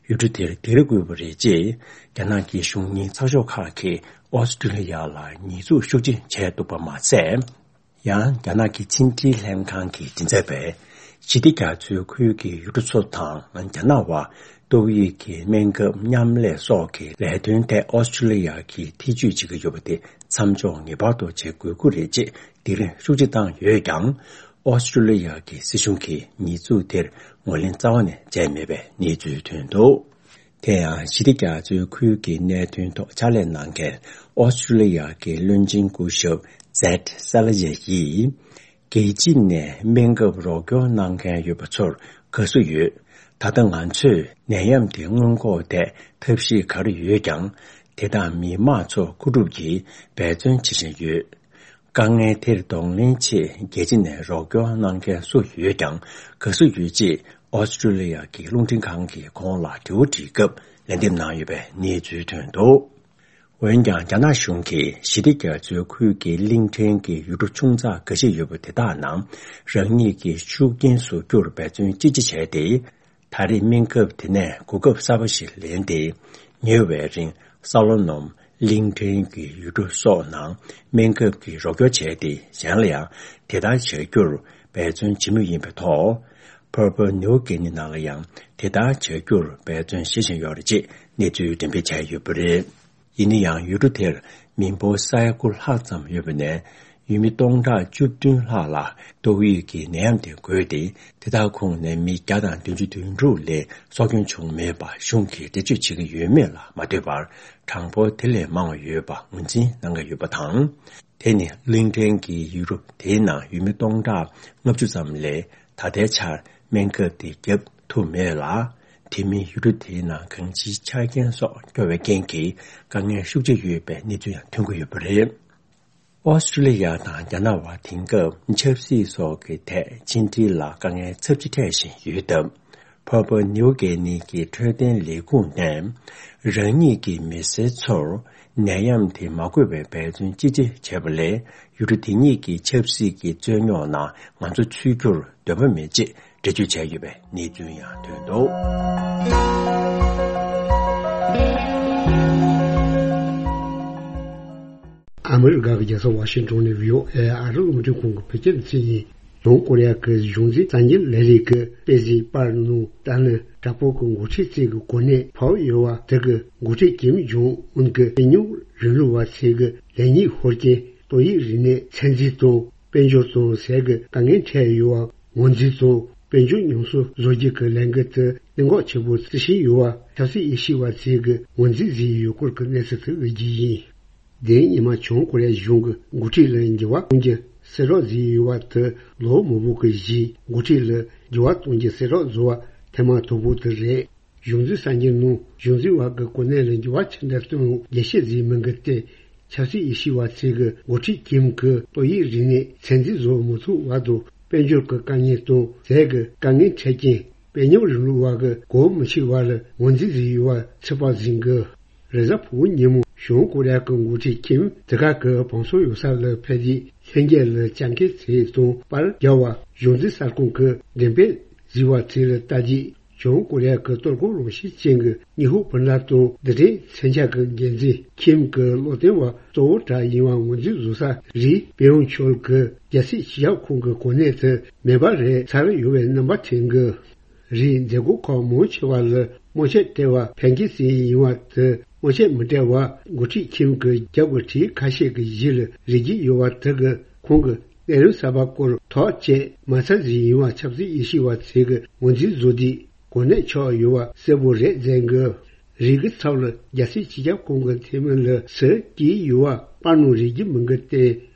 ཡུལ་གྲུ་དེར་སྡིགས་ར་བསྐུལ་བ་རེད་ཅེས། རྒྱ་ནག་གི་གཞུང་གཉེར་ཚགས་ཤོག་ཁག་གིས་ཨོ་སི་ཀྲུ་ལི་ཡ་ལ་ཉེས་འཛུགས་ཤུགས་ཆེ་བྱས་འདུག་པ་མ་ཟད། ཡང་། རྒྱ་ནག་གི་ཕྱི་འབྲེལ་ལྷན་ཁང་གི་མགྲིན་ཚབ་པས། ཞི་བདེ་རྒྱ་མཚོའི་ཁུལ་གྱི་ཡུལ་གྲུ་ཚོ་དང་རྒྱ་ནག་བར་ཏོག་དབྱིབས་ཀྱི་སྨན་ཁབ་མཉམ་ལས་སོགས་ཀྱི་ལས་དོན་ཐད་ཨོ་སི་ཀྲུ་ལི་ཡ་གིས་ཐེ་ཇུས་བྱེད་ཀྱི་ཡོད་པ་དེ་མཚམས་འཇོག་ངེས་པར་དུ་བྱེད་དགོས་ཀྱི་རེད་ཅེས་སྡིགས་ར་ཤུགས་ཆེ་བཏང་ཡོད་ཀྱང་། ཨོ་སི་ཀྲུ་ལི་ཡ་གི་སྲིད་གཞུང་གིས་ཉེས་འཛུགས་དེར་ངོས་ལེན་རྩ་བ་ནས་བྱས་མེད་པའི་གནས་ཚུལ་ཐོན་འདུག་དེ་ཡང་། ཞི་བདེ་རྒྱ་མཚོའི་ཁུལ་གྱི་གནད་དོན་ཐོག་ཕྱག་ལས་གནང་མཁན་ཨོ་སི་ཀྲུ་ལི་ཡ་གི་བློན་ཆེན་སྐུ་ཞབས་ཛེད་སཱ་ལ་ཡེ་ཡིས། རྒྱལ་སྤྱི་ནས་སྨན་ཁབ་རོགས་སྐྱོར་གནང་མཁན་ཡོད་པ་ཚོར་དགའ་བསུ་ཡོད། ད་ལྟ་ང་ཚོས་ནད་ཡམས་དེ་སྔོན་འགོག་ཐད་ཐབས་ཤེས་ག་རེ་ཡོད་ཀྱང་། དེ་དག་མི་མང་ཚོ་མཁོ་སྒྲུབ་ཀྱིས་འབད་བརྩོན་བྱེད་བཞིན་ཡོད། དཀའ་ངལ་དེར་གདོང་ལེན་ཆེད་རྒྱལ་སྤྱི་ནས་རོགས་སྐྱོར་གནང་མཁན་སུ་ཡོད་ཀྱང་དགའ་བསུ་ཡོད་ཅེས་ཨོ་སི་ཀྲུ་ལི་ཡ་གི་རླུང་འཕྲིན་ཁང་གིས་ཁོང་ལ་དྲི་བ་དྲིས་སྐབས་ལན་འདེབས་གནང་ཡོད་པའི་གནས་ཚུལ་ཐོན་འདུག་འོན་ཀྱང་། རྒྱ་ནག་གཞུང་གིས་ཞི་བདེ་རྒྱ་མཚོའི་ཁུལ་གྱི་གླིང་ཕྲན་གྱི་ཡུལ་གྲུ་ཆུང་ཙག་འགའ་ཤས་ཡོད་པ་དེ་དག་ནང་རང་ཉིད་ཀྱི་ཤུགས་རྐྱེན་བཟོ་རྒྱུར་འབད་བརྩོན་ཅི་ཆེ་བྱས་ཏེ། ད་རེས་སྨན་ཁབ་དེ་ནས་གོ་སྐབས་གསར་པ་ཞིག་ལེན་ཏེ། ཉེ་བའི་རིང་ས་ལོ་ནོམ། གླིང་ཕྲན་གྱི་ཡུལ་གྲུ་སོགས་ནང་སྨན་ཁབ་ཀྱི་རོགས་སྐྱོར་བྱས་ཏེ། གཞན་ལ་ཡང་དེ་ལྟར་བྱ་རྒྱུར་འབད་བརྩོན་བྱེད་མུས་ཡིན་པའི་ཐོག Papua New Guinea ནང་ལ་ཡང་དེ་ལྟར་བྱ་རྒྱུར་འབད་བརྩོན་བྱེད་བཞིན་ཡོད་རེད་ཅེས་གནས་ཚུལ་འགྲེམས་སྤེལ་བྱས་ཡོད་པ་རེད། ཡིན་ན་ཡང་། ཡུལ་གྲུ་དེར་མི་འབོར་ས་ཡ་དགུ་ལྷག་ཙམ་ཡོད་པ་ནས། ཡུལ་མི་སྟོང་ཕྲག་བཅུ་བདུན་ལྷག་ལ་ཏོག་དབྱིབས་ཀྱི་ནད་ཡམས་དེ་འགོས་ཏེ། དེ་དག་ཁོངས་ནས་མི་བརྒྱ་དང་བདུན་ཅུ་དོན་དྲུག་ལས་སྲོག་སྐྱོན་བྱུང་མེད་པ་གཞུང་གིས་འགྲེལ་བརྗོད་བྱེད་ཀྱི་ཡོད་མེད་ལ་མ་ལྟོས་པར། གྲངས་འབོར་དེ་ལས་མང་བ་ཡོད་པ་ངོས་འཛིན་གནང་གི་ཡོད་པ་དང་། དེ་ནི་གླིང་ཕྲན་གྱི་ཡུལ་གྲུ་དེའི་ནང་ཡུལ་མི་སྟོང་ཕྲག་ལྔ་བཅུ་ཙམ་ལས་ད་ལྟའི་ཆར་སྨན་ཁབ་དེ་བརྒྱབ་ཐུབ་མེད་ལ། དེ་མིན་ཡུལ་གྲུ་དེའི་ནང་གང་ཅིའི་ཆ་རྐྱེན་སོགས་སྐྱོ་བའི་རྐྱེན་གྱིས་དཀའ་ངལ་ཤུགས་ཆེ་ཡོད་པའི་གནས་ཚུལ་ཡང་ཐོན་གྱི་ཡོད་པ་རེད། ཨོ་སི་ཀྲུ་ལི་ཡ་དང་རྒྱ་ནག་བར་དེང་སྐབས་ཆབ་སྲིད་སོགས་ཀྱི་ཐད་ཕྱི་འབྲེལ་ལ་དཀའ་ངལ་ཚབས་ཆེ་འཕྲད་བཞིན་ཡོད་སྟབས། Papua New Guinea གྱི་འཕྲོད་བསྟེན་ལས་ཁུངས་ནས་རང་ཉིད་ཀྱི་མི་སེར་ཚོར་ནད་ཡམས་དེ་མ་འགོས་པའི་འབད་བརྩོན་ཅི་ཆེ་བྱས་པ་ལས། ཡུལ་གྲུ་དེ་ཉིད་ཀྱི་ཆབ་སྲིད་ཀྱི་རྩོད་རྙོག་ནང་ང་ཚོ་ཚུད་རྒྱུར་འདོད་པ་མེད་ཅེས་འགྲེལ་བརྗོད་བྱས་ཡོད་པའི་གནས་ཚུལ་ཡང་ཐོན་འདུག་ཨ་མི་རི་ཀ་གི་རྒྱལ་ས་ཝ་ཤིང་ཏོན་ནས་བྷི་ཨོ་ཨེ་ཨ་རི་རླུང་འཕྲིན་ཁང་གི་བོད་སྐད་སྡེ་ཚན་ཡིན། བྱང་ཀོ་རི་ཡ་གི་གཞུང་འཛིན་གསར་འགྱུར་ལས་རིགས་ཀྱི་དཔེ་གཟིགས་པར་ནང་ཏཱ་ལའི་དྲག་པོ་གི་འགོ་ཁྲིད་ཅིག་གི་གོ་གནས་འཕར་ཡོད་པ་དེ་གི་འགོ་ཁྲིད་ཀིམ་ཇོང་ཨུན་གྱི་དཔོན་གཉེར་རིང་ལུགས་པ་ཚོས་གི་ལེགས་ཉེས་ཤོར་རྐྱེན། ཏོག་དབྱིབས་རིམས་ནད་ཚད་འཛིན་དང་དཔལ་འབྱོར་དང་ཟས་ཀྱི་དཀའ་ངལ་འཕྲད་ཡོད་པ། ངོས་འཛིན་དང་དཔལ་འབྱོར་ཉམས་གསོ་བཟོ་རྒྱུ་གི་ལས་འགུལ་དེ་གནད་འགག་ཆེན་པོ་བརྩི་བཞིན་ཡོད་པ། ཆབ་སྲིད་དབྱེ་ཞིབ་པ་ཚོས་གི་ངོས་འཛིན་བཟོས་ཡོད་སྐོར་གྱི་གནས་ཚུལ་དེ་གི་རྒྱུ་ཡིན། དེ་ཉི་མ་བྱང་ཀོ་རི་ཡ་གཞུང་གི་འགོ་ཁྲིད་ལ་འགྱུར་བ་གཏོང་རྒྱུ་གསལ་བསྒྲགས་བཟོས་ཡོད་པ་དེ་ལོ་མང་པོ་གི་རྗེས་འགོ་ཁྲིད་ལ་འགྱུར་བ་གཏོང་རྒྱུ་གསལ་བསྒྲགས་བཟོ་བ་ཐེངས་མ་དང་པོ་དེ་རེད། གཞུང་འཛིན་གསར་འགྱུར་ནང་གཞུང་འཛིན་པ་གི་གོ་གནས་ལ་འགྱུར་བ་ཆེན་པོ་གཏོང་རྒྱུ་ཞིག་བཟོས་མིན་གི་སྟེ། ཆབ་སྲིད་དབྱེ་ཞིབ་པ་ཚོས་གི་འགོ་ཁྲིད་ཀིམ་གི་ཏོག་དབྱིབས་རིམས་ནད་ཚད་འཛིན་བཟོ་མི་ཐུབ་པ་དང་། དཔལ་འབྱོར་གི་དཀའ་ངལ་དང་ཟས་ཀྱི་དཀའ་ངལ་འཕྲད་རྐྱེན། དཔོན་ཉམས་རིང་ལུགས་པ་གི་གོ་མི་ཆོད་པ་ལ་ངོས་འཛིན་བཟོས་ཡོད་པ་ཚོད་དཔག་བཟོ་གི། རེས་གཟའ་ཕུར་བུ་ཉིན་མོ་བྱང་ཀོ་རི་ཡ་གི་འགོ་ཁྲིད་ཀིམ་དེ་ག་གི་བང་སོ་ཡོད་ས་ལ་ཕེབས་རྗེས་ལྷན་རྒྱས་ལ་ལྕགས་མཁན་ཚོ་དང་པར་རྒྱག་པ། གཞུང་འཛིན་གསར་ཁང་གི་འགྲེམས་སྤེལ་བཟོས་པ་ཚོ་ལ་ལྟ་རྗེས། བྱང་ཀོ་རི་ཡ་གི་གཏོར་རྒོལ་རང་བཞིན་ཅན་གྱི་ཉི་ཧོང་བུ་ལ་དང་རྡུལ་ཕྲན་མཚོན་ཆ་གི་འགན་འཛིན་ཁིམ་གྱི་བློ་བརྟན་པ་གཙོ་བོ་གྲས་ཡིན་པ་ངོས་འཛིན་བཟོ་ས་རིགས་པེ་ཡོང་ཆོལ་གྱི་རྒྱལ་སྲིད་སྤྱི་ཁྱབ་ཁང་གི་གོ་གནས་དེ་མེ་འབར་རེད་ཚར་ཡོད་པའི་རྣམ་པ་ཐོན་གི། རིགས་མཛད་སྒོ་ཁག་མང་ཆེ་བ་ལ་སྨོན་ཆད་སྤྲད་པ་ཕན་ཁེ་སྲིད་ཡིན་པ་དེ་སྨོན་ཆད་མི་སྤྲད་པ་འགོ་ཁྲིད་ཁིམ་གྱི་རྒྱབ་ཀྱི་གྲས་ཁ་ཤས་ཀྱི་ཡིད་ལ་རེག་གི་ཡོད་པ་དེ་གི་ཁོང་གི་ལས་རིམ་གསར་པ་སྐོར་ཐག་བཅད་མ་ཚར་ཟིན་ཡིན་པ་ཆབ་སྲིད་དབྱེ་ཞིབ་པ་ཚོས་གི་ངོས་འཛིན་བཟོ་དུས། གོ་གནས་ཆགས་ཡོད་པ་གསལ་པོ་རེད་ཟེར་གི། རིགས་ཀྱི་ཚབ་ལ་རྒྱལ་སྲིད་སྤྱི་ཁྱབ་ཁང་གི་འཐུས་མི་ལ་ཟུར་བསྐྱོན་ཡོད་པ་པར་ནང་རིག་རྒྱུ་མིན་གི་སྟེ།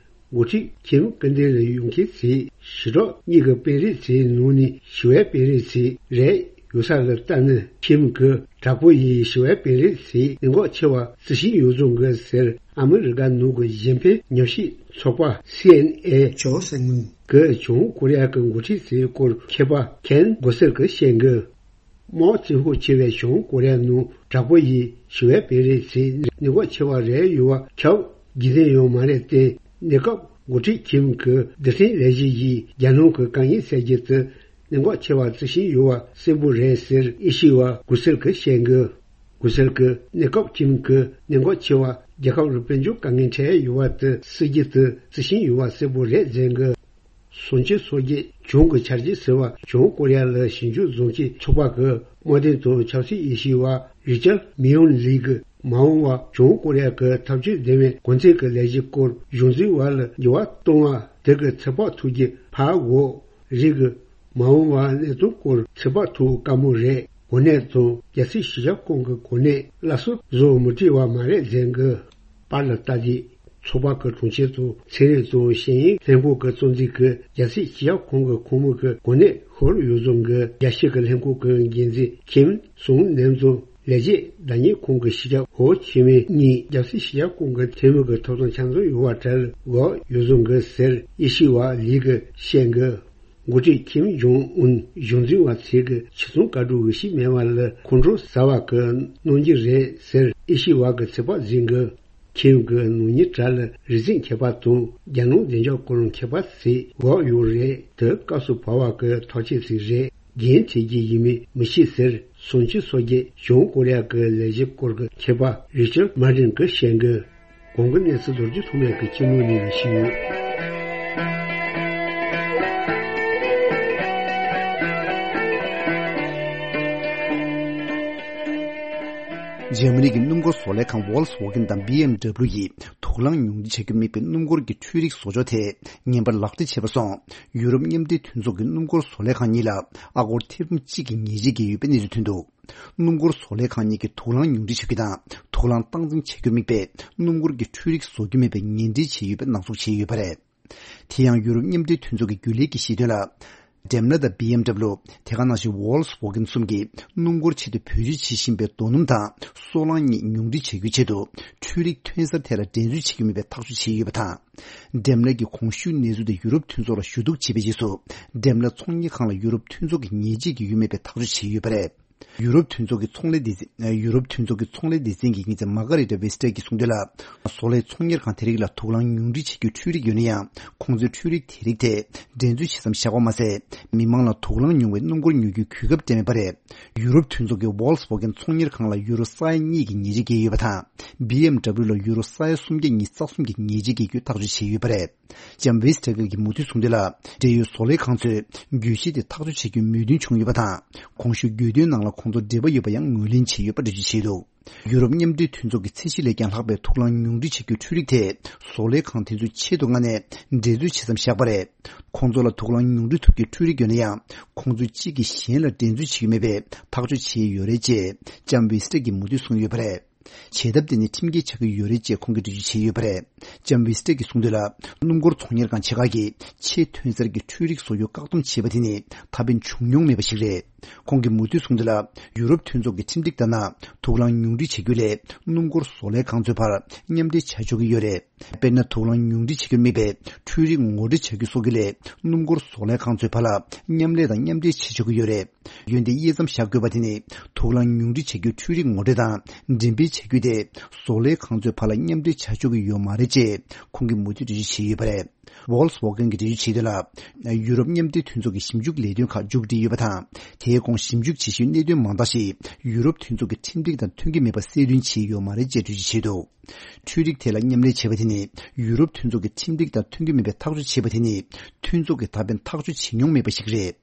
འགོ་ཁྲིད་ཁྱིམ་སྐུ་མདུན་ལ་ཡོང་མཁན་ཚོས་ཞི་དྲག་གཉིས་ཀྱི་དཔོན་རིགས་ཚོའི་ནང་ནས་ཞི་བའི་དཔོན་རིགས་ཚོ་རེད། ཡོད་ས་ལ་ལྟ་ན་ཁྱིམ་གྱི་ དྲག་པོ་ཡིས་ཞི་བའི་བེ་རི་སི་གནད་འགག་ཆེ་བ་བརྩི་བཞིན་ཡོད་བཟོ་གི་ཟེར། ཨ་མི་རི་ཀ་ནང་གི་གཞན་ཕན་ཉམས་ཞིབ་ཚོགས་པ་སི་ཨེན་ཨེ་ཇོ་སེང་གིས་བྱང་ཀོ་རི་ཡ་གི་འགོ་ཁྲིད་ཚོའི་སྐོར་མཁས་པ་ཁེན་གོ་སེལ་གྱིས་བཤད་གི། དམག་བཙན་ཤུགས་ཆེ་བའི་བྱང་ཀོ་རི་ཡ་ནང་དྲག་པོ་ཡིས་ཞི་བའི་བེ་རི་སི་གནད་འགག་ཆེ་བ་རེད་ཡོད་པ་ཁྱབ། རྒྱུན་ལྡན་ཡང་མ་རེད་དེ། གནས་སྐབས་འགོ་ཁྲིད་ཁིམ་གྱི་རྡུལ་ཕྲན་ལས་གཞི་ཡིས་རྒྱལ་ནང་གི་དཀའ་ངལ་སེལ་རྒྱུ་དེ་གནད་འགག་ཆེ་བ་བརྩི་བཞིན་ཡོད་པ་གསལ་པོ་རེད་ཟེར་ཨེ་ཤེ་ཡ་གོ་སེལ་གྱིས་བཤད་གི། གོ་སེལ་གྱིས་གནས་སྐབས་ཁིམ་གྱི་གནད་འགག་ཆེ་བ་རྒྱལ་ཁབ་རུ་དཔལ་འབྱོར་དཀའ་ངལ་འཕྲད་ཡོད་པ་དེ་སེལ་རྒྱུ་དེ་བརྩི་བཞིན་ཡོད་པ་གསལ་པོ་རེད་ཟེར་གི། སུན་ཅི་སོགས་ཀྱིས་བྱང་གི་ཆར་ཇི་ཟེར་བ་བྱང་ཀོ་རི་ཡ་ལ་ཞིབ་འཇུག་བཟོ་མཁན་ཚོགས་པ་གི་དམག་དོན་དང་ཆབ་སྲིད་དབྱེ་ཞིབ་པ་རི་ཅར་མི་ཡོན་ལི་གིས་མ་འོངས་པར་བྱང་ཀོ་རི་ཡ་གི་འཐབ་ཇུས་ལྡན་པའི་གོང་ཚད་ཀྱི་ལས་གཞི་སྐོར་གཞུང་འཛིན་པ་ལ་འགྱུར་བ་གཏོང་བ་དེ་གི་ཚོད་དཔག་ཐུབ་རྒྱུ་ཕར་འོག་རིགས་ཀྱི་མ་འོངས་པ་གནད་དོན་སྐོར་ཚོད་དཔག་ཐུབ་དཀའ་མོ་རེད། གོ་གནས་དང་རྒྱལ་སྲིད་སྤྱི་ཁྱབ་ཁང་གི་གོ་གནས་སླར་གསོ་བཟོ་མི་བྲེལ་བ་མ་རེད་ཟེར་གི། པར་ལ་ལྟ་དུས། ཚོགས་པ་གི་དྲུང་ཆེ་དང་ཚན་རིག་དང་ཤེས་ཡོན་ལྷན་ཁང་གི་གཙོ་འཛིན་གྱིས་རྒྱལ་སྲིད་སྤྱི་ཁྱབ་ཁང་གི་ཁོངས་མི་གི་གོ་གནས་ཤོར་ཡོད་བཟོ་གི། རྒྱལ་སྤྱི་གི་ལྷན་ཁང་གི་འགན་འཛིན་ཁིམ་སུང་ནེམ་དང་ལས་བྱེད་བདག་གཉེར་ཁང་གི་སྤྱི་ཁྱབ་ཧོ་ཆི་མིན་གཉིས་རྒྱལ་སྲིད་སྤྱི་ཁྱབ་ཁང་གི་འཐུས་མི་གི་ཐོབ་ཐང་ཆ་ཚང་ཡོད་པ་གྲལ་འགོད་ཡོད་བཟོ་གི་ཟེར་ཨེ་ཤེ་ཡ་ལི་གིས་བཤད་གི། འགོ་ཁྲིད་ཁིམ་ཇོང་ཨུན་གཞུང་འཛིན་པ་ཚོས་གི་ཕྱི་ཚོང་བཀའ་སྒྲུབ་འོས་ཤིང་མེད་པ་ལ་ཁོང་ཁྲོ་ཟ་བ་གི་གནང་རྒྱུ་རེད་ཟེར་ཨེ་ཤེ་ཡ་གི་ཚོད་དཔག་འཛིན་གི། ཁིམ་གི་ནང་མིའི་གྲས་ལ་རིག་འཛིན་མཁས་པ་དང་རྒྱལ་ནང་བདེ་འཇགས་སྐོར་མཁས་པ་ཚོས་འགོ་ཡོད་རེད། དེ་སྐབས་སུ་བབས་པ་གི་ཐག་གཅོད་ཅིག་རེད། འགན་འཁྱེར་རྒྱུ་ཡིན་མིན་མི་ཤེས་ཟེར་སུན་ཅི་སོགས་ཀྱིས་བྱང་ཀོ་རི་ཡ་གི་ལས་གཞི་སྐོར་གི་མཁས་པ་རི་ཅར་མར་ཏིན་གྱིས་བཤད་གི། གོང་གི་གནས་ཚུལ་མདོར་བསྡུས་ཐོག་མའི་གི་སྤྱི་ནོར་ནས་ཞུས་ཡོད། འཇར་མ་ནི་གི་སྣུམ་འཁོར་བཟོ་ལས་ཁང་Volkswagen་དང་B M W་ཡིས་དུག་རླངས་ཉུང་འཕྲི་བྱ་རྒྱུ་དམིགས་པའི་སྣུམ་འཁོར་གྱི་འཕྲུལ་རིག་བཟོ་ཕྱོགས་ཐད་ངན་པ་ལག་འབྲེལ་བྱས་པ་སོང་། ཡུ་རོབ་མཉམ་འབྲེལ་མཐུན་ཚོགས་ཀྱི་སྣུམ་འཁོར་བཟོ་ལས་ཁང་གཉིས་ལ་ཨ་སྒོར་ཐེར་འབུམ་གཅིག་གི་ཉེས་ཆད་བཀལ་ཡོད་པའི་གནས་ཚུལ་ཐོན་འདུག་སྣུམ་འཁོར་བཟོ་ལས་ཁང་གཉིས་ཀྱིས་དུག་རླངས་ཉུང་འཕྲི་བྱ་རྒྱུ་དང་དུག་རླངས་སྟངས་འཛིན་བྱ་རྒྱུ་དམིགས་པའི་སྣུམ་འཁོར་གྱི་འཕྲུལ་རིག་བཟོ་རྒྱུ་མེད་པའི་ངན་འབྲེལ་བྱས་ཡོད་པའི་ནག་ཚུགས་བྱས་ཡོད་པ་རེད། དེ་ཡང་ཡུ་རོབ་མཉམ་འབྲེལ་མཐུན་ཚོགས་ཀྱི་རྒྱུན་ལས་ཀྱིས་བཤད་དོན་ལ། Daimler་དང་B M W་དེ་ག་ནང་བཞིན་Volkswagen་གསུམ་གྱིས་སྣུམ་འཁོར་ཆེད་དུ་བེད་སྤྱོད་བྱེད་བཞིན་པའི་རྡོ་སྣུམ་དང་སོལ་རླངས་གཉིས་ཉུང་འཕྲི་བྱ་རྒྱུའི་ཆེད་དུ་འཕྲུལ་རིག་ཐོན་གསར་ཐད་ལ་འགྲན་རྩོད་བྱེད་ཀྱི་མེད་པའི་ཐག་གཅོད་བྱས་ཡོད་པ་དང་། Daimler་གྱིས་གོང་ཞུས་གནས་ཚུལ་དེ་ཡུ་རོབ་མཐུན་ཚོགས་ལ་ཞུ་གཏུག་བྱས་པའི་རྗེས་སུ། Daimler་ཚོང་གཉེར་ཁང་ལ་ཡུ་རོབ་མཐུན་ཚོགས་ཀྱིས་ཉེས་ཆད་བཀལ་ཡོད་མེད་པའི་ཐག་གཅོད་བྱས་ཡོད་པ་རེད། ཡུ་རོབ་མཐུན་ཚོགས་ཀྱི་ཚོང་ལས་སྡེ་ཚན། ཡུ་རོབ་མཐུན་ཚོགས་ཀྱི་ཚོང་ལས་སྡེ་ཚན་གྱི་ཉེས་ཚན་མ་ཀ་རི་ཏ་ཝེ་སི་ཏྲ་གིས་གསུངས་དོན་ལ། བཟོ་ལས་ཚོང་གཉེར་ཁང་དེ་རིགས་ལ་དུག་རླངས་ཉུང་འཕྲི་བྱེད་རྒྱུའི་འཕྲུལ་རིག་ཡོད་ན་ཡང་། ཁོང་ཚོས་འཕྲུལ་རིག་དེ་རིགས་ཐད་འགྲན་རྩོད་བྱེད་མཚམས་བཞག་པ་མ་ཟད། མི་མང་ལ་དུག་རླངས་ཉུང་བའི་སྣུམ་འཁོར་ཉོ་རྒྱུའི་གོ་སྐབས་སྤྲད་མེད་པ་རེད། ཡུ་རོབ་མཐུན་ཚོགས་ཀྱི་Volkswagen་ཚོང་གཉེར་ཁང་ལ་ཡུ་རོ་ས་ཡ་གཉིས་ཀྱི་ཉེས་ཆད་བཀལ་ཡོད་པ་དང་། B M W་ལ་ཡུ་རོ་ས་ཡ་སུམ་བརྒྱ་ཉི་ཤུ་རྩ་གསུམ་གྱི་ཉེས་ཆད་བཀལ་རྒྱུའི་ཐག་གཅོད་བྱས་ཡོད་པ་རེད། ལྕམ་ཝེ་སི་ཏྲ་གི་གིས་མུ་མཐུད་གསུངས་དོན་ལ། འབྲེལ་ཡོད་བཟོ་ལས་ཁང་ཚོས་གྱོད་གཞི་དེ་ཐག་གཅོད་བྱེད་རྒྱུའི་མོས་མཐུན་བྱུང་ཡོད་པ་དང་། གོང་ཞུས་གྱོད་དོན་ནང་ལ་ཁོང་ཚོར་འབྲེལ་བ་ཡོད་པ་ཡང་ངོས་ལེན་བྱས་ཡོད་པ་འགྲེལ་བརྗོད་བྱས་འདུག་ཡུ་རོབ་མཉམ་འབྲེལ་མཐུན་ཚོགས་ཀྱི་ཚད་གཞི་ལས་ཀྱང་ལྷག་པའི་དུག་རླངས་ཉུང་འཕྲི་བྱེད་རྒྱུའི་འཕྲུལ་རིག་ཐད་བཟོ་ལས་ཁང་དེ་ཚོས་ཆེད་དུ་མངགས་ནས་འགྲན་རྩོད་བྱེད་མཚམས་བཞག་པ་རེད། ཁོང་ཚོ་ལ་དུག་རླངས་ཉུང་འཕྲི་ཐུབ་རྒྱུའི་འཕྲུལ་རིག་ཡོད་ན་ཡང་། ཁོང་ཚོས་གཅིག་གིས་གཞན་ལ་འགྲན་རྩོད་བྱེད་ཀྱི་མེད་པའི་ཐག་གཅོད་བྱས་ཡོད་རེད་ཅེས་ལྕམ་ཝེ་སི་ཏྲ་གིས་མུ་མཐུད་གསུངས་ཡོད་པ་རེད། བྱེད་ཐབས་དེ་ནི་ཁྲིམས་འགལ་ཆགས་ཀྱི་ཡོད་རེད་ཅེས་ཁོང་གིས་འགྲེལ་བརྗོད་བྱས་ཡོད་པ་རེད། ལྕམ་ཝེ་སི་ཏྲ་གིས་གསུངས་དོན་ལ། སྣུམ་འཁོར་ཚོང་གཉེར་ཁང་ཆེ་ཁག་གིས་ཆེས་ཐོན་གསར་གྱི་འཕྲུལ་རིག་བཟོ་རྒྱུ་བཀག་སྡོམ་བྱས་པ་དེ་ནི་ད་ཕན་བྱུང་མྱོང་མེད་པ་ཞིག་རེད། ཁོང་གིས་མུ་མཐུད་གསུངས་དོན་ལ། ཡུ་རོབ་མཐུན་ཚོགས་ཀྱི་ཁྲིམས་སྒྲིག་ལྟར་ན། དུག་རླངས་ཉུང་འཕྲི་བྱ་རྒྱུ་ལས་སྣུམ་འཁོར་བཟོ་ལས་ཁང་ཚོའི་བར་མཉམ་འབྲེལ་བྱ་ཆོག་གི་ཡོད་རེད། དཔེར་ན། དུག་རླངས་ཉུང་འཕྲི་བྱེད་རྒྱུར་དམིགས་པའི་འཕྲུལ་རིག་ངོ་སྤྲོད་བྱ་རྒྱུ་སོགས་ཀྱི་ལས་སྣུམ་འཁོར་བཟོ་ལས་ཁང་ཚོའི་བར་ལ་མཉམ་ལས་དང་མཉམ་འབྲེལ་བྱེད་ཆོག་གི་ཡོད་རེད། འོན་ཏེ་དབྱེ་མཚམས་བཞག་དགོས་པ་དེ་ནི་དུག་རླངས་ཉུང་འཕྲི་བྱ་རྒྱུའི་འཕྲུལ་རིག་ངོ་སྤྲོད་དང་འགྲེམས་སྤེལ་བྱ་རྒྱུ་དེ་བཟོ་ལས་ཁང་ཚོའི་བར་ལ་མཉམ་འབྲེལ་བྱ་ཆོག་གི་ཡོད་མ་རེད་ཅེས་ཁོང་གིས་མུ་མཐུད་འགྲེལ་བརྗོད་བྱས་ཡོད་པ་རེད། Volkswagen་གྱིས་འགྲེལ་བརྗོད་བྱས་དོན་ལ། ཡུ་རོབ་མཉམ་འབྲེལ་མཐུན་ཚོགས་ཀྱི་ཞིབ་འཇུག་ལས་དོན་ཁག་མཇུག་སྒྲིལ་ཡོད་པ་དང་། དེའི་གོང་ཞིབ་འཇུག་བྱེད་ཤུལ་གནད་དོན་མང་དག་ཞིག་ཡུ་རོབ་མཐུན་ཚོགས་ཀྱི་ཁྲིམས་སྒྲིག་དང་མཐུན་གྱི་མེད་པ་གསལ་སྟོན་བྱས་ཡོད་མ་རེད་ཅེས་འགྲེལ་བརྗོད་བྱས་འདུག་འཕྲུལ་རིག་ཐད་ལ་མཉམ་ལས་བྱས་པ་དེ་ནི་ཡུ་རོབ་མཐུན་ཚོགས་ཀྱི་ཁྲིམས་སྒྲིག་དང་མཐུན་གྱི་མེད་པའི་ཐག་གཅོད་བྱས་པ་དེ་ནི་མཐུན་ཚོགས་ཀྱིས་ད་ཕན་ཐག་གཅོད་བྱེད་མྱོང་མེད་པ་ཞིག་རེད།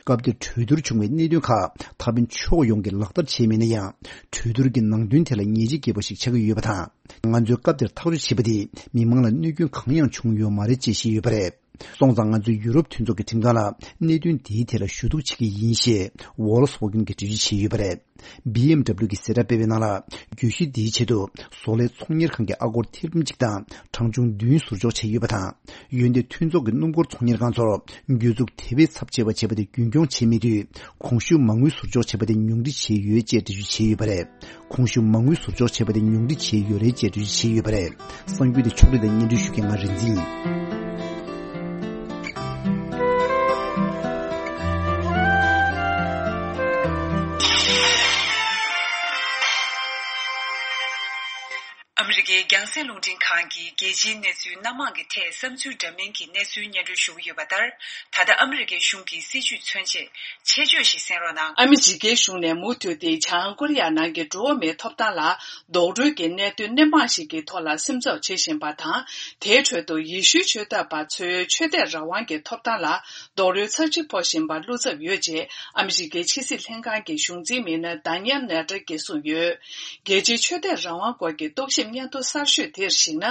སྐབས་དེར་གྲོས་བསྡུར་བྱུང་བའི་གནད་དོན་ཁག་ད་ཕན་ཕྱོགས་ཡོངས་ཀྱིས་ལག་བསྟར་བྱས་མེད་ན་ཡང་། གྲོས་བསྡུར་གྱི་ནང་དོན་དེ་ལ་ཉེས་ཆད་བཀལ་བ་ཞིག་ཆགས་ཀྱི་ཡོད་པ་དང་། ང་ཚོས་སྐབས་དེར་ཐག་གཅོད་བྱས་པ་དེས་མི་མང་ལ་གནོད་སྐྱོན་གང་ཡང་བྱུང་ཡོད་མ་རེད་ཅེས་བཤད་ཡོད་པ་རེད། སོང་ཙང་ང་ཚོས་ཡུ་རོབ་མཐུན་ཚོགས་ཀྱི་ཁྲིམས་ཁང་ལ་གནད་དོན་འདིའི་ཐད་ལ་ཞུ་གཏུག་བྱེད་ཀྱི་ཡིན་ཞེས་Volkswagen་གྱིས་འགྲེལ་བརྗོད་བྱས་ཡོད་པ་རེད། B M W་གྱིས་གསལ་བསྒྲགས་སྤེལ་བའི་ནང་ལ། གྱོད་གཞི་འདིའི་ཆེད་དུ་བཟོ་ལས་ཚོང་གཉེར་ཁང་གི་ཨ་སྒོར་ཐེར་འབུམ་གཅིག་དང་གྲངས་ཆུང་བདུན་ཟུར་འཇོག་བྱས་ཡོད་པ་དང་། འོན་ཏེ་མཐུན་ཚོགས་ཀྱི་སྣུམ་འཁོར་ཚོང་གཉེར་ཁང་ཚོར་གྱོད་འཛུགས་དེ་བས་ཚབས་ཆེ་བ་བྱས་པ་དེ་རྒྱུན་འཁྱོངས་བྱས་མེད་དུས། གོང་ཞུས་མ་དངུལ་ཟུར་འཇོག་བྱས་པ་དེ་ཉུང་འཕྲི་བྱས་ཡོད་ཅེས་འགྲེལ་བརྗོད་བྱས་ཡོད་པ་རེད། གོང་ཞུས་མ་དངུལ་ཟུར་འཇོག་བྱས་པ་དེ་ཉུང་འཕྲི་བྱས་ཡོད་རེད་ཅེས་འགྲེལ་བརྗོད་བྱས་ཡོད་པ་རེད། གསར་འགྱུར་དེ་ཕྱོགས་སྒྲིག་དང་སྙན་སྒྲོན་ཞུ་མཁན་ང་རིག་འཛིན་ཡིན། ཨ་མི་རི་ཀའི་རྒྱང་སྲིང་རླུང་འཕྲིན་ཁང་གིས་རྒྱལ་སྤྱིའི་གནས་ཚུལ་སྣ་མང་གི་ཐད་བསམ་ཚུལ་འདྲ་མིན་གྱི་གནས་ཚུལ་སྙན་སྒྲོན་ཞུ་གི་ཡོད་པ་ལྟར། ད་ལྟ་ཨ་མི་རི་ཀའི་གཞུང་གི་སྲིད་བྱུས་མཚོན་ཆེད་ཆེད་བརྗོད་ཞིག་གསན་རོགས་གནང་། ཨ་མི་རི་ཀའི་གཞུང་ནས་མུ་མཐུད་དེ་བྱང་ཀོ་རི་ཡ་ནང་གི་འགྲོ་བ་མིའི་ཐོབ་ཐང་ལ་རྡོག་རོལ་གྱི་གནད་དོན་སྣེ་མང་ཞིག་གི་ཐོག་ལ་སེམས་འཚབ་བྱེད་བཞིན་པ་དང་། དེའི་ཁྲོད་དུ་ཡེ་ཤུའི་ཆོས་དད་པ་ཚོའི་ཆོས་དད་རང་དབང་གི་ཐོབ་ཐང་ལ་རྡོག་རོལ་ཚབས་ཆེ་ཕོག་བཞིན་པར་བློ་འཚབ་ཡོད་ཅེས་ཨ་མི་རི་ཀའི་ཕྱི་སྲིད་ལྷན་ཁང་གི་གཞུང་འཛིན་མི་སྣ་ཌ་ནི་ཡལ་ནེ་ཏྲ་གིས་གསུངས་ཡོད། རྒྱལ་སྤྱིའི་ཆོས་དད་རང་དབང་སྐོར་གྱི་རྟོག་ཞིབ་སྙན་ཐོ་གསར་ཤོས་དེར་གཞིགས་ན།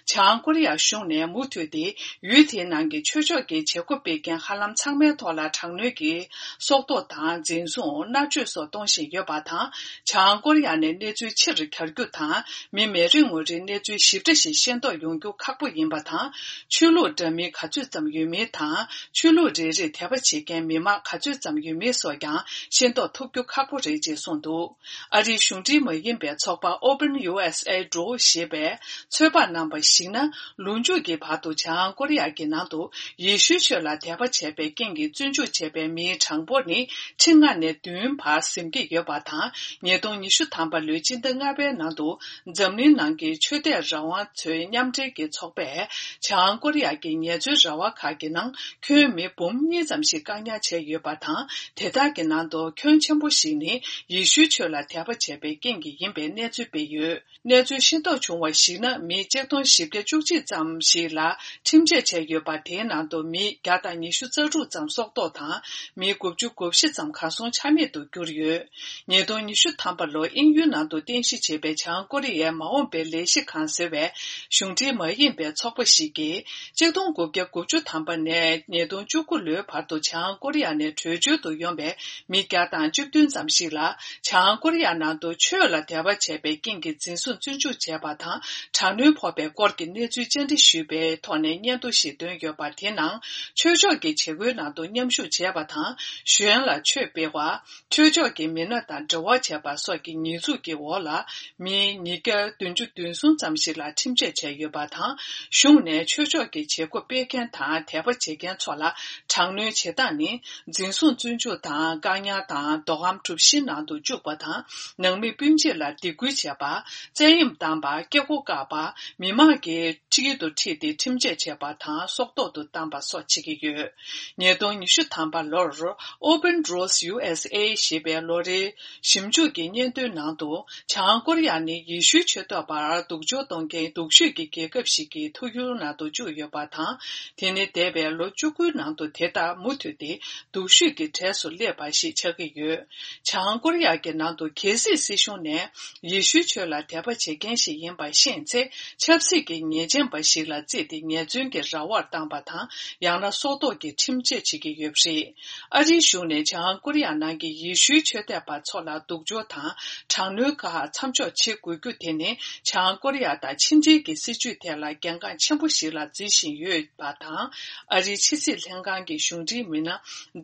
བྱང་ཀོ་རི་ཡ་གཞུང་ནས་མུ་མཐུད་དེ་ཡུལ་དེའི་ནང་གི་ཆོས་ཕྱོགས་ཀྱི་བྱེད་སྒོ་སྤེལ་མཁན་ཧ་ལམ་ཚང་མའི་ཐོག་ལ་དྲག་གནོན་གྱིས་སྲོག་ཐོག་དང་འཛིན་བཟུང་མནར་གཅོད་སོགས་གཏོང་བཞིན་ཡོད་པ་དང་། བྱང་ཀོ་རི་ཡ་ནས་གནས་ཚུལ་ཕྱིར་གྱར་རྒྱུ་དང་། མི་མེད་རིགས་ངོ་རིས་གནས་ཚུལ་ཞིབ་ཕྲ་ཞིག་ཤེས་རྟོགས་ཡོང་རྒྱུ་ཁག་པོ་ཡིན་པ་དང་། ཆོས་ལུགས་འདྲ་མིན་ག་ཚོད་ཙམ་ཡོད་མིན་དང་། ཆོས་ལུགས་རེ་རེར་དད་པ་བྱེད་མཁན་མི་མང་ག་ཚོད་ཙམ་ཡོད་མིན་སོགས་ཀྱང་ཤེས་རྟོགས་ཐུབ་རྒྱུ་ཁག་པོ་རེད་ཅེས་གསུངས་འདུག་ཨ་རིའི་གཞུང་འབྲེལ་མ་ཡིན་པའི་ཚོགས་པ་Open U S A Draw ཞེས་པས་ཚོད་དཔག་གནང་བར་གཞིགས་ན། ལོ་མཇུག་གི་བར་དུ་བྱང་ཀོ་རི་ཡ་གི་ནང་དུ་ཡེ་ཤུའི་ཆོས་ལ་དད་པ་བྱས་པའི་རྐྱེན་གྱིས་བཙོན་འཇུག་བྱས་པའི་མིའི་གྲངས་འབོར་ནི་ཁྲི་ལྔ་ནས་བདུན་བར་ཟིན་གྱི་ཡོད་པ་དང་། ཉིས་སྟོང་ཉི་ཤུ་ཐམ་པ་ལོའི་སྤྱི་ཟླ་ལྔ་པའི་ནང་དུ་འཛམ་གླིང་ནང་གི་ཆོས་དད་རང་དབང་ཚོའི་མཉམ་འབྲེལ་གྱི་ཚོགས་པས་བྱང་ཀོ་རི་ཡ་གི་ངལ་རྩོལ་ར་བ་ཁག་གི་ནང་ཁྱོན་མི་འབུམ་གཉིས་ཙམ་ཞིག་བཀག་ཉར་བྱས་ཡོད་པ་དང་། དེ་དག་གི་ནང་དུ་ཁྱོན་ཆེན་པོ་ཞིག་ནི་ཡེ་ཤུའི་ཆོས་ལ་དད་པ་བྱས་པའི་རྐྱེན་གྱིས་ཡིན་པའི་གནས་ཚུལ་སྤེལ་ཡོད། གནས་ཚུལ་ཤེས་རྟོགས་བྱུང་བར་གཞིགས་ན། མི་གཅིག་སྟོང་བཞི་བརྒྱ་བཅུ་གཅིག་ཙམ་ཞིག་ལ་ཁྲིམས་ཆད་བཅད་ཡོད་པ། དེའི་ནང་དུ་མི་བརྒྱ་དང་ཉི་ཤུ་རྩ་དྲུག་ཙམ་སྲོག་ཐོག་དང་། མི་དགུ་བཅུ་གོ་བཞི་ཙམ་གར་སོང་ཆ་མེད་དུ་གྱུར་ཡོད། ཉིས་སྟོང་ཉི་ཤུ་ཐམ་པ་ལོར་དབྱིན་ཡུལ་ནང་དུ་རྟེན་གཞི་བྱས་པའི་བྱང་ཀོ་རི་ཡའི་མ་འོངས་པའི་ལས་གཞི་ཁང་ཟེར་བའི་གཞུང་འབྲེལ་མ་ཡིན་པའི་ཚོགས་པ་ཞིག་གིས། གཅིག་སྟོང་དགུ་བརྒྱ་དགུ་བཅུ་ཐམ་པ་ནས་ཉིས་སྟོང་བཅུ་དགུ་ལོའི་བར་དུ་བྱང་ཀོ་རི་ཡ་ནས་བྲོས་བྱོལ་དུ་ཡོང་བའི་མི་བརྒྱ་དང་བཅུ་བདུན་ཙམ་ཞིག་ལ། བྱང་ཀོ་རི་ཡ་ནང་དུ་ཆོས་ལ་དད་པ་བྱས་པའི་རྐྱེན་གྱིས་འཛིན་བཟུང་བཙོན་འཇུག་བྱས་པ་དང་། དྲག་གནོན་ཕོག་པའི་སྐོར་གྱི་གནས་ཚུལ་བཅར་འདྲི་ཞུས་པའི་ཐོག་ནས་སྙན་ཐོ་ཞིག་བཏོན་ཡོད་པ། དེའི་ནང་ཆོས་ཕྱོགས་ཀྱི་བྱེད་སྒོའི་ནང་དུ་མཉམ་ཞུགས་བྱས་པ་དང་། གཞན་ལ་ཆོས་སྤེལ་བ། ཆོས་ཕྱོགས་ཀྱི་མི་སྣ་དང་འབྲེལ་བ་བྱས་པ་སོགས་ཀྱི་ཉེས་འཛུགས་ཀྱི་འོག་ལ། མི་ཉིས་བརྒྱ་བདུན་ཅུ་དོན་གསུམ་ཙམ་ཞིག་ལ་ཁྲིམས་ཆད་བཅད་ཡོད་པ་དང་། གཞུང་ནས་ཆོས་ཕྱོགས་ཀྱི་བྱེད་སྒོ་སྤེལ་མཁན་དང་དད་པ་བྱེད་མཁན་ཚོ་ལ་དྲག་གནོན་བྱེད་སྟངས་ནི། འཛིན་བཟུང་བཙོན་འཇུག་དང་བཀག་ཉར་དང་། མདོ་ཁམས་གྲུ་བཞི་ནང་དུ་བཅུག་པ་དང་། ནང་མི་སྤུན་མཆེད་ལ་སྡིགས་སྐུལ་བྱས་པ། བཙན་གཡེམ་བཏང་པ། སྐྱེ་སྒོ་བཀག་པ། མི་མང་གི་དཀྱིལ་དུ་ཁྲིད་དེ་ཁྲིམས་ཆད་བཅད་པ་དང་། སྲོག་ཐོག་ཏུ་བཏང་པ་སོགས་བྱེད་ཀྱི་ཡོད། ཉིས་སྟོང་ཉི་ཤུ་ཐམ་པ་ལོར་Open Doors U S A ཞེས་པའི་ལོ་རེའི་ཞིབ་འཇུག་གི་སྙན་ཐོའི་ནང་དུ། བྱང་ཀོ་རི་ཡ་ནི་ཡེ་ཤུའི་ཆོས་ཐོག་པར་སྡུག་སྦྱོང་གཏོང་མཁན་སྡུག་ཤོས་ཀྱི་རྒྱལ་ཁབ་ཞིག་གི་ཐུགས་ཡུལ་ནང་དུ་བཅུག་ཡོད་པ་དང་། དེ་ནི་འདས་པའི་ལོ་བཅུ་དགུའི་ནང་དུ་དེ་ལྟར་མུ་མཐུད་དེ་སྡུག་ཤོས་ཀྱི་གྲས་སུ་སླེབས་པ་ཞིག་ཆགས་ཀྱི་ཡོད། བྱང་ཀོ་རི་ཡ་གི་ནང་དུ་གལ་སྲིད་སྲིད་གཞུང་ནས། ཡེ་ཤུའི་ཆོས་ལ་དད་པ་བྱེད་མཁན་ཞིག་ཡིན་པ་ཤེས་ཚེ། ཆབ་སྲིད་ཀྱི་ཉེས་ཅན་པ་ཞིག་ལ་བརྩིས་ཏེ་ཉེས་བཙུན་གྱི་ར་བར་བཏང་པ་དང་། ཡང་ན་སྲོག་ཐོག་གི་ཁྲིམས་ཆད་བྱེད་ཀྱི་ཡོད་པ་རེད། ཨ་རིའི་གཞུང་ནས་བྱང་ཀོ་རི་ཡ་ནང་གི་ཡེ་ཤུའི་ཆོས་དད་པ་ཚོ་ལ་སྡུག་སྦྱོང་དང་དྲག་གནོན་ཁག་མཚམས་འཇོག་བྱེད་དགོས་རྒྱུ་དེ་ནི། བྱང་ཀོ་རི་ཡ་དང་ཕྱི་འབྲེལ་གྱི་སྲིད་བྱུས་ཐད་ལ་གལ་འགངས་ཆེན་པོ་ཞིག་ལ་བརྩི་བཞིན་ཡོད་པ་དང་། ཨ་རིའི་ཕྱི་སྲིད་ལྷན་ཁང་གི་གཞུང་འབྲེལ་མི་སྣ་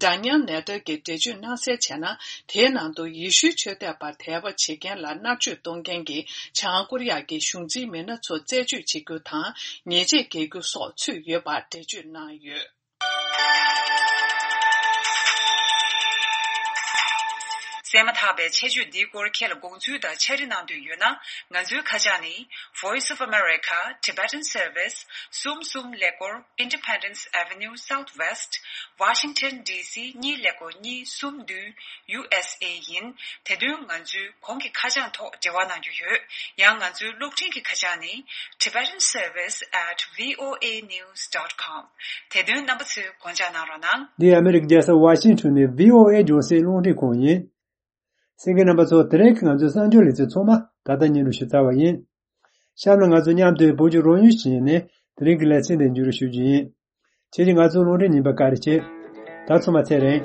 ཌ་ནི་ཡལ་ནེ་ཏྲ་གིས་འགྲེལ་བརྗོད་གནང་གསལ་བྱས་ན། དེའི་ནང་དུ་ཡེ་ཤུའི་ཆོས་དད་པར་དད་པ་བྱེད་མཁན་ལ་མནར་གཅོད་གཏོང་མཁན་གྱི་བྱང་ཀོ་རི་ཡ་གི་གཞུང་འཛིན་མི་སྣ་ཚོ་རྩད་གཅོད་བྱེད་རྒྱུ་དང་ཉེས་ཆད་འགེལ་རྒྱུ་སོགས་ཚུད་ཡོད་པར་འགྲེལ་བརྗོད་གནང་ཡོད། གསན་མ་ཐག་པའི་ཆེད་བརྗོད་འདིའི་སྐོར་ཁྱེད་ལ་དགོངས་ཚུལ་དང་ཕྱག་བྲིས་གནང་འདོད་ཡོད་ན། ང་ཚོའི་ཁ་བྱང་ནི། Voice of America Tibetan Service གསུམ་གསུམ་ཀླད་ཀོར། Independence Avenue Southwest Washington D C གཉིས་ཀླད་ཀོར་གཉིས་གསུམ་བདུན། U S A ཡིན། དེ་དོན་ང་ཚོའི་གོང་གི་ཁ་བྱང་ཐོག་འབྲེལ་བ་གནང་རྒྱུ་ཡོད། ཡང་ང་ཚོའི་གློག་འཕྲིན་གྱི་ཁ་བྱང་ནི། Tibetan Service at V O A news dot com དེ་དོན་རྣམ་པ་ཚོས་དགོངས་འཇགས་གནང་རོགས་གནང་། འདི་ཨ་མི་རི་ཀའི་རྒྱལ་ས་ཝ་ཤིང་ཊོན་ནས་བྷི་ཨོ་ཨེ་རྒྱང་སྲིང་རླུང་འཕྲིན་ཁང་ཡིན། གསན་མཁན་རྣམ་པ་ཚོ། དེ་རིང་གི་ང་ཚོའི་གསར་འགྱུར་ལེ་ཚན་ཚང་མ་ད་ལྟ་སྙན་སྒྲོན་ཞུས་ཚར་བ་ཡིན། གཤམ་ལ་ང་ཚོ་མཉམ་དུ་བོད་ཀྱི་རོལ་དབྱང་ཞིག་ཡིན་ནས་དེ་རིང་གི་ལེ་ཚན་དེ་མཇུག་སྒྲིལ་ཞུ་རྒྱུ་ཡིན། ཁྱེད་ཀྱིས་ང་ཚོའི་རླུང་འཕྲིན་རྙིང་པ་བཀའ་དྲིན་ཆེ། ད་ཚོད་མ་ཚད་རེད།